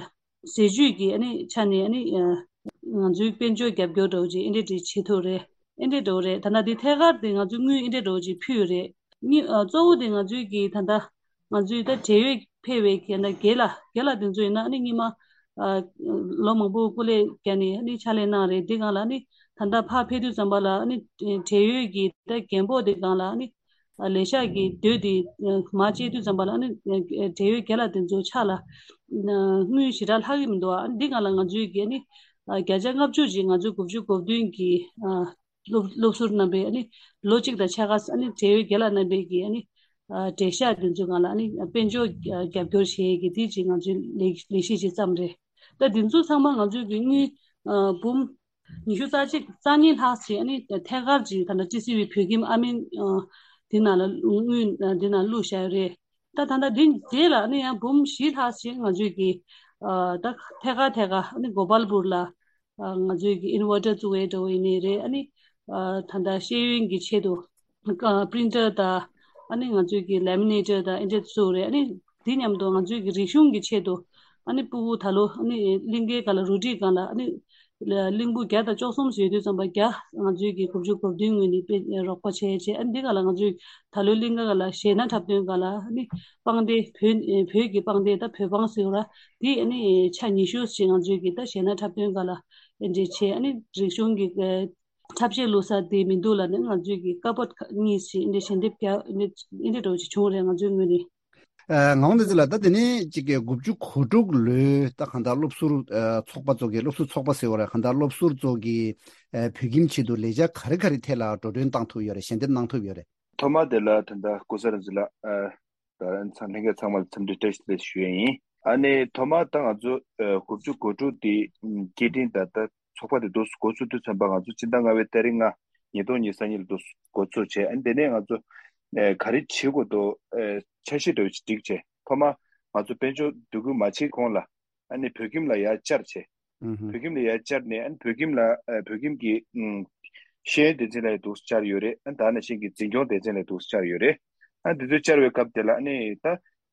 ཟས་བཅུད་ཀྱི་ཨ་ནི་ཆ་ནས་ཨ་ནི་ཨ་ ང་ཚོའི་དཔལ་འབྱོར་རྒྱབ་སྐྱོར་འདྲ་བོ་ཅིག་ཨེ་འདྲ་འདྲ་བྱེད་ཐུབ་རེད། ཨེ་འདྲ་འདྲ་བོ་རེད། ད་ལྟ་འདི་ཐད་ཀར་དེ་ང་ཚོས་དངུལ་ཨེ་འདྲ་འདྲ་བོ་ཅིག་ཕུལ་ཡོད་རེད། གཉིས་ཨ་གཙོ་བོ་དེ་ང་ཚོའི་གི་ད་ལྟ་ང་ཚོའི་ད་འབྲེལ་ཡོད་ཕེབས་པའི་གི་ད་རྒན་ལགས་རྒན་ལགས་དེ་ཚོ་ཡིན་ན་ཨ་ནི་སྔོན་མ་ཨ་ལོ་མང་པོ་སྐུ་ལས་བརྒྱབ་ནས་ཨ་ནི་ཕྱག་ལས་གནང་རེད། འདི་སྒང་ལ་ཨ་ནི་ད་ལྟ་ཕར་ཕེབས་དུས་ཙམ་པ་ལ་ཨ་ནི་འབྲེལ་ཡོད་ཀྱི་ད་རྒན་པོ་དེ་སྒང་ལ་ཨ་ནི་ལས་ཤག་གི་སྡོད་དེ་མར་བཅད་དུས་ཙམ་པ་ལ་ཨ་ནི་འབྲེལ་ཡོད་རྒན་ལགས་དེ་ཚོ་ཕྱག་ལ་དངུལ་ཞེ་དྲག་ལྷག་གི་མི་འདུག་ཨ་ནི་འདི་སྒང་ལ་ང་ཚོའི་གི་ཨ་ནི་བརྒྱ་ཆ་ལྔ་བཅུ་ཅིག་ང་ཚོའི་དགུ་བཅུ་གོ་བདུན་གི་སློབ་སློབ་ཟུར་རྣམ་པས་ཨ་ནི་ལོ་གཅིག་དང་ཕྱེད་ཀ་ཨ་ནི་འབྲེལ་ཡོད་རྒན་ལགས་རྣམ་པས་ཀྱིས་ཨ་ནི་ཨ་འབྲེལ་ཤག་དེ་ཚོའི་སྒང་ལ་ཨ་ནི་དཔལ་འབྱོར་རྒྱབ་སྐྱོར་བྱེད་ཡས་ཀྱི་དེ་ཅིག་ང་ཚོའི་ལས་ལས་གཞི་ཅིག་བརྩམས་རེད། ད་དེ་ཚོ་ཚང་མ་ང་ཚོའི་གི་དངུལ་ཨ་འབུམ་ཉི་ཤུ་རྩ་གཅིག་རྩ་གཉིས་ལྷག་ཅིག་ཨ་ནི་ཐད་ཀར་ཅིག་ད་ལྟ་ཊི་སི་ཝི་བོད་ཁྱིམ་ཨ་མིན་ཨ་དེ་ནང་ལ་དངུལ་ཨ་དེ་ནང་བླུགས་བཞག་ཡོད་རེད། ད་ད་ལྟ་འདི་རྗེས་ལ་ཨ་ནི་ཡང་འབུམ་བཞི་ལྷག་ཅིག་ང་ཚོའི་གི་ཨ་ད་ཐད་ཀར་ཐད་ཀར་ཨ་ནི་གོ་པལ་པུར་ལ་ཨ་ང་ཚོའི་གི་ཨིན་ཝར་ཊར་བཙུགས་པའི་འདྲ་བོ་ཡིན་ནའི་རེད། ཨ་ནི་ཨ་ད་ལྟ་ཤེས་ཡོན་གྱི་ཆེད་དུ་ཨ་པི་རིན་ཊར་དང་ཨ་ནི་ང་ཚོའི་གི་ལེ་མི་ནེ་ཊར་དང་ཨེ་འདྲ་བཙུགས་རེད། ཨ་ནི་དེ་མཉམ་དུ་ང་ཚོའི་གི་རིག་གཞུང་གི་ཆེད་དུ་ཨ་ནི་ཕྲུ་གུ་ད་ལོ་ཨ་ནི་གླིང་གའི་སྒང་ལ་རུ་སྒྲིག་སྒང་ལ་ཨ་ནི་གླིང་བུ་བརྒྱ་དང་བཅུ་གསུམ་ཡོད་དུས་ཙམ་པ་བརྒྱ་ང་ཚོའི་གི་དགུ་བཅུ་གོ་བདུན་ངོས་ནས་དཔེ་རོགས་པ་བྱས་བྱས། ཨ་ནི་འདི་ག་ལ་ང་ཚོའི་ད་ལོའི་གླིང་ག་ག་ལ་གཞས་སྣ་འཁྲབ་སྟོན་ག་ལ་ཨ་ནི་པང་གདན་བོད་བོད་ཀྱི་པང་གདན་ད་བོད་པང་ཟེར་བ་ར་འདི་ཨ་ནི་ཆ་ཉི་ཤུ་ཞིག་ང་ཚོའི་གི་ད་གཞས་སྣ་འཁྲབ་སྟོན་ག་ལ་ཨེ་འདྲ་བྱས། ཨ་ནི་རིག་གཞུང་གི་འཁྲབ་གཞས་བླུག་ས་དེ་མི་འདུག་ལབ་ནས་ང་ཚོའི་གི་ཀ་པོ་ཌི་གཉིས་ཤིག་ཨེ་འདྲ་ཞལ་འདེབས་རྒྱག་ཨེ་འདྲ་ཨེ་འདྲ་འདྲ་བོ་ཞིག་བྱུང་རེད་ང་ཚོའི་ངོས་ནས། ཨ་ངག་དབང་བསྟན་འཛིན་ལགས། ད་དེ་ནས་ཅིག་གི་དགུ་བཅུ་གོ་དྲུག་ལོའི་ད་གང་ལྟར་སློབ་ཟུར་ཨ་ཚོགས་པ་ཚོ་གི་སློབ་ཟུར་ཚོགས་པ་ཟེར་བ་རེད། གང་ལྟར་སློབ་ཟུར་ཚོ་གི་ཨ་བོད་ཁྱིམ་ཆེད་དུ་ལས་འཆར་ག་རེ་ག་རེ་ཐད་ལ་འགྲོ་གྲོན་བཏང་ཐུབ་ཡོད་རེད། ཞལ་འདེབས་གནང་ཐུབ་ཡོད་རེད། ཐོག་མ་དེ་ལ་ད་ལྟ་སྐུ་གཟུགས་རིན་ཆེན་ལགས་ཨ་ད་ཚང་ལྷན་རྒྱས་ཚང་མ་ལ་འཚམས་འདྲི་བཀྲ་ཤིས་བདེ་ལེགས་ཞུ་ཡས་ཡིན། ཨ་ནི་ཐོག་མ་ད་ང་ཚོ་ཨ་དགུ་བཅུ་གོ་དྲུག་དེ་སྐད་འཕྲིན་ད་ལྟ་ཚོགས་པ་དེ་འདུག་འགོ་བཙུགས་དུས་ཙམ་པ་ང་ཚོ་སྤྱི་ཟླ་ལྔ་པའི་ཏ་རིག་ལྔ་ཉིས་སྟོང་ཉི་ཤུ་རྩ་གཉིས་ལ་འདུག་འགོ་བཙུགས་བྱས། ཨ་ནི་དེ་ནས་ང་ཚོ་ཨ་ག་རེ་བྱེད་དགོས་འདུག་ཨ་འཆར་གཞི་འདྲ་བོ་ཞིག་བསྒྲིགས་བྱས། ཐོག་མ་ང་ཚོ་དཔལ་འབྱོར་འདུ་འགོད་མ་བྱེད་གོང་ལ་ཨ་ནི་བོད་ཁྱིམ་ལ་ཡར་བཅར་བྱས། ཨུ་ཧུ། བོད་ཁྱིམ་ལ་ཡར་བཅར་ནས་ཨ་ནི་བོད་ཁྱིམ་ལ་ཨ་བོད་ཁྱིམ་གྱི་ཨུམ་ཤེས་ཡོན་སྡེ་ཚན་ལ་ཡང་འདུག་བཅར་ཡོད་རེད། ཨ་ནི་ད་ནང་བཞིན་གྱི་འཛིན་སྐྱོང་སྡེ་ཚན་ལ་འདུག་བཅར་ཡོད་རེད། ཨ་ནི་དེ་ཚོ་བཅར་བའི་སྐབས་དེ་ལ་ཨ་ནི་ད་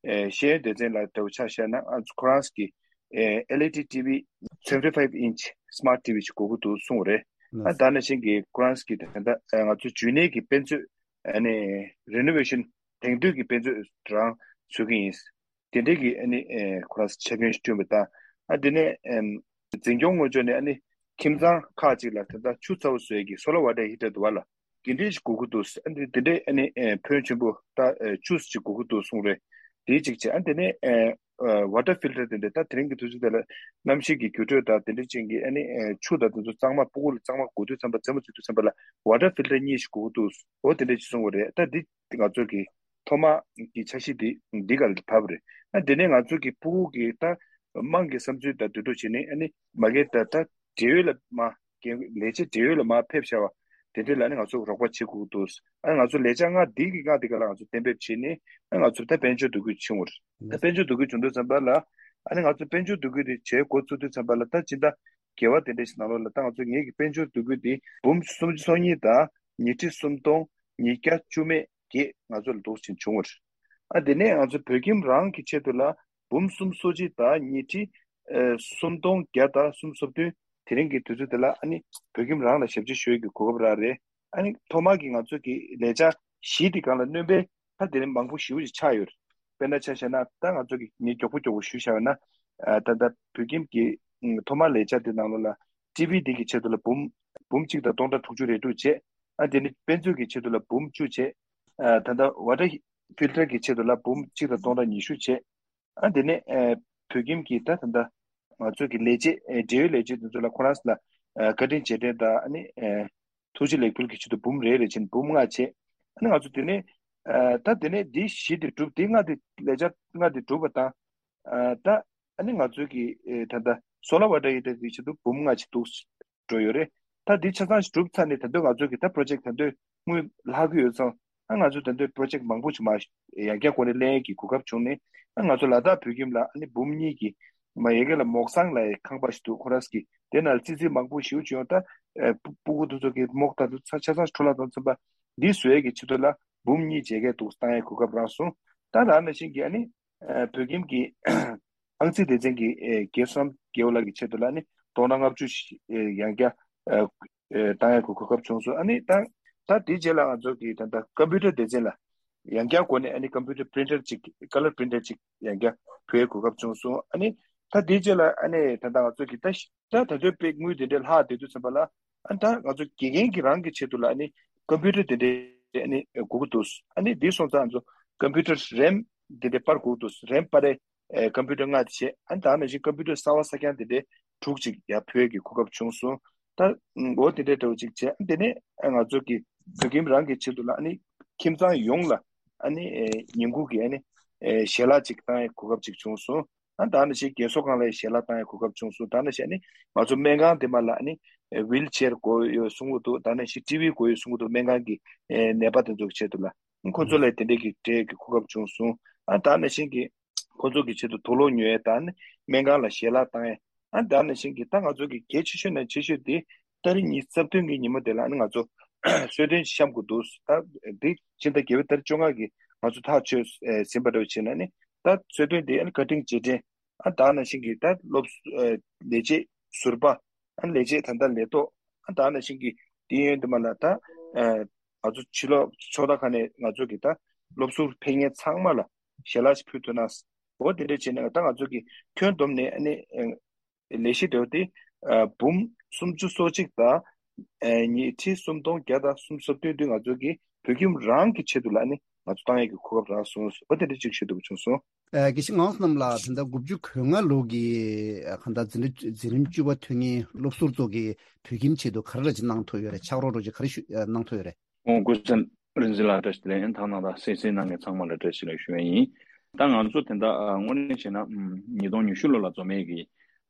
ཨེ་ཤེས་ཡོན་སྡེ་ཚན་ལ་འདྲ་བོ་ཆ་བཞག་ན་ཨ་ཁོ་རང་གི་ཨེ་ཨེལ་ཨི་ཌི་ཊི་ཝི་seventy five inch smart T V ཞིག་དགོས་ཀྱི་འདུག་གསུངས་རེད། ཨ་ནི་ད་ནང་བཞིན་གྱི་ཁོ་རང་གི་ད་ལྟ་ཨ་ང་ཚོ་འཇུས་ནས་ཀྱི་དཔེ་མཛོད་ཨ་ནི་རི་ནོ་ཝེ་ཤན་དེང་དུས་ཀྱི་དཔེ་མཛོད་རང་བཟོ་གི་ཡིན། དེ་འདྲའི་གི་ཨ་ནི་ཨེ་ཁོ་རང་ཆ་རྐྱེན་ཞིག་བསྐྲུན་པ་དང་། ཨ་དེ་ནས་ཨེམ་འཛིན་སྐྱོང་དངོས་ཕྱོགས་ནས་ཨ་ནི་ཁྱིམ་ཚང་ཁག་ཅིག་ལ་ད་ལྟ་ཆུ་ཚ་བོ་བཟོ་ཡས་ཀྱི་solar water heater དུ་བ་ལ་དེ་འདྲའི་ཞིག་དགོས་ཀྱི་འདུག་ཨ་ནི་དེ་འདྲའི་ཨ་ནི་ཨེ་ཕོན་ཆེན་པོ་ད་ཨེ་ཆུ་ཞིག་དགོས་ཀྱི་འདུག་གསུངས་རེད། དེ་གཅིག་བྱས། ཨ་དེ་ནས་ཨེ་ཨེ་water filter དེ་འདྲ་ད་དེ་རིང་གི་དུས་ཚོད་དེ་ལ་གནམ་གཤིས་ཀྱི་འགྱུར་འགྲོས་དང་དེ་འདྲའི་རྐྱེན་གྱིས་ཨ་ནི་ཨེ་ཆུ་དང་དེ་ཚོ་གཙང་མ་ཕྲུ་གུ་ལ་གཙང་མ་དགོས་དུས་ཙམ་པ་རྩེད་མོ་རྩེ་དུས་ཙམ་པ་ལ་water filter གཉིས་ཤིག་དགོས་ཀྱི་འདུག་འོ་དེ་འདྲ་ཞིག་གསུངས་པ་རེད། ད་འདི་ང་ཚོ་གི་ཐོག་མ་གི་འཆར་གཞི་འདི་འདི་ག་ལ་བབས་རེད། ཨ་དེ་ནས་ང་ཚོ་གི་ཕྲུ་གུ་གི་ད་དམངས་ཀྱི་བསམ་ཚུལ་དང་འདོད་འདོད་བྱས་ནས་ཨ་ནི་མ་གི་ད་ད་འབྲེལ་ཡོད་ལ་མ་ལས་བྱེད་འབྲེལ་ཡོད་ལ་མ་ཕེབས་བྱ་བ་དེ་འདྲ་ལ་ཨ་ནི་ང་ཚོ་རོགས་པ་བྱེད་དགོས་ཀྱི་འདུག་ཨ་ནི་ང་ཚོ་ལས་འཆར་ལྔ་འདི་གི་ལྔ་འདི་ག་ལ་ང་ཚོ་གཏན་འབེབས་བྱས་ནས་ཨ་ནི་ང་ཚོ་ད་དཔལ་འབྱོར་འདུ་འགོད་བྱུང་བ་རེད། ད་དཔལ་འབྱོར་འདུ་འགོད་བྱུང་དུས་ཙམ་པ་ལ་ཨ་ནི་ང་ཚོ་དཔལ་འབྱོར་འདུ་འགོད་དེ་བྱེད་འགོ་བཙུགས་དུས་ཙམ་པ་ལ་ད་སྤྱི་ཟླ་བརྒྱད་པ་དེ་འདྲ་ཞིག་ནང་ལོགས་ལ་ད་ང་ཚོ་ངེད་ཀྱི་དཔལ་འབྱོར་འདུ་འགོད་དེ་འབུམ་སུམ་ཅུ་སོ་གཉིས་དང་ཉིས་ཁྲི་སུམ་སྟོང་ཉིས་བརྒྱ་བཅུ་མེད་བརྒྱད་ང་ཚོ་ལ་འདུག་ཕྱིན་བྱུང་བ་རེད། ཨ་དེ་ནས་ང་ཚོ་བོད་ཁྱིམ་རང་གི་ཆེད་དུ་ལ་འབུམ་སུམ་སོ་གཅིག་དང་ཉིས་ཁྲི་ཨེ་སུམ་སྟོང་བརྒྱ་དང་སུམ་ཅུ་སོ་བདུན་དེ་རིང་གི་དུས་ཚོད་དེ་ལ་ཨ་ནི་བོད་ཁྱིམ་རང་ལ་ཞབས་ཕྱི་ཞུ་ཡས་ཀྱི་གོ་སྐབས་རག་རེད། ཨ་ནི་ཐོག་མར་གྱི་ང་ཚོ་གི་ལས་འཆར་བཞི་དེ་སྒང་ལ་སྣོན་པ་ད་དེ་རིང་མང་པོ་ཞེ་པོ་ཅིག་ཆགས་ཡོད་རེད། དཔེར་ན་ཆ་བཞག་ན་ད་ང་ཚོ་གི་ངས་མགྱོགས་པོ་མགྱོགས་པོ་ཞུས་བཞག་ཡོད་ན་ཨ་ད་ལྟ་བོད་ཁྱིམ་གྱི་ཨ་ཐོག་མར་ལས་འཆར་དེ་ནང་ལོགས་ལ་ཊི་ཝི་དེ་གི་ཆེད་དུ་ལ་འབུམ་འབུམ་གཅིག་དང་སྟོང་ཕྲག་དྲུག་ཅུ་རེ་དྲུག་བྱས། ཨ་དེ་ནི་དཔེ་མཛོད་ཀྱི་ཆེད་དུ་ལ་འབུམ་བཅུ་བྱས། ཨ་ད་ལྟ་ཝ་ཊར་ཧི་ཕིལ་ཊར་གྱི་ཆེད་དུ་ལ་འབུམ་གཅིག་དང་སྟོང་ཕྲག་ཉི་ཤུ་བྱས། ཨ་དེ་ནས་ཨ་བོད་ཁྱིམ་གྱི་ད་ད་ལྟ་ང་ཚོ་གི་ལས་བྱེད་ཨ་འབྲེལ་ཡོད་ལས་བྱེད་དེ་ཚོ་ལ་ཁོ་རང་ཚོ་ལ་ཨ་བཀའ་དྲིན་རྗེས་དྲན་དང་ཨ་ནི་ཨ་ཐུགས་རྗེ་ལེགས་འབུལ་གྱི་ཆེད་དུ་འབུམ་རེ་རེ་བྱས་ནས་འབུམ་ལྔ་བྱས། ཨ་ནི་ང་ཚོ་དེ་ནས་ཨ་ད་དེ་ནས་འདི་བཞི་དེ་གྲུབ། དེ་ལྔ་དེ་ལས་འཆར་ལྔ་དེ་གྲུབ་པ་དང་། ཨ་ད་ཨ་ནི་ང་ཚོ་གི་ཨེ་ད་ལྟ་སོ་ལར་ཝ་ཊར་ཧི་ཊར་གྱི་ཆེད་དུ་འབུམ་ལྔ་ཅིག་འདུག་འགྲོ་ཡོད་རེད། ད་འདི་ཆ་ཚང་ཞིག་གྲུབ་ཚར་ནས་ད་དུང་ང་ཚོ་གི་ད་པྲོ་ཇེཀ་ད་དུང་དངུལ་ལྷག་གི་ཡོད་ཙང་། ཨ་ང་ཚོ་ད་དུང་པྲོ་ཇེཀ་མང་པོ་ཞིག་མ་ཡར་རྒྱས་སྐོར་ནས་གླེང་ཡས་ཀྱི་གོ་སྐབས་བྱུང་ནས། ཨ་ང་ཚོ་ལ་དྭགས་བོད་ཁྱིམ་ལ་ཨ་ནི་འབུམ་གཉིས་ཀྱི་མ་ཡ་གི་ལ་མོག་སང་ལ་ཡི་ཁང་པ་ཞིག་འདུག་ཁོ་རང་གི་དེ་ནང་ཙི་ཙི་མང་པོ་ཞིག་བྱུང་ཡོང་། ད་ཨེ་ཕྲུ་གུ་དེ་ཚོ་གི་མོག་ད་དུང་ཆ་ཆ་ཚང་འཕྲོ་བརླག་བཏང་ཚུན་པ་འདི་བཟོ་ཡས་ཀྱི་ཆེད་དུ་ལ་འབུམ་གཉིས་བྱས་ཀྱི་འདུག་བཏང་ཡས་གོ་སྐབས་རག་སོང་། ད་ད་ནང་བཞིན་གྱི་ཨ་ནི་ཨེ་བོད་ཁྱིམ་གྱི་ཨང་རྩིས་སྡེ་ཚན་གྱི་ཨེ་རྒན་བསོད་ནམས་རྒྱལ་པོ་ལགས་ཀྱི་ཆེད་དུ་ལ་ནི་ སྟོང་ཕྲག་ལྔ་བཅུ་ཞིག་ཨེ་ཡང་བསྐྱར་ཨེ་ཨེ་བཏང་ཡག་གི་གོ་སྐབས་བྱུང་སོང་། ཨ་ནི་ད་ད་དེའི་རྗེས་ལ་ང་ཚོ་གི་ད་ལྟ་ཀམ་པུ་ཊར་སྡེ་ཚན་ལ་ཡང་བསྐྱར་སྒོ་ནས་ཨ་ནི་ཀམ་པུ་ཊར་པི་རིན་ཊར་ཅིག་ཀ་ལར་པི་རིན་ཊར་ཅིག་ཡང་བསྐྱར་ཕུལ་ཡག་གོ་སྐབས་བྱུང་སོང་། ཨ་ནི་ད་དེའི་རྗེས་ལ་ཨ་ནི་ད་ལྟ་ང་ཚོ་གི་ད་ད་ད་དུང་དཔེ་དངུལ་དེ་འདྲའི་ལྷག་བསྡད་དུས་ཙམ་པ་ལ་ཨ་ནི་ད་ང་ཚོ་དགེ་རྒན་གྱི་རང་གི་ཆེད་དུ་ལ་ཨ་ནི་ཀམ་པུ་ཊར་དེ་འདྲའི་ཨ་ནི་དགོས་ཀྱི་འདུག། ཨ་ནི་དེ་སོང་ཙང་ང་ཚོ་ཀམ་པུ་ཊར་རེམ་དེ་འདྲའི་སྤར་དགོས་ཀྱི་འདུག། རེམ་སྤར་རེ་ཨེ་ཀམ་པུ་ཊར་ལྔ་དེ་བྱས། ཨ་ནི་ད་ནང་བཞིན་ཀམ་པུ་ཊར་གསར་བ་གསར་རྐྱང་དེ་འདྲའི་དྲུག་ཅིག་ཡར་ཕུལ་གྱི་གོ་སྐབས་བྱུང་སོང་། ད་འོ་དེ་འདྲའི་འདྲ་བོ་ཅིག་བྱས། ཨ་ནི་དེ་ནས་ཨ་ང་ཚོ་གི་བོད་ཁྱིམ་རང་གི་ཆེད་དུ་ལ་ཨ་ནི་ཁྱིམ་ཚང་ཡོངས་ལ་ཨ་ནི་ཨེ་ཉིན་གུང་གི་ཨ་ནི་ཨེ་ཞལ་ལག་ཅིག་བཏང་ཡག་གོ་སྐབས་ཅིག་བྱུང་སོང་། ཨ་ད་ནང་བཞིན་རྒན་གསོ་ཁང་ལ་ཞལ་ལག་བཏང་ཡག་གོ་སྐབས་བྱུང་སོང་། ད་ནང་བཞིན་ཨ་ནི་ང་ཚོ་སྨན་ཁང་དེ་མ་ལ་ཨ་ནི་ཝིལ་ཆེར་དགོས་ཡོད་གསུང་གི་འདུག། ད་ནང་བཞིན་ཊི་ཝི་དགོས་ཡོད་གསུང་གི་འདུག། སྨན་ཁང་གི་ཨེ་ནད་པ་དེ་ཚོ་གི་ཆེད་དུ་ལ། ཁོ་ཚོ་ལ་དེ་འདྲའི་གི་སྤྲད་གི་གོ་སྐབས་བྱུང་སོང་། ཨ་ད་ནང་བཞིན་གི་ཁོ་ཚོ་གི་ཆེད་དུ་དུག་སློག་ཉོ་ཡས་དང་སྨན་ཁང་ལ་ཞལ་ལག་བཏང་ཡས། ཨ་ད་ནང་བཞིན་གི་ད་ང་ཚོ་གི་གལ་ཆེ་ཤོས་ནས་ཆེ་ཤོས་དེ་ཏ་རིག་ཉི་ཤུ་རྩ་བདུན་གི་ཉིན་མོ་དེ་ལ་ཨ་ནི་ང་ཚོ་གསོལ་སྟོན་བཤམས་དགོས་འདུག། ད་དེ་ཕྱི་ཟླ་བརྒྱད་པའི་ཏ་རིག་བཅོ་ལྔ་གི་ང་ཚོ་ཐག་གཅོད་ཟིན་པ་འདྲ་བོ་བྱས་ན་ནི་ད་གསོལ་སྟོན་དེ་ཨ་ནི་བཀའ་དྲིན་རྗེས་དྲན། ཨ་ད་ནང་བཞིན་གི་ད་སློབ་ལས་བྱེད་ཟུར་པ། ཨ་ལས་བྱེད་ད་ལྟ་ལས་ཐོག། ཨ་ད་ནང་བཞིན་གི་དེ་ཡོན་དུ་མ་ལ་ད་ང་ཚོ་ཕྱི་ལོགས་ཚོགས་ཐོག་ཁག་ནས་ང་ཚོ་གི་ད་སློབ་ཟུར་ཕེབས་མཁན་ཚང་མ་ལ་ཞལ་ལག་ཞིག་ཕུལ་ཐུབ་ན། འོ་དེ་འདྲ་བྱས་ནས་ད་ང་ཚོ་གི་ཁྱོན་བསྡོམས་ནས་ཨ་ནི་ལས་གཞི་འདྲ་བོ་དེ་འབུམ་སུམ་ཅུ་སོ་གཅིག་དང་ཉིས་ཁྲི་སུམ་སྟོང་བརྒྱ་དང་སུམ་ཅུ་སོ་བདུན་དུ་ང་ཚོ་གི་བོད་ཁྱིམ་རང་གི་ཆེད་དུ་ལ་ཨ་ནི་ང་ཚོ་བཏང་ཡས་ཀྱི་གོ་སྐབས་རག་སོང་། འོ་དེ་འདྲ་ཅིག་ཞུ་འདོད་བྱུང་སོང་། ཨ་དགེ་བཤེས་ངག་དབང་བསོད་ནམས་ལགས། ད་ལྟ་དགུ་བཅུ་གོ་ལྔ་ལོ་གི་ཨ་གང་ལྟར་འཛིན་གྲྭ་འཛིན་རིམ་བཅུ་པ་ཐོན་མཁན་སློབ་ཟུར་ཚོ་གིས་བོད་ཁྱིམ་ཆེད་དུ་ག་རེ་རེ་ཅིག་གནང་ཐུབ་ཡོད་རེད། ཕྱག་རོགས་རོགས་ཅིག་ག་རེ་ཞུ་ཨ་གནང་ཐུབ་ཡོད་རེད། ཨོ་སྐུ་ཚེ་རིང་བཟང་ལགས་བཀྲ་ཤིས་བདེ་ལེགས། ཐང་ནང་དང་གསན་གཟིགས་གནང་མཁན་ཚང་མ་ལ་བཀྲ་ཤིས་བདེ་ལེགས་ཞུ་ཡས་ཡིན། ད་ང་ཚོ་དེ་འདྲ་ཨ་དངོས་གནས་བྱས་ན་ཨམ་ཉིས་སྟོང་ཉི་ཤུ་ལོ་ལ་འཛོམས་ཡས་ཀྱི་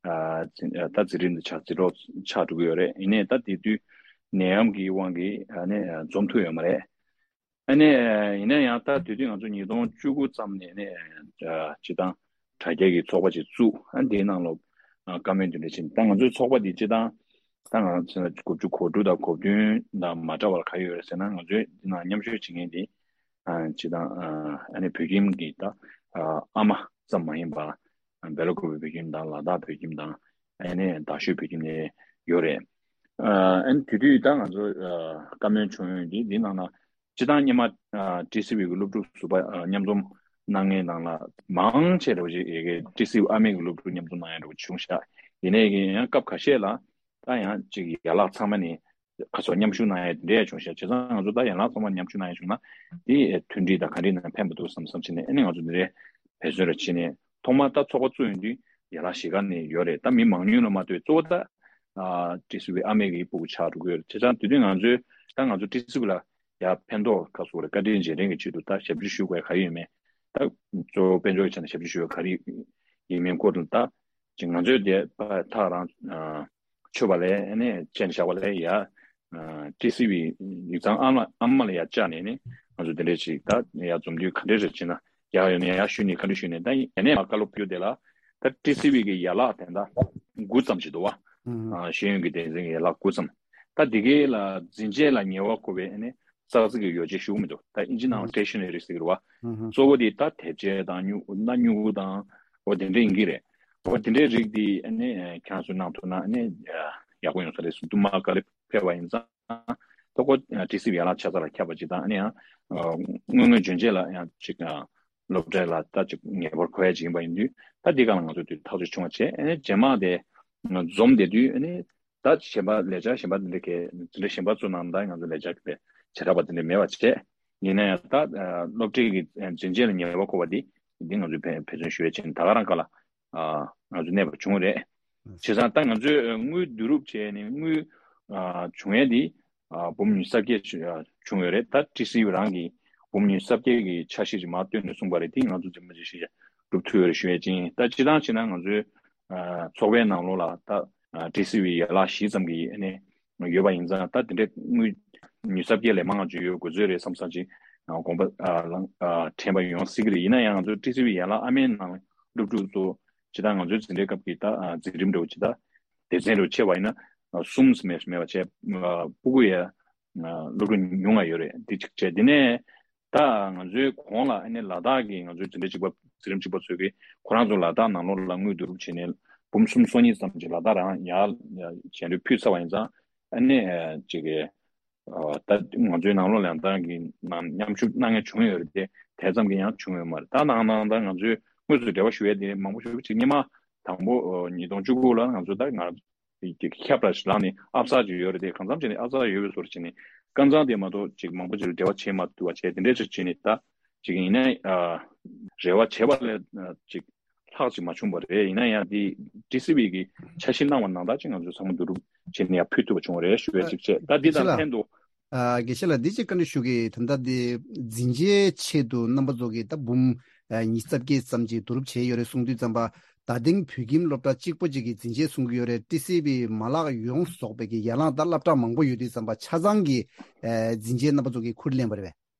ཨ་འཛིན་ཨ་ད་འཛིན་རིམ་འདི་ཆགས་འཛིན་གྲོགས་ཆགས་འགྲོ་གི་ཡོད་རེད། ཡིན་ནའི་ད་དེ་དུས་ནད་ཡམས་ཀྱི་དབང་གིས་ཨ་ནི་ཨ་འཛོམས་ཐུབ་ཡོད་མ་རེད། ཨ་ནི་ཡིན་ན་ཡང་ད་དེ་དུས་ང་ཚོ་ཉིས་སྟོང་བཅུ་དགུ་ཙམ་ནས་ནས་སྤྱི་བཏང་དྲ་རྒྱ་གི་ཚོགས་པ་ཅིག་བཙུགས། ཨ་འདིའི་ནང་ལ་བཀའ་མོལ་འདི་འདྲ་ཕྱིན། ད་ང་ཚོའི་ཚོགས་པ་འདི་སྤྱི་བཏང་ད་ང་ཚོ་དགུ་བཅུ་གོ་དྲུག་དང་གོ་བདུན་དང་མ་འདྲ་བར་ག་རེ་ཡོད་རེད་ཟེར་ན། ང་ཚོའི་འདི་ནང་མཉམ་ཞུགས་བྱེད་མཁན་འདི་སྤྱི་བཏང་ཨ་ནི་བོད་ཁྱིམ་གྱི་ད་ཨ་མ་ཙམ་མ་ཡིན་པ་སྦེལ་ཀོབ་བོད་ཁྱིམ་དང་ལ་དྭགས་བོད་ཁྱིམ་དང་ཨ་ནི་རྡ་ཤོད་བོད་ཁྱིམ་ནས་ཡོད་རེད། ཨ་ནི་དེ་དུས་ད་ང་ཚོ་བཀའ་མོལ་བྱུང་ཡོད་འདི་འདི་ནང་ན། སྤྱི་བཏང་སྔོན་མ་ཨ་ཊི་སི་ཝི་གི་སློབ་ཕྲུག་ཟུར་པ་ཨ་མཉམ་འཛོམས་གནང་མཁན་ནང་ལ་མང་ཆེ་འདྲ་བོ་ཅིག་ཡ་གི་ཊི་སི་ཝི་ཨ་མའི་གི་སློབ་ཕྲུག་མཉམ་འཛོམས་གནང་ཡ་འདྲ་བོ་བྱུང་ཤག། ཡིན་ནའི་གི་ཡང་སྐབས་ཁ་ཤས་ལ་ད་ཡང་ཅིག་ཡན་ལག་ཚང་མ་ནས་ཁ་སོ་མཉམ་ཞུགས་གནང་ཡ་དེ་འདྲ་ཡང་བྱུང་ཤག། བྱས་ཙང་ང་ཚོ་ད་ཡན་ལག་ཚང་མ་མཉམ་ཞུགས་གནང་ཡ་བྱུང་ན་དེ་མཐུན་སྒྲིལ་དང་ག་འདྲ་ཡིན་ན་ཕན་པ་འདུག་བསམ་བསམ་བྱས་ནས། ཨ་ནི་ང་ཚོ་འདི་འདྲའི་འབད་བརྩོན་རེ་བྱས་ནས། ཐོག་མར་ད་ཚོགས་པ་བཙུགས་ཡོང་དུས་ཡན་ལག་བཞི་ཀ་ནས་ཡོད་རེད། ད་མི་མང་ཉུང་ལ་མ་ལྟོས་གཙོ་བོ་ད་ཨ་ཊི་སི་ཝི་ཨ་མའི་གི་སྤུ་གུ་ཆགས་འགྲོ་གི་ཡོད་རེད། བྱས་ཙང་དེ་དུས་ང་ཚོས་ད་ང་ཚོ་ཊི་སི་ཝི་ལ་ཡ་ཕན་ཐོགས་ཁ་སོ་རེ་བཀའ་དྲིན་རྗེས་དྲན་གྱི་ཆེད་དུ་ད་ཞབས་ཕྱི་ཞུ་དགོས་ག་ཡོད་མེད། ད་གཙོ་བོ་དཔལ་འབྱོར་གྱི་ཆ་ནས་ཞབས་ཕྱི་ཞུ་དགོས་ག་རེ་ཡིན་མིན་སྐོར་དུ་ད་ཅིག་ང་ཚོས་དེ་ཐག་རང་ཨ་ཆོད་པ་ལས་ཨ་ནི་བཅད་ནས་བཞག་པ་ལས་ཡ་ཨ་ཊི་སི་ཝི་ཡིག་ཚང་ཨ་མ་ཨ་མ་ལ་ཡ་བཅར་ནས་ནི་ང་ཚོ་དེ་འདྲས་ཅིག་ད་ཡ་འཛོམས་དུས་ག་འདྲས་རེད་ཅེ་ན། ཡག་ཡོད་ན་ཡག་ཞུས་ནས་བཀའ་འདྲི་ཞུས་ནས། ད་ཡིན་ནའི་མ་བཀའ་སློབ་ཕུལ་དེ་ལ་ད་ཊི་སི་ཝི་གི་ཡན་ལག་དེ་འདྲ་དགུ་ཙམ་ཞིག་འདུག་བ། ཨང་། ཨ་ཤེས་ཡོན་གྱི་སྡེ་ཚན་གྱི་ཡན་ལག་དགུ་ཙམ། ད་འདི་གའི་ལ་འཛིན་ཆས་ལ་ཉེ་བ་མཁོ་བའི་ཨ་ནི་ཙག་ཙིག་གི་ཡོ་བྱད་ཞུ་གི་མི་འདུག། ད་ཨིན་ཇི་ནང་ལ་ཨང་། ཊེ་ཤ་ན་རི་ཟེར་གི་རེད་བ། ཨང་། གཙོ་བོ་དེ་ད་དེབ་ཆས་དང་སྨྱུ་སྣ་སྨྱུ་གུ་དང་འོ་དེ་འདྲ་ཡིན་གྱི་རེད། འོ་དེ་འདྲའི་རིགས་དེ་ཨ་ནི་ཁྱེད་རང་ཚོས་གནང་ཐུབ་ན་ཨ་ནི་ཡག་པོ་ཡོང་ས་རེད་གསུངས་འདུག། མ་བཀའ་སློབ་ཕེབས་པ་ཡིན་ཙང་། ད་ཁོ་ཊི་སི་ཝི་ཡན་ལག་ཆ་ཚང་ལ་ཁྱབ་པ་ཅིག་དང་། ཨ་ནི་ཡང་དངོས་དངོས་འཇོན་ཆེ་ལ་ཡང་ཅིག་སློབ་གྲྭ་ལ་ད་ཅིག་ངེས་པར་མཁོ་ཡ་ཅིག་ཡིན་པ་ཡིན་དུས། ད་འདི་ག་ལ་ང་ཚོ་དུས་ཐག་གཅོད་བྱུང་བ་བྱས། ཨ་ནི་རྗེས་མ་དེ་འཛོམས་བསྡད་དུས་ཨ་ནི་ད་གཞན་པ་ལས་འཆར་གཞན་པ་འདི་འདྲ་གས་འདི་འདྲ་གཞན་པ་ཚོ་ནང་ད་ང་ཚོ་ལས་འཆར་གྱི་བྱེ་བྲག་པ་འདི་འདྲ་མེད་པ་བྱས། ཡིན་ན་ཡང་ད་སློབ་གྲྭའི་གི་འཛིན་ཆས་ལ་ཉེ་བ་མཁོ་བ་འདི་འདི་ང་ཚོས་འབད་འབད་བརྩོན་ཞུ་ཡ་བྱས་ནས་ད་ག་རང་ག་ལ། ཨ་ང་ཚོ་གནས་པ་བྱུང་རེད། བྱས་ཙང་ད་ང་ཚོས་དངུལ་བསྡུ་རུབ་བྱས་ནས་དངུལ་ཨ་བྱུང་ཡས་འདི་ཨ་འབུམ་ཉི་ཤུ་རྩ་བརྒྱད་བྱུང་ཡོད་རེད། ད་ཊི་སི་ཝི་རང་གིས་འབུམ་ཉི་ཤུ་རྩ་བརྒྱད་ཀྱི་འཆར་གཞི་ཅིག་མར་བཏོན་ནས་གསུངས་པ་རེད། དེ་ང་ཚོ་འཛིན་མ་ཅིག་ཞིག་སྒྲུབ་ཐུབ་ཡོད་རེད་ཞུ་ཡས་ཅིང་། ད་སྤྱི་བཏང་བྱས་ན་ང་ཚོའི་ཨ་ཚོགས་པའི་ནང་ལོགས་ལ་ད་ཨ་ཊི་སི་ཝི་ཡན་ལག་བཞི་ཙམ་གྱི་ཨ་ནི་ཡོད་པ་ཡིན་ཙང་། ད་དེ་འདྲའི་དངུལ་ཉི་ཤུ་རྩ་བརྒྱད་ལས་མང་བ་ཅིག་ཡོད་དགོས་ཚོད་རེད་བསམ་བསམ་ཅིག་དགོངས་པ་ཨ་ལང་ཨ་དྲན་པ་ཡོང་སྲིད་ཀྱི་རེད། ཡིན་ན་ཡང་ང་ཚོ་ཊི་སི་ཝི་ཡན་ལག་ཨ་མའི་ནང་སློབ་ཕྲུག་ཚོ་ཇི་ལྟར་ང་ཚོའི་འཛིན་གྲྭའི་སྐབས་ཀྱི་ད་ཨ་འཛིན་རིམ་འདྲ་བོ་ཇི་ལྟར་སྡེ་ཚན་འདྲ་བོ་ཕྱེ་བ་ཡིན་ན་ཨ་གསུམ་ཙམ་མེད་མེད་པ་བྱས། ཨ་སྤུ་གུ་ཡ་ཨ་སློབ་ཕྲུག་ཉུང་ང་ཡོད་རེད། འདི་གཅིག་བྱས། དེ་ནས་ད་ང་ཚོའི་གོང་ལ་ཨ་ནི་ལ་དྭགས་ཀྱི་ང་ཚོའི་འཛིན་གྲྭ་གཅིག་པ་འཛིན་རིམ་གཅིག་པ་ཚོས་ཀྱི་ཁོ་རང་ཚོ་ལ་དྭགས་ནང་ལོགས་ལ་དངུལ་བསྡུ་རུབ་བྱས་ནས་ འབུམ་གསུམ་སོ་གཉིས་ཙམ་ཅིག་ལ་དྭགས་རང་ཡར་ཞལ་འདོན་ཕུལ་ཚར་བ་ཡིན་ཙང་། ཨ་ནི་ཅིག་གི་ད་ང་ཚོའི་ནང་ལོགས་ལ་ཡང་ད་གི་ནང་མཉམ་ཞུགས་གནང་མཁན་བྱུང་ཡོད་རེད་དེ། དེ་ཙམ་གྱི་ཡང་བྱུང་ཡོད་མ་རེད། ད་ནང་ནང་ད་ང་ཚོའི་དངོས་སུ་འབྲེལ་བ་ཞུ་ཡས་དེ་མང་པོ་ཞིག་ཅིག་སྔོན་མ་དང་པོ་ཉིས་སྟོང་བཅུ་དགུ་ལ་ང་ཚོ་ད་ང་ཁྱབ་ར་ལངས་ནས་ཨབ་ཚ་ཅིག་ཡོད་རེད་དེ། གང་འཚམ་བྱས་ནས་ཨབ་ཚ་ཡོད་པའི་བཟོ་འདྲ་བྱས་ནས་སྐབས་འཚམ་དེ་མ་གཏོགས་ཅིག་མང་པོ་ཅིག་ལ་འབྲེལ་བ་བྱེད་མ་ཐུབ་པ་བྱས། དེ་འདྲས་ཅིག་བྱས་ནས་ད་ཅིག་ཡིན་ན་རེ་བ་བྱས་པ་ལས་ཅིག་ལྷག་ཅིག་མ་བྱུང་བ་རེད། ཡིན་ན་ཡང་དེ་ཊི་སི་ཝི་གི་འཆར་གཞི་གནང་བ་ནང་ལྟར་ཅིག་ང་ཚོས་ཚང་མ་བསྡུ་རུབ་བྱས་ནས་ཡར་ཕུལ་ཐུབ་པ་བྱུང་བ་རེད་ཞུ་བའི་ཅིག་བྱས། ད་འདི་དང་ལྷན་དུ། ཨ། དགེ་བཤེས་ལགས། འདི་ཅིག་བཀའ་འདྲི་ཞུ་གི། ད་ལྟ་འདི་འཛིན་ཆའི་ཆེད་དུ་རྣམ་པ་ཚོ་གིས་ད་འབུམ་ཨ་ཉི་ཤུ་རྩ་བརྒྱད་ཙམ་ཅིག་བསྡུ་རུབ་བྱས་ཡོད་རེད་གསུང་དུས་ཙམ་པ། ད་ཐེངས་བོད་ཁྱིམ་སློབ་གྲྭ་གཅིག་པོ་ཅིག་གིས་འཛིན་ཆས་གསུང་གི་ཡོད་རེད། ཊི་སི་ཝི་མ་ལག་ཡོངས་རྫོགས་པའི་གི་ཡན་ལག་ད་སློབ་གྲྭ་མང་པོ་ཡོད་དུས་ཙམ་པ་ཆ་ཚང་གི་ཨ་འཛིན་ཆས་རྣམ་པ་ཚོ་གིས་ཁུར་ལེན་པ་རེད་པས།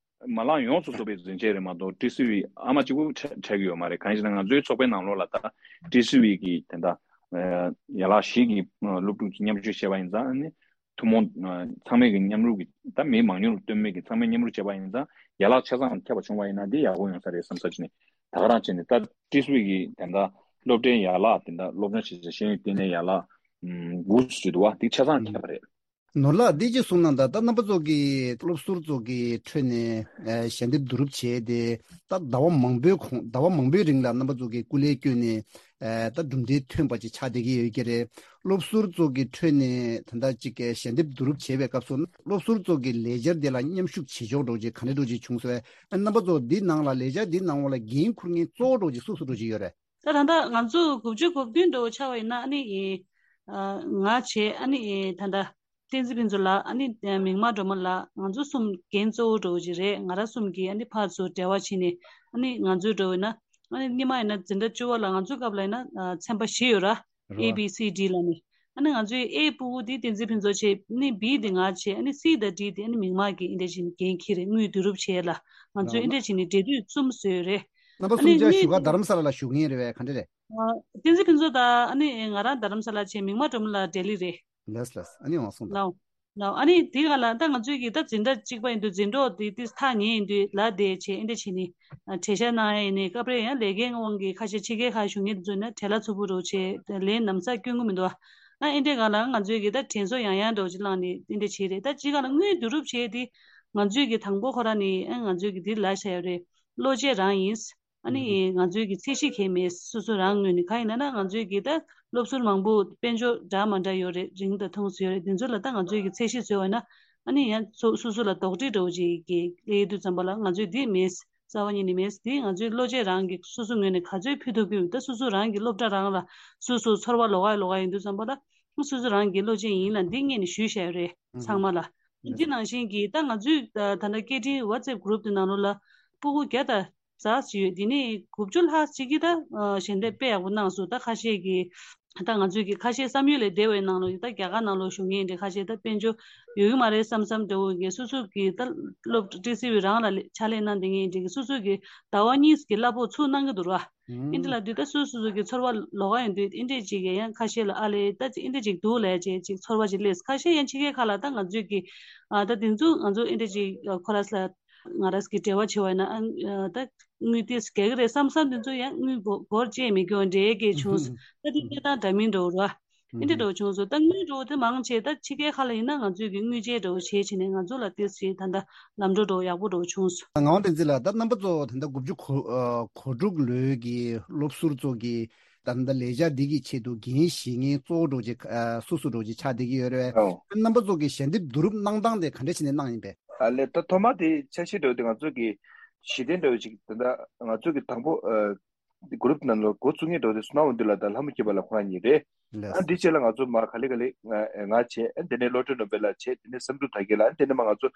མ་ལག་ཡོངས་སུ་རྫོགས་པའི་འཛིན་ཆས་རེད་མ་གཏོགས་ཊི་སི་ཝི་ཨ་མ་གཅིག་པུ་ཆགས་ཀྱི་ཡོད་མ་རེད། གང་ཡིན་ཟེར་ན་ང་ཚོའི་ཚོགས་པའི་ནང་ལོགས་ལ་ད་ཊི་སི་ཝི་གི་དེ་འདྲ་ཡན་ལག་བཞི་གི་སློབ་ཕྲུག་ཅིག་མཉམ་ཞུགས་བྱས་པ་ཡིན་ཙང་ནི། ཐུན་མོང་ཚང་མས་ཀྱི་མཉམ་རུབ་ཀྱི་ད་མི་མང་ཉུང་ལ་ལྟོས་མེད་ཀྱི་ཚང་མས་མཉམ་རུབ་བྱས་པ་ཡིན་ཙང་། ཡན་ལག་ཆ་ཚང་ཁྱབ་པ་བྱུང་བ་ཡིན་ན་འདི་ཡག་པོ་ཡོང་ས་རེད་བསམ་ས་ཅིག་ནས། ད་ག་རང་བྱས་ནས་ད་ཊི་སི་ཝི་གི་དེ་འདྲ་སློབ་གྲྭའི་ཡན་ལག་དེ་འདྲ་སློབ་སྦྱོང་བྱེད་ས་ཤེས་ཡོན་ལྟེ་གནས་ཡན་ལག་དགུ་ཞིག་འདུག་བ། དེ་ཆ་ཚང་ཁྱབ་པ་རེད། ནོར་ལགས། འདི་ཅིག་གསུངས་གནང་དང་། ད་རྣམ་པ་ཚོ་གིས་སློབ་ཟུར་ཚོ་གི་ཁྲོད་ནས་ཨ་ཞལ་འདེབས་བསྡུ་རུབ་བྱས་ཏེ། ད་ཟླ་བ་མང་པོའི་གོང་ཟླ་བ་མང་པོའི་རིང་ལ་རྣམ་པ་ཚོ་གིས་སྐུ་ལས་བསྐྱོན་ནས་ཨ་ད་གྲུབ་འབྲས་ཐོན་པ་ཅིག་ཆགས་བསྡད་ཀྱི་ཡོད་ཀྱི་རེད། སློབ་ཟུར་ཚོ་གི་ཁྲོད་ནས་ད་ལྟ་ཅིག་ཞལ་འདེབས་བསྡུ་རུབ་བྱས་པའི་སྐབས་སུ་སློབ་ཟུར་ཚོ་གི་ལས་འཆར་དེ་ལ་མཉམ་ཞུགས་བྱེད་ཕྱོགས་འདྲ་བོ་ཅིག་ག་འདྲ་འདྲ་བོ་ཅིག་བྱུང་སོང་བས། རྣམ་པ་ཚོ་འདི་ནང་ལ་ལས་འཆར་འདི་ནང་ལ་འགན་འཁུར་མཁན་གཙོ་བོ་འདྲ་བོ་ཅིག་སུ་སུ་འདྲ་བོ་ཅིག་ཡོད་རེད། ད་ད་ལྟ་ང་ཚོ་དགུ་བཅུ་གོ་བདུན་འདྲ་བོ་ཆགས་པ་ཡིན་ན། ཨ་ནི་ཨེ་ཨ་ང་བྱས། ཨ་ནི་ཨེ་ད་ལྟ་བསྟན་འཛིན་ཕུན་ཚོགས་ལགས། ཨ་ནི་ཨེ་མིག་དམར་སྒྲོལ་མ་ལགས། ང་ཚོ་གསུམ་འགན་གཙོ་བོ་འདྲ་བོ་ཅིག་རེད། ང་རང་གསུམ་གྱིས་ཨ་ནི་ཕར་ཚུར་འབྲེལ་བ་བྱས་ནས། ཨ་ནི་ང་ཚོའི་འདྲ་བོ་ཡིན་ན། ཨ་ནི་སྔོན་མ་ཡིན་ན་འཛིན་གྲྭ་བཅུ་པ་ལ་ང་ཚོའི་སྐབས་ལ་ཡིན་ན་ཨ་ཚན་པ་བཞི་ཡོད་ར། རེད་བ། A B C D ལབ་ནས། ཨ་ནི་ང་ཚོའི་A ཕྲུ་གུ་དེ་བསྟན་འཛིན་ཕུན་ཚོགས་བྱས། ཨ་ནི་B དེ་ང་བྱས། ཨ་ནི་C དང་D དེ་ཨ་ནི་མིག་དམར་གྱིས་ཨེ་འདྲ་བྱས་ནས་འགན་འཁྱེར་རེད། དངུལ་བསྡུ་རུབ་བྱས་ལ། ང་ཚོས་ཨེ་འདྲ་བྱས་ནས་འབྲེལ་མཐུད་གསུམ་བཟོས་རེད། རྣམ་པ་ཨ་ནི་གསུམ་ཆ་དངུལ་གཞུག་ག་རྡ་རམ་ས་ལ་ལ་བཞུགས་མཁན་རེད་པས། ག་འདྲ་རེད། ཨ་བསྟན་འཛིན་ཕུན་ཚོགས་དང་། ཨ་ནི་ང་རང་རྡ་རམ་ས་ལ་བྱས། མིག་དམར་སྒྲོལ་མ་ལགས་ལྡི་ལི་རེད། ལགས་ལགས། ཨ་ནི་འོང་སོང་། ལའོ། ལའོ། ཨ་ནི་དེ་ག་ལ་ད་ང་ཚོའི་གི་ད་འཛིན་གྲྭ་གཅིག་པ་ཡིན་དུས་འཛིན་གྲོགས་དེ་དེ་ཐག་ཉེ་ཡིན་དུས་ལ་དེ་བྱས། ཨེ་འདྲ་བྱས་ནས་ཨ་གྲོས་བཤད་གནང་ཡ་ཡིན་ནའི་སྐབས་རེ་ཡང་ལས་ཀའི་དབང་གིས་ཁ་ཤས་ཕྱི་རྒྱལ་ཁག་བཞུགས་མཁན་དེ་ཚོ་ཡིན་ན་བྲེལ་བ་ཚ་པོ་འདྲ་བོ་བྱས། ལས་ལམ་སང་སྐྱོན་གྱི་མི་འདུག་ཨ་ཨེ་འདྲའི་སྒང་ལ་ང་ཚོའི་གི་ད་དྲན་གསོ་ཡང་ཡང་འདྲ་བོ་ཅིག་བསླངས་ནས་ཨེ་འདྲ་བྱས་རེད། ད་སྤྱིར་སྒང་ལ་དངུལ་བསྡུ་རུབ་བྱས་དེ་ང་ཚོའི་གི་དང་པོ་ཁོ་རང་ནས། ཨ་ང་ཚོའི་གི་དེ་ལ་བྱ་ཡ་རེད། བློ་སྐྱེད་རང་ཡིན། ཨ་ནི་ང་ཚོའི་གི་ཚད་གཞི་གང་ཡང་མེད། སོ་སོ་རང་ངོས་ནས། གང་ཡིན་ན་ང་ཚོའི་གི་ད་སློབ་ཟུར་མང་པོ་དཔལ་འབྱོར་འདྲ་མ་འདྲ་ཡོད་རེད། རིང་དང་ཐུང་སུ་ཡོད་རེད། དེ་ཚོ་ལ་ད་ང་ཚོའི་གི་ཚད་གཞི་བཟོས་པ་ན། ཨ་ནི་ཡང་སོ་སོ་སོ་ལ་དོགས་འདྲི་འདྲ་བོ་ཅིག་གི་སླེབས་དུས་ཙམ་པ་ལ་ང་ཚོས་འདི་མེད། རྩ་བ་ཉིད་ནས་མེད། འདི་ང་ཚོའི་བློ་སྐྱེད་རང་གི་སོ་སོ་ངོས་ནས་ག་ཚོད་ཕུལ་ཐུབ་ཀྱི་ཡོད། ད་སོ་སོ་རང་གི་སློབ་གྲྭ་རང་ལ་སོ་སོ་ཚོར་བ་ལོག་ག་ལོག་ག་ཡིན་དུས་ཙམ་པ་ལ། སོ་སོ་རང་གི་བློ་སྐྱེད་ཡིན་ལ་འདི་སྔོན་ནས་ཞུས་བཞག་ཡོད་རེད། ཚང་མ་ལ། འདི་ནང་བཞིན་གྱི་ད་ང་ཚོའི་ད་ད་ལྟ་སྐད་འཕྲིན་WhatsApp group དེ་ནང་ལོགས་ལ་སྤུ་གུ་བརྒྱ་དང་ཙམ་ཅིག་ཡོད། དེ་ནས་དགུ་བཅུ་ལྷག་ཅིག་གིས་ད་ཨ་ཞལ་འདེབས་དཔེ་ཡག་པོ་གནང་སོང་། ད་ཁ་ཤས་ཀྱིས་ད་ང་ཚོའི་གི་ཁ་ཤས་བསམ་ཡུལ་ལས་འདས་པའི་ནང་ལོགས་ཀྱི་ད་རྒྱ་གར་ནང་ལོགས་བཞུགས་མཁན་དེ་ཁ་ཤས་ད་དཔལ་འབྱོར་ཡོད་ཀྱི་མ་རེད་བསམ་བསམ་འདྲ་བོ་གི། སོ་སོ་གི་ད་སློབ་ཊི་སི་ཝི་རང་ལ་ཕྱག་ལས་གནང་བསྡད་མཁན་དེ་གི་སོ་སོ་གི་ཟླ་བ་གཉིས་ཀྱི་གླ་ཕོགས་ཚུར་གནང་གི་འདུག་ར། ཨེ་འདྲ་ལབ་དུས་ད་སོ་སོ་སོ་གི་ཚོར་བ་ལོག་ག་ཡོང་དུས། ཨེ་འདྲ་ཅིག་གི་ཡང་ཁ་ཤས་ལ་ཨ་ལས་ད་ཅིག་ཨེ་འདྲ་ཅིག་འདུག་ལབ་ཅིག་ཅིག་ཚོར་བ་ཅིག་སླེབས། ཁ་ཤས་ཡང་ཕྱི་རྒྱལ་ཁག་ལ་ད་ང་ཚོའི་གི་ཨ་ད་དེ་ཚོ་ང་ཚོ་ཨེ་འདྲ་ཅིག་ཁོ་རང་ལ་ང་རང་གི་འབྲེལ་བ་བྱེད་པ་ཡིན་ན། ཨ་ད་དངུལ་ཏོག་ཙམ་རྒྱག་གི་རེད་བསམ་བསམ་དེ་ཚོ་ཡང་དངུལ་སྒོར་སྒོར་བཅད་མེད་རྒྱུ་འདྲ་གི་བྱུང་སོང་། ད་དེ་གནས་སྟངས་འདྲ་མིན་འདྲ་བོ་ར། ཨེ་འདྲ་འདྲ་བོ་བྱུང་སོང་། ད་དངུལ་འདྲ་བོ་དེ་མང་ཆེ་ད་ཕྱི་རྒྱལ་ཁག་ལ་ཡིན་ན་ང་ཚོས་གི་དངུལ་བཅད་འདྲ་བོ་བྱས་བྱས་ནས་ང་ཚོ་ལ་ཏོག་ཙམ་ད་ལྟ་ལམ་འགྲོ་འདྲ་བོ་ཡག་པོ་འདྲ་བོ་བྱུང་སོང་། ངག་དབང་བསྟན་འཛིན་ལགས། ད་རྣམ་པ་ཚོ་ད་ལྟ་དགུ་བཅུ་གོ་ཨ་གོ་དྲུག་ལོའི་གི་སློབ་ཟུར་ཚོ་གི་ད་ལྟ་ལས་འཆར་འདི་གི་ཆེད་དུ་འགན་བཞེས་མཁན་གཙོ་བོ་འདྲ་བོ་ཅིག་ཨ་སུ་སུ་འདྲ་བོ་ཅིག་ཆགས་བསྡད་ཀྱི་ཡོད་རེད། ཨོ། རྣམ་པ་ཚོ་གི་ཞལ་འདེབས་བསྡུ་རུབ་གནང་སྟངས་དེ་ག་འདྲ་བྱས་ནས་གནང་ཡིན་པས། ཨ་ལས། ད་ཐོག་མ་དེ་འཆར་གཞི་འདྲ་བོ་དེ་ང་ཚོ་གི་གཞི་རྟེན་འདྲ་བོ་ཅིག་ད་ལྟ་ང་ཚོ་གི་དང་པོ་ཨ་གུ་རུབ་ནང་ལ་འགོ་བཙུགས་མཁན་འདྲ་བོ་དེ་སོ་ནམ་དབང་འདུས་ལགས་དང་ལྷ་མོ་སྐྱིད་པ་ལགས་ཁོ་རང་གཉིས་རེད། ལགས། ཨ་འདི་རྗེས་ལ་ང་ཚོ་མར་ག་ལེ་ག་ལེ་ང་ང་བྱས། ཨ་དེ་ནས་བློ་གྲོས་ནོར་བུ་ལགས་བྱས། དེ་ནས་བསམ་གྲུབ་དར་རྒྱས་ལགས། ཨ་དེ་ནས་མར་ང་ཚོ་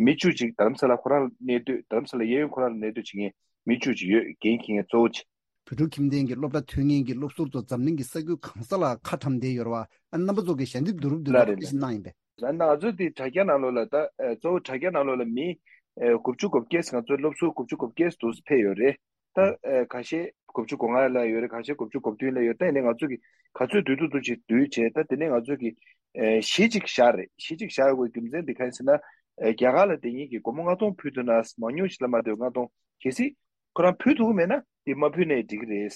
མི་བཅུ་ཅིག་རྡ་རམ་ས་ལ་ཁོ་རང་གནས་སྡོད། རྡ་རམ་ས་ལ་གཡས་གཡོན་ཁོ་རང་ལ་གནས་སྡོད་བྱེད་མཁན་མི་བཅུ་ཅིག་ཡོད། འགན་འཁྱེར་མཁན་གཙོ་བོ་ཅིག་བོད་ཕྲུག་ཁྱིམ་སྡེ་གི་སློབ་གྲྭ་ཐོན་མཁན་གྱི་སློབ་ཟུར་ཚོ་འཛམ་གླིང་གི་ས་ཁུལ་གང་ས་ལ་ཁ་ཁྲམ་བསྡད་ཡོད་རེད་བ། ཨ་རྣམ་པ་ཚོ་གི་ཞལ་འདེབས་བསྡུ་རུབ་འདི་ལ་ལ་རེད། ག་འདྲ་ཞིག་གནང་ཡིན་པས། ད་ང་ཚོ་འདི་དྲ་རྒྱ་ནང་ལོགས་ལ་ད་ཨ་གཙོ་བོ་དྲ་རྒྱ་ནང་ལོགས་ལ་མི་ཨ་དགུ་བཅུ་གོ་བརྒྱད་ང་ཚོའི་སློབ་ཟུར་དགུ་བཅུ་གོ་བརྒྱད་འདུག་ཕེབས་ཡོད་རེད། ད་ཨ་ཁ་ཤས་དགུ་བཅུ་གོ་ལྔ་ལ་ཡོད་རེད། ཁ་ཤས་དགུ་བཅུ་གོ་བདུན་ལ་ཡོད། ད་ཡིན་ནའི་ང་ཚོ་གི་ག་ཚོད་བསྡུ་ཐུབ་ཐུབ་ཅིག་བསྡུས་བྱས། ད་དེ་ནས་ང་ཚོ་གི་ཨ་གཞི་ཅིག་བཞག་རེད། གཞི་ཅིག་བཞག་དགོས་རྒྱུ་མཚན་འདི་ག་རེ་ཟེར་ན། ཨ་རྒྱ་གར་ལ་བསྡད་མཁན་གྱི་སྒོར་མོ་ལྔ་སྟོང་ཕུལ་ཐུབ་ན། མང་ཉུང་ཞིག་ལ་མ་བསྡད་ལྔ་སྟོང་། གལ་སྲིད་ཁོ་རང་ཕུལ་ཐུབ་ཀྱི་མེད་ན་དེ་མ་ཕུལ་ནའི་འགྲིག་གི་རེད།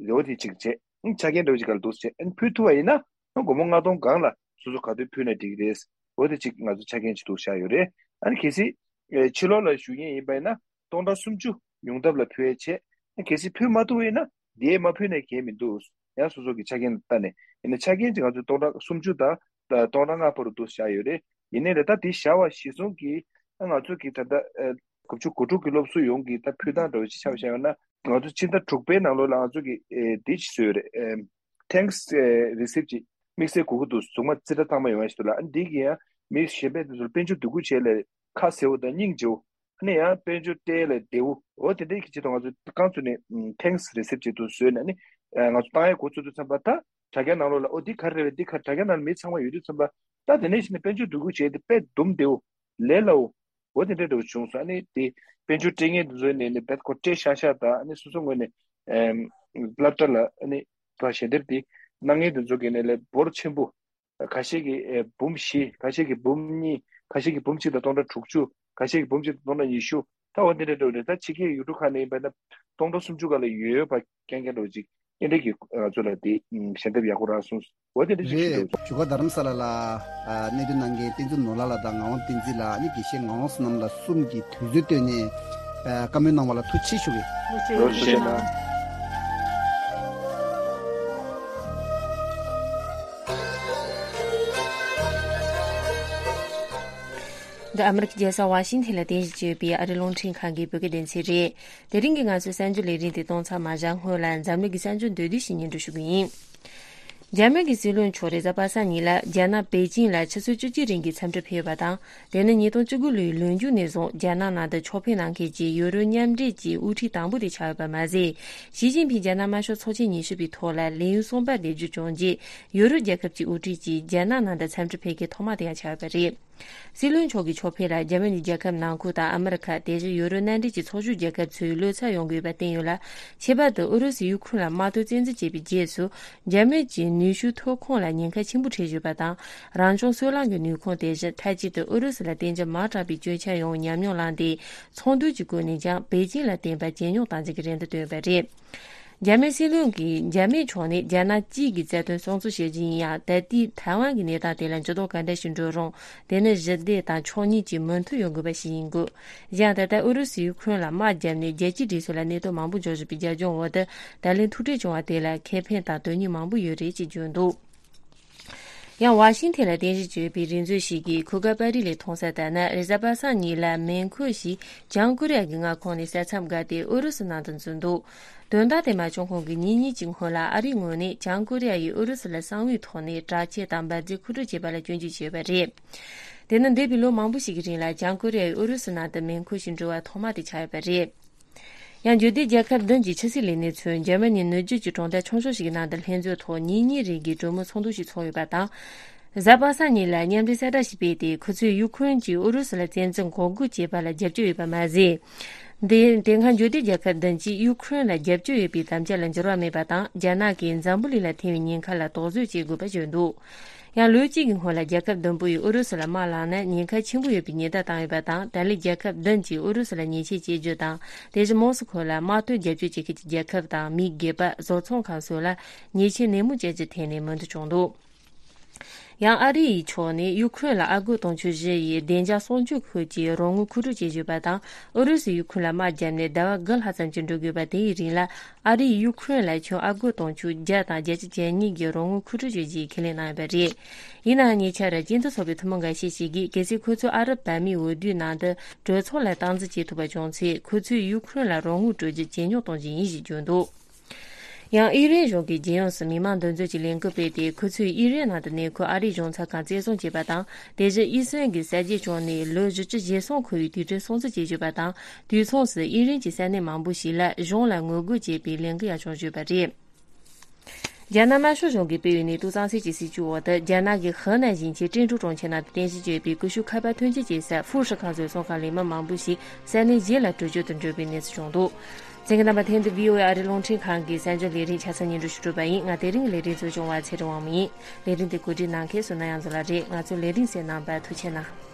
རེ་བ་དེ་གཅིག་བྱས། ཨང་ཆ་རྐྱེན་འདྲ་བོ་ཅིག་སྒང་ལ་འདུག་ཟེར་བྱས། ཨ་ནི་ཕུལ་ཐུབ་པ་ཡིན་ན་ཨང་སྒོར་མོ་ལྔ་སྟོང་སྒང་ལ་སོ་སོ་ག་དུས་ཕུལ་ན་འགྲིག་གི་རེད། འོ་དེ་ཅིག་ང་ཚོ་ཆ་རྐྱེན་ཅིག་འདུག་བཞག་ཡོད་རེད། ཨ་ནི་གལ་སྲིད་ཨེ་ཕྱི་ལོགས་ལ་བཞུགས་མཁན་ཡིན་པ་ཡིན་ན་སྟོང་ཕྲག་སུམ་ཅུ་ཡོང་ཐབས་ལ་ཕུལ་ཡས་བྱས། ཨ་གལ་སྲིད་ཕུལ་མ་ཐུབ་པ་ཡིན་ན་དེ་མ་ཕུལ་ནས་གལ་མི་འདུག་ཡང་སོ་སོ་གི་ཆ་རྐྱེན་ལ་ལྟ་ནས་ཡིན་ན་ཆ་རྐྱེན་ཅིག་ང་ཚོས་སྟོང་ཕྲག་སུམ་ཅུ་དང་སྟོང་ཕྲག་ལྔ་བར་དུ་བཞག་ཡོད་རེད། ཡིན་ནའི་ལས་ད་དེ་བཞག་པ་གཞིར་བཟུང་གིས་ཨ་ང་ཚོ་གི་ད་ལྟ་ཨ་དགུ་བཅུ་གོ་དྲུག་གི་སློབ་གསོ་ཡོངས་ཀྱི་ད་ཕུལ་སྟངས་འདྲ་བོ་ཅིག་ཆ་བཞག་ཡོད་ན། ང་ཚོ་ཕྱི་ཟླ་དྲུག་པའི་ནང་ལོགས་ལ་ང་ཚོ་གི་ཨེ་འདི་ཅིག་བཟོས་ཡོད་རེད། ཨེམ་thanks ཨེ་receipt ཅིག་དམིགས་བསལ་དགོས་ཀྱི་འདུག་གཟུགས་མ་རྩེ་གྲ་གཙང་མ་ཡོང་ཡ་ཞིག་འདུག་ལ། ཨ་འདི་གི་ཡང་མི་གཞན་པའི་དེ་ཚོར་དཔལ་འབྱོར་འདུ་འགོད་བྱས་ལས་ཁ་ཟེར་བ་དང་སྙིང་རྗེ་བོ། ཨ་ནི་ཡང་དཔལ་འབྱོར་སྤྲད་ལས་བདེ་བོ། འོ་དེ་འདྲའི་གི་ཆེད་དུ་ང་ཚོ་རྐང་བཙུགས་ནས་ཨམ་thanks receipt ཅིག་ཏུ་བཟོས་ནས་ནི་ཨ་ང་ཚོ་བཏང་ཡ་འགོ་བཙུགས་དུས་ཙམ་པ་ད་དྲ་རྒྱ་ནང་ལོགས་ལ་ཨོ་འདི་ག་རེ་རེད་འདི་ག་དྲ་རྒྱ་ནང་ལ་མི་ཚང་མ་ཡོད་དུས་ཙམ་པ་ད་དེ་ནས་གཞི་ནས་དཔལ་འབྱོར་འདུ་འགོད་བྱས་ཏེ་དཔེ་སྡུམ་བདེ་བོ་ལས་སླ་བོ། འོ་དེ་འདྲ་འདྲ་བོ་བྱུང་སོང་། ཨ་ནི་དེ་དཔལ་འབྱོར་སྤྲད་མཁན་དེ་ཚོ་ནས་ནི་རྦད་ཁོ་སྤྲད་ཤག་ཤག་དང་ཨ་ནི་སོ་སོ་ངོས་ནས་ཨམ་སློབ་གྲྭ་ལ་ཨ་ནི་ཕར་ཞལ་འདེབས་དེ་གནང་མཁན་དེ་ཚོ་གི་ནས་ལས་འབོར་ཆེན་པོ། ཁ་ཤས་ཀྱིས་ཨེ་འབུམ་བཞི། ཁ་ཤས་ཀྱིས་འབུམ་གཉིས། ཁ་ཤས་ཀྱིས་འབུམ་གཅིག་དང་སྟོང་ཕྲག་དྲུག་ཅུ། ཁ་ཤས་ཀྱིས་འབུམ་གཅིག་དང་སྟོང་ཕྲག་ཉི་ཤུ། ད་འོ་འདི་འདྲ་འདྲ་བོ་རེད། ད་ཕྱི་རྒྱལ་ཡུལ་གྲུ་ཁག་ནས་ཡིན་པ་ན་སྟོང་ཕྲག་སུམ་ཅུ་སྒང་ལ་ཡོད་ཡོད་པ་རྐྱང་རྐྱང་འདྲ་བོ་ཅིག་ཨེ་འདྲ་གི་ང་ཚོ་ལ་དེ་ཞལ་འདེབས་ཡག་པོ་རག་སོང་། འོ་དེ་འདྲ་ཅིག་ཞིག་འདུག། རེད། བཞུགས་སྒར་རྡ་རམ་ས་ལ་ལ་གནས་སྡོད་གནང་མཁན་བསྟན་འཛིན་ནོར་ལགས་ལ་དང་ངག་དབང་བསྟན་འཛིན་ལ་ནི་དགེ་བཤེས་ངག་དབང་བསོད་ནམས་ལགས་གསུམ་གྱིས་དུས་ཚོད་བཏོན་ནས་བཀའ་མོལ་གནང་བ་ལ་ཐུགས་རྗེ་ཆེ་ཞུ་གི། ཐུགས་རྗེ་ཆེ་གནང་། འདི་ཨ་མི་རི་ཀའི་རྒྱལ་ས་ཝ་ཤིང་ཐན་ལ་རྟེན་གཞི་བྱས་ཡོད་པའི་ཨ་རིའི་རླུང་འཕྲིན་ཁང་གི་བོད་སྐད་སྡེ་ཚན་རེད། དེ་རིང་གི་ང་ཚོའི་གསར་འགྱུར་ལས་རིམ་དེ་གཏོང་ཚར་མ་བཞག་སྔོན་ལ་འཛམ་གླིང་གི་གསར་འགྱུར་མདོར་བསྡུས་ཤིག་སྙན་སྒྲོན་ཞུ་གི་ཡིན། འཇར་མན་གྱི་སྲིད་བློན་མཆོག་རེས་གཟའ་པ་སངས་ཉིན་ལ་རྒྱ་ནག་པེ་ཅིང་ལ་ཆུ་ཚོད་བཅུ་གཅིག་རིང་གི་འཚམས་འདྲི་ཕེབས་ཡོད་པ་དང་། དེ་ནི་ཉིས་སྟོང་བཅུ་དགུ་ལོའི་ལོ་མཇུག་ནས་བཟུང་རྒྱ་ནག་ནང་དུ་ཕྱོགས་ཕེབས་གནང་མཁན་གྱི་ཡུ་རོབ་མཉམ་འབྲེལ་གྱི་དབུ་ཁྲིད་དང་པོ་དེ་ཆགས་ཡོད་པ་མ་ཟད། ཞི་ཅིན་ཕིང་རྒྱ་ནག་དམར་ཤོག་ཚོགས་ཆེན་ཉི་ཤུ་པའི་ཐོག་ལ་ལས་ཡུན་གསུམ་པ་བསྡད་རྒྱུ་བྱུང་རྗེས། ཡུ་རོབ་རྒྱལ་ཁབ་ཀྱི་དབུ་ཁྲིད་ཀྱིས་རྒྱ་ནག་ནང་དུ་འཚམས་འདྲི་ཕེབས་མཁན་ཐོག་མ་དེ་ཡང་ཆགས་ཡོད་པ་རེད། སྲིད་བློན་མཆོག་གི་ཕྱོགས་ཕེབས་ལ་རྒྱ་མི་ནས་རྒྱལ་ཁབ་ནང་ཁུལ་དང་ཨ་མི་རི་ཁ། དེ་བཞིན་ཡུ་རོབ་མནའ་འབྲེལ་གྱི་ཚོགས་ཞུགས་རྒྱལ་ཁབ་ཚོས་བློ་འཚབ་ཡོང་གི་ཡོད་པ་བསྟན་ཡོད་ལ། ཁྱད་པར་དུ་ཨུ་རུ་སུས་ཡུ་ཁུ་རེན་ལ་དམག་དོན་བཙན་འཛུལ་བྱས་པའི་རྗེས་སུ། རྒྱ་མི་གྱི་ནུས་ཤུགས་ཐོན་ཁུངས་ལ་ཉེན་ཁ་ཆེན་པོ་འཕྲད་བཞིན་པ་དང་། རང་བྱུང་སོལ་རླངས་ཀྱི་ནུས་ཁུངས་དེ་བཞིན་མཐའ་གཅིག་ཏུ་ཨུ་རུ་སུ་ལ་བརྟེན་རྒྱུ་མང་དྲགས་པའི་སྐྱོན་ཆ་ཡོང་བའི་ཉམས་མྱོང་བླངས་ཏེ། ཚོགས་འདུ་གྱི་སྒོ་ནས་ཀྱང་པེ་ཅིང་ལ་བརྟེན་པ་ཇེ་ཉུང་གཏང་རྒྱུ་གི་རེ་འདུན་བཏོན་པ་རེད། རྒྱ་མིའི་སྲིད་བློན་གྱིས་རྒྱ་མིའི་ཕྱོགས་ནས་རྒྱ་ནག་གཅིག་གི་རྩ་དོན་སྲུང་བརྩི་བྱེད་ཀྱི་ཡིན་ཡང་། ད་ལྟའི་ཐའེ་ཝན་གྱི་གནས་སྟངས་དེ་ལ་འགྱུར་ལྡོག་ག་འདྲ་ཞིག་འགྲོ་རུང་། དེ་ནི་ཞི་བདེ་དང་ཕྱོགས་གཉིས་ཀྱི་མོས་མཐུན་ཡོང་དགོས་པ་ཞིག་ཡིན་དགོས། གཞན་ད་ལྟ་ཨུ་རུ་སུས་ཡུ་ཁུ་རེན་ལ་དམག་བརྒྱབ་ནས་རྒྱལ་སྤྱིའི་སྒྲིག་སྲོལ་ལ་གནོད་དོན་མང་པོ་འབྱུང་བཞིན་པའི་རྒྱབ་ལྗོངས་འོག་ཏུ། ད་ལན་ཐུག་འཕྲད་བྱུང་བ་དེ་ལ་ཁེ་ཕན་དང་དོན་སྙིང་མང་པོ་ཡོད་རེད་ཅེས་བརྗོད་འདུག། ཡང་ཝ་ཤིང་ཐན་ལ་རྟེན་གཞི་བྱས་པའི་རེ་མཛོད་ཞིག་གིས་གོ་སྐབས་པར་རིས་ལས་མཐོང་ས་ལྟར་ན། རེས་གཟའ་པ་སངས་ཉིན་ལ་མེ་འཁོར་ཞིག་བྱང་ཀོ་རི་ཡ་གི་མངའ་ཁོངས་ནས་ས་མཚམས་བརྒལ་ཏེ་ཨུ་རུ་སུ་ནང་དུ་འཛུལ་འདུག། དོན་དག་དེ་མ་བྱུང་གོང་གི་ཉིན་གཉིས་ཀྱི་སྔོན་ལ། ཨ་རིའི་ངོས་ནས་བྱང་ཀོ་རི་ཡ་ཡིས་ཨུ་རུ་སུ་ལ་གསང་བའི་ཐོག་ནས་དྲག་ཆས་དང་འབར་རྫས་མཁོ་སྤྲོད་བྱས་པ་ལ་སྐྱོན་བརྗོད་བྱས་ཡོད་པ་རེད། དེ་ནི་འདས་པའི་ལོ་མང་པོ་ཞིག་གི་རིང་ལ་བྱང་ཀོ་རི་ཡ་ཡིས་ཨུ་རུ་སུ་ནང་དུ་མེ་འཁོར་ཞིག་འགྲོ་བ་ཐོག་མ་དེ་ཆགས་ཡོད་པ་རེད། ཡང་འབྱོར་ལྡན་རྒྱལ་ཁབ་བདུན་གྱི་ཕྱི་སྲིད་ལས་སྣེ་ཚོས་འཇར་མ་ནིའི་ནུབ་རྒྱུད་ཀྱི་གྲོང་རྡལ་ཆུང་ཤོས་ཤིག་གི་ནང་དུ་ལྷན་འཛོམས་ཐོག་ཉིན་གཉིས་རིང་གི་གྲོས་མོལ་ཚོགས་འདུ་ཞིག་ཚོགས་ཡོད་པ་དང་། གཟའ་པ་སངས་ཉིན་ལ་མཉམ་འབྲེལ་གསལ་བསྒྲགས་ཤིག་སྤེལ་ཏེ། ཁོ་ཚོས་ཡུ་ཁུ་རེན་གྱིས་ཨུ་རུ་སུ་ལ་བཙན་འཛུལ་འགོག་རྒོལ་བྱེད་པ་ལ་རྒྱབ་སྐྱོར་ཡོད་པ་མ་ཟད། དེ་དེ་སྔ་འབྱོར་ལྡན་རྒྱལ་ཁབ་བདུན་གྱིས་ཡུ་ཁུ་རེན་ལ་རྒྱབ་སྐྱོར་ཡོད་པའི་དམ་བཅའ་ལ་འགྱུར་བ་མེད་པ་དང་། རྒྱ་ནག་གིས་འཛམ་བུ་གླིང་ལ་ཐེབས་པའི་ཉེན་ཁ་ལ་དོགས་ཟོན་བྱེད་དགོས་པ་བརྗོད་འདུག། ཡང་ལོ་གཅིག་གི་སྔོན་ལ་རྒྱལ་ཁབ་བདུན་པོ་ཡིས་ཨུ་རུ་སུ་ལ་དམག་བསླངས་ན་ཉེན་ཁ་ཆེན་པོ་ཡོད་པའི་ཉེན་བརྡ་བཏང་ཡོད་པ་དང་། ད་ལན་རྒྱལ་ཁབ་བདུན་གྱིས་ཨུ་རུ་སུ་ལ་ཉེས་ཆད་གཅོད་རྒྱུ་དང་། དེ་བཞིན་མོ་སི་ཁོ་ལ་དམག་དོན་རྒྱབ་སྐྱོར་བྱེད་མཁན་གྱི་རྒྱལ་ཁབ་དང་མི་སྒེར་པ། བཟོ་ཚོང་ཁང་སོགས་ལ་ཉེས་ཆད་ནན་མོ་བཅད་རྒྱུའི་ཐད་ནས་མོས་མཐུན་བྱུང་འདུག། ཡང་ཨ་རི་ཡི་ཕྱོགས་ནས་ཡུ་ཁུ་རེན་ལ་ཨ་སྒོར་དུང་ཕྱུར་བཞི་ཡི་བདེ་འཇགས་སྲུང་སྐྱོབ་ཁུལ་གྱི་རོགས་དངུལ་མཁོ་སྤྲོད་བྱེད་བཞིན་པ་དང་། ཨུ་རུ་སུས་ཡུ་ཁུ་རེན་ལ་དམག་བརྒྱབ་ནས་ཟླ་བ་དགུ་ལྷག་ཙམ་ཅིག་འགྲོ་དགོས་པ་དེ་ཡི་རིང་ལ། ཨ་རིས་ཡུ་ཁུ་རེན་ལ་ཁྱོན་ཨ་སྒོར་དུང་ཕྱུར་བརྒྱ་དང་བརྒྱད་ཅུ་གྱ་གཉིས་ཀྱི་རོགས་དངུལ་མཁོ་སྤྲོད་བྱེད་རྒྱུའི་ཁས་ལེན་གནང་ཡོད་པ་རེད། ཡིན་ནའང་ཉེ་ཆར་སྤྱི་མཐུན་ཚོགས་པའི་ཐུན་མོང་འགའ་ཤས་ཤིག་གིས། གལ་སྲིད་ཁོ་ཚོས་ཨ་རབ་བར་མའི་འོས་བསྡུའི་ནང་དུ་གྲོས་ཚོགས་ལ་སྟངས་འཛིན་བྱེད་ཐུབ་པ་བྱུང་ཚེ། ཁོ་ཚོས་ཡུ་ཁུ་རེན་ལ་རོགས་དངུལ་སྤྲོད་རྒྱུ་ཇེ་ཉུང་གཏོང་རྒྱུ་ཡིན་ཞེས་བརྗོད་འདུག། ཡང་ཨི་རན་གཞུང་གིས་རྒྱལ་ཡོངས་སུ་མི་མང་འདུ་འཛོམས་ཀྱི་ལས་འགུལ་སྤེལ་ཏེ། ཁོ་ཚོས་ཨི་རན་ནང་དུ་གནས་འཁོད་ཨ་རིའི་གཞུང་ཚབ་ཁང་བཙན་བཟུང་བྱས་པ་དང་། དེ་བཞིན་ཨི་སི་རན་གྱི་གསར་བརྗེ་བྱུང་ནས་ལོ་བཞི་བཅུ་ཞེ་གསུམ་འཁོར་བའི་དུས་དྲན་སྲུང་བརྩི་བྱེད་བཞིན་པ་དང་། དུས་མཚུངས་སུ་ཨི་རན་གྱི་ས་གནས་མང་པོ་ཞིག་ལ་གཞུང་ལ་ངོ་རྒོལ་བྱེད་པའི་ལས་འགུལ་ཡང་བྱུང་བཞིན་པ་རེད། རྒྱ་ནག་དམར་ཤོག་གཞུང་གིས་སྤེལ་བའི་ནད་དུག་གཙང་སེལ་གྱི་སྲིད་བྱུས་འོག་ཏུ། རྒྱ་ནག་གི་ཧི་ནན་ཞིང་ཆེན་ཀྲེང་ཀྲོའུ་གྲོང་ཁྱེར་ནང་དུ་རྟེན་གཞི་བྱས་པའི་ཀུ་ཤུ་ཁ་པར་ཐོན་སྐྱེད་བྱེད་ས་ཧྥུ་ཧྲི་ཁང་ཚོའི་ཚོང་ཁང་ལས་མི་མང་པོ་ཞིག་ས་གནས་གཞན་ལ་བྲོས་བྱོལ་དུ་འགྲོ་བའི་གནས་ཚུལ་བྱུང་འདུག། གསན་མཁན་རྣམ་པ། དེ་ནི་བྷི་ཨོ་ཨེ་ཨ་རིའི་རླུང་འཕྲིན་ཁང་གི་གསར་འགྱུར་ལས་རིམ་ཆ་ཚང་སྙན་སྒྲོན་ཞུ་གྲུབ་པ་ཡིན། ང་དེ་རིང་གི་ལས་རིམ་གཙོ་སྐྱོང་བ་ཚེ་རིང་དབང་མོ་ཡིན། ལས་རིམ་དེ་གོ་སྒྲིག་གནང་མཁན་བསོད་ནམས་དབྱངས་འཛོམས་ལགས་རེད། ང་ཚོའི་ལས་རིམ་གསན་གནང་བར་ཐུགས་རྗེ་གནང་།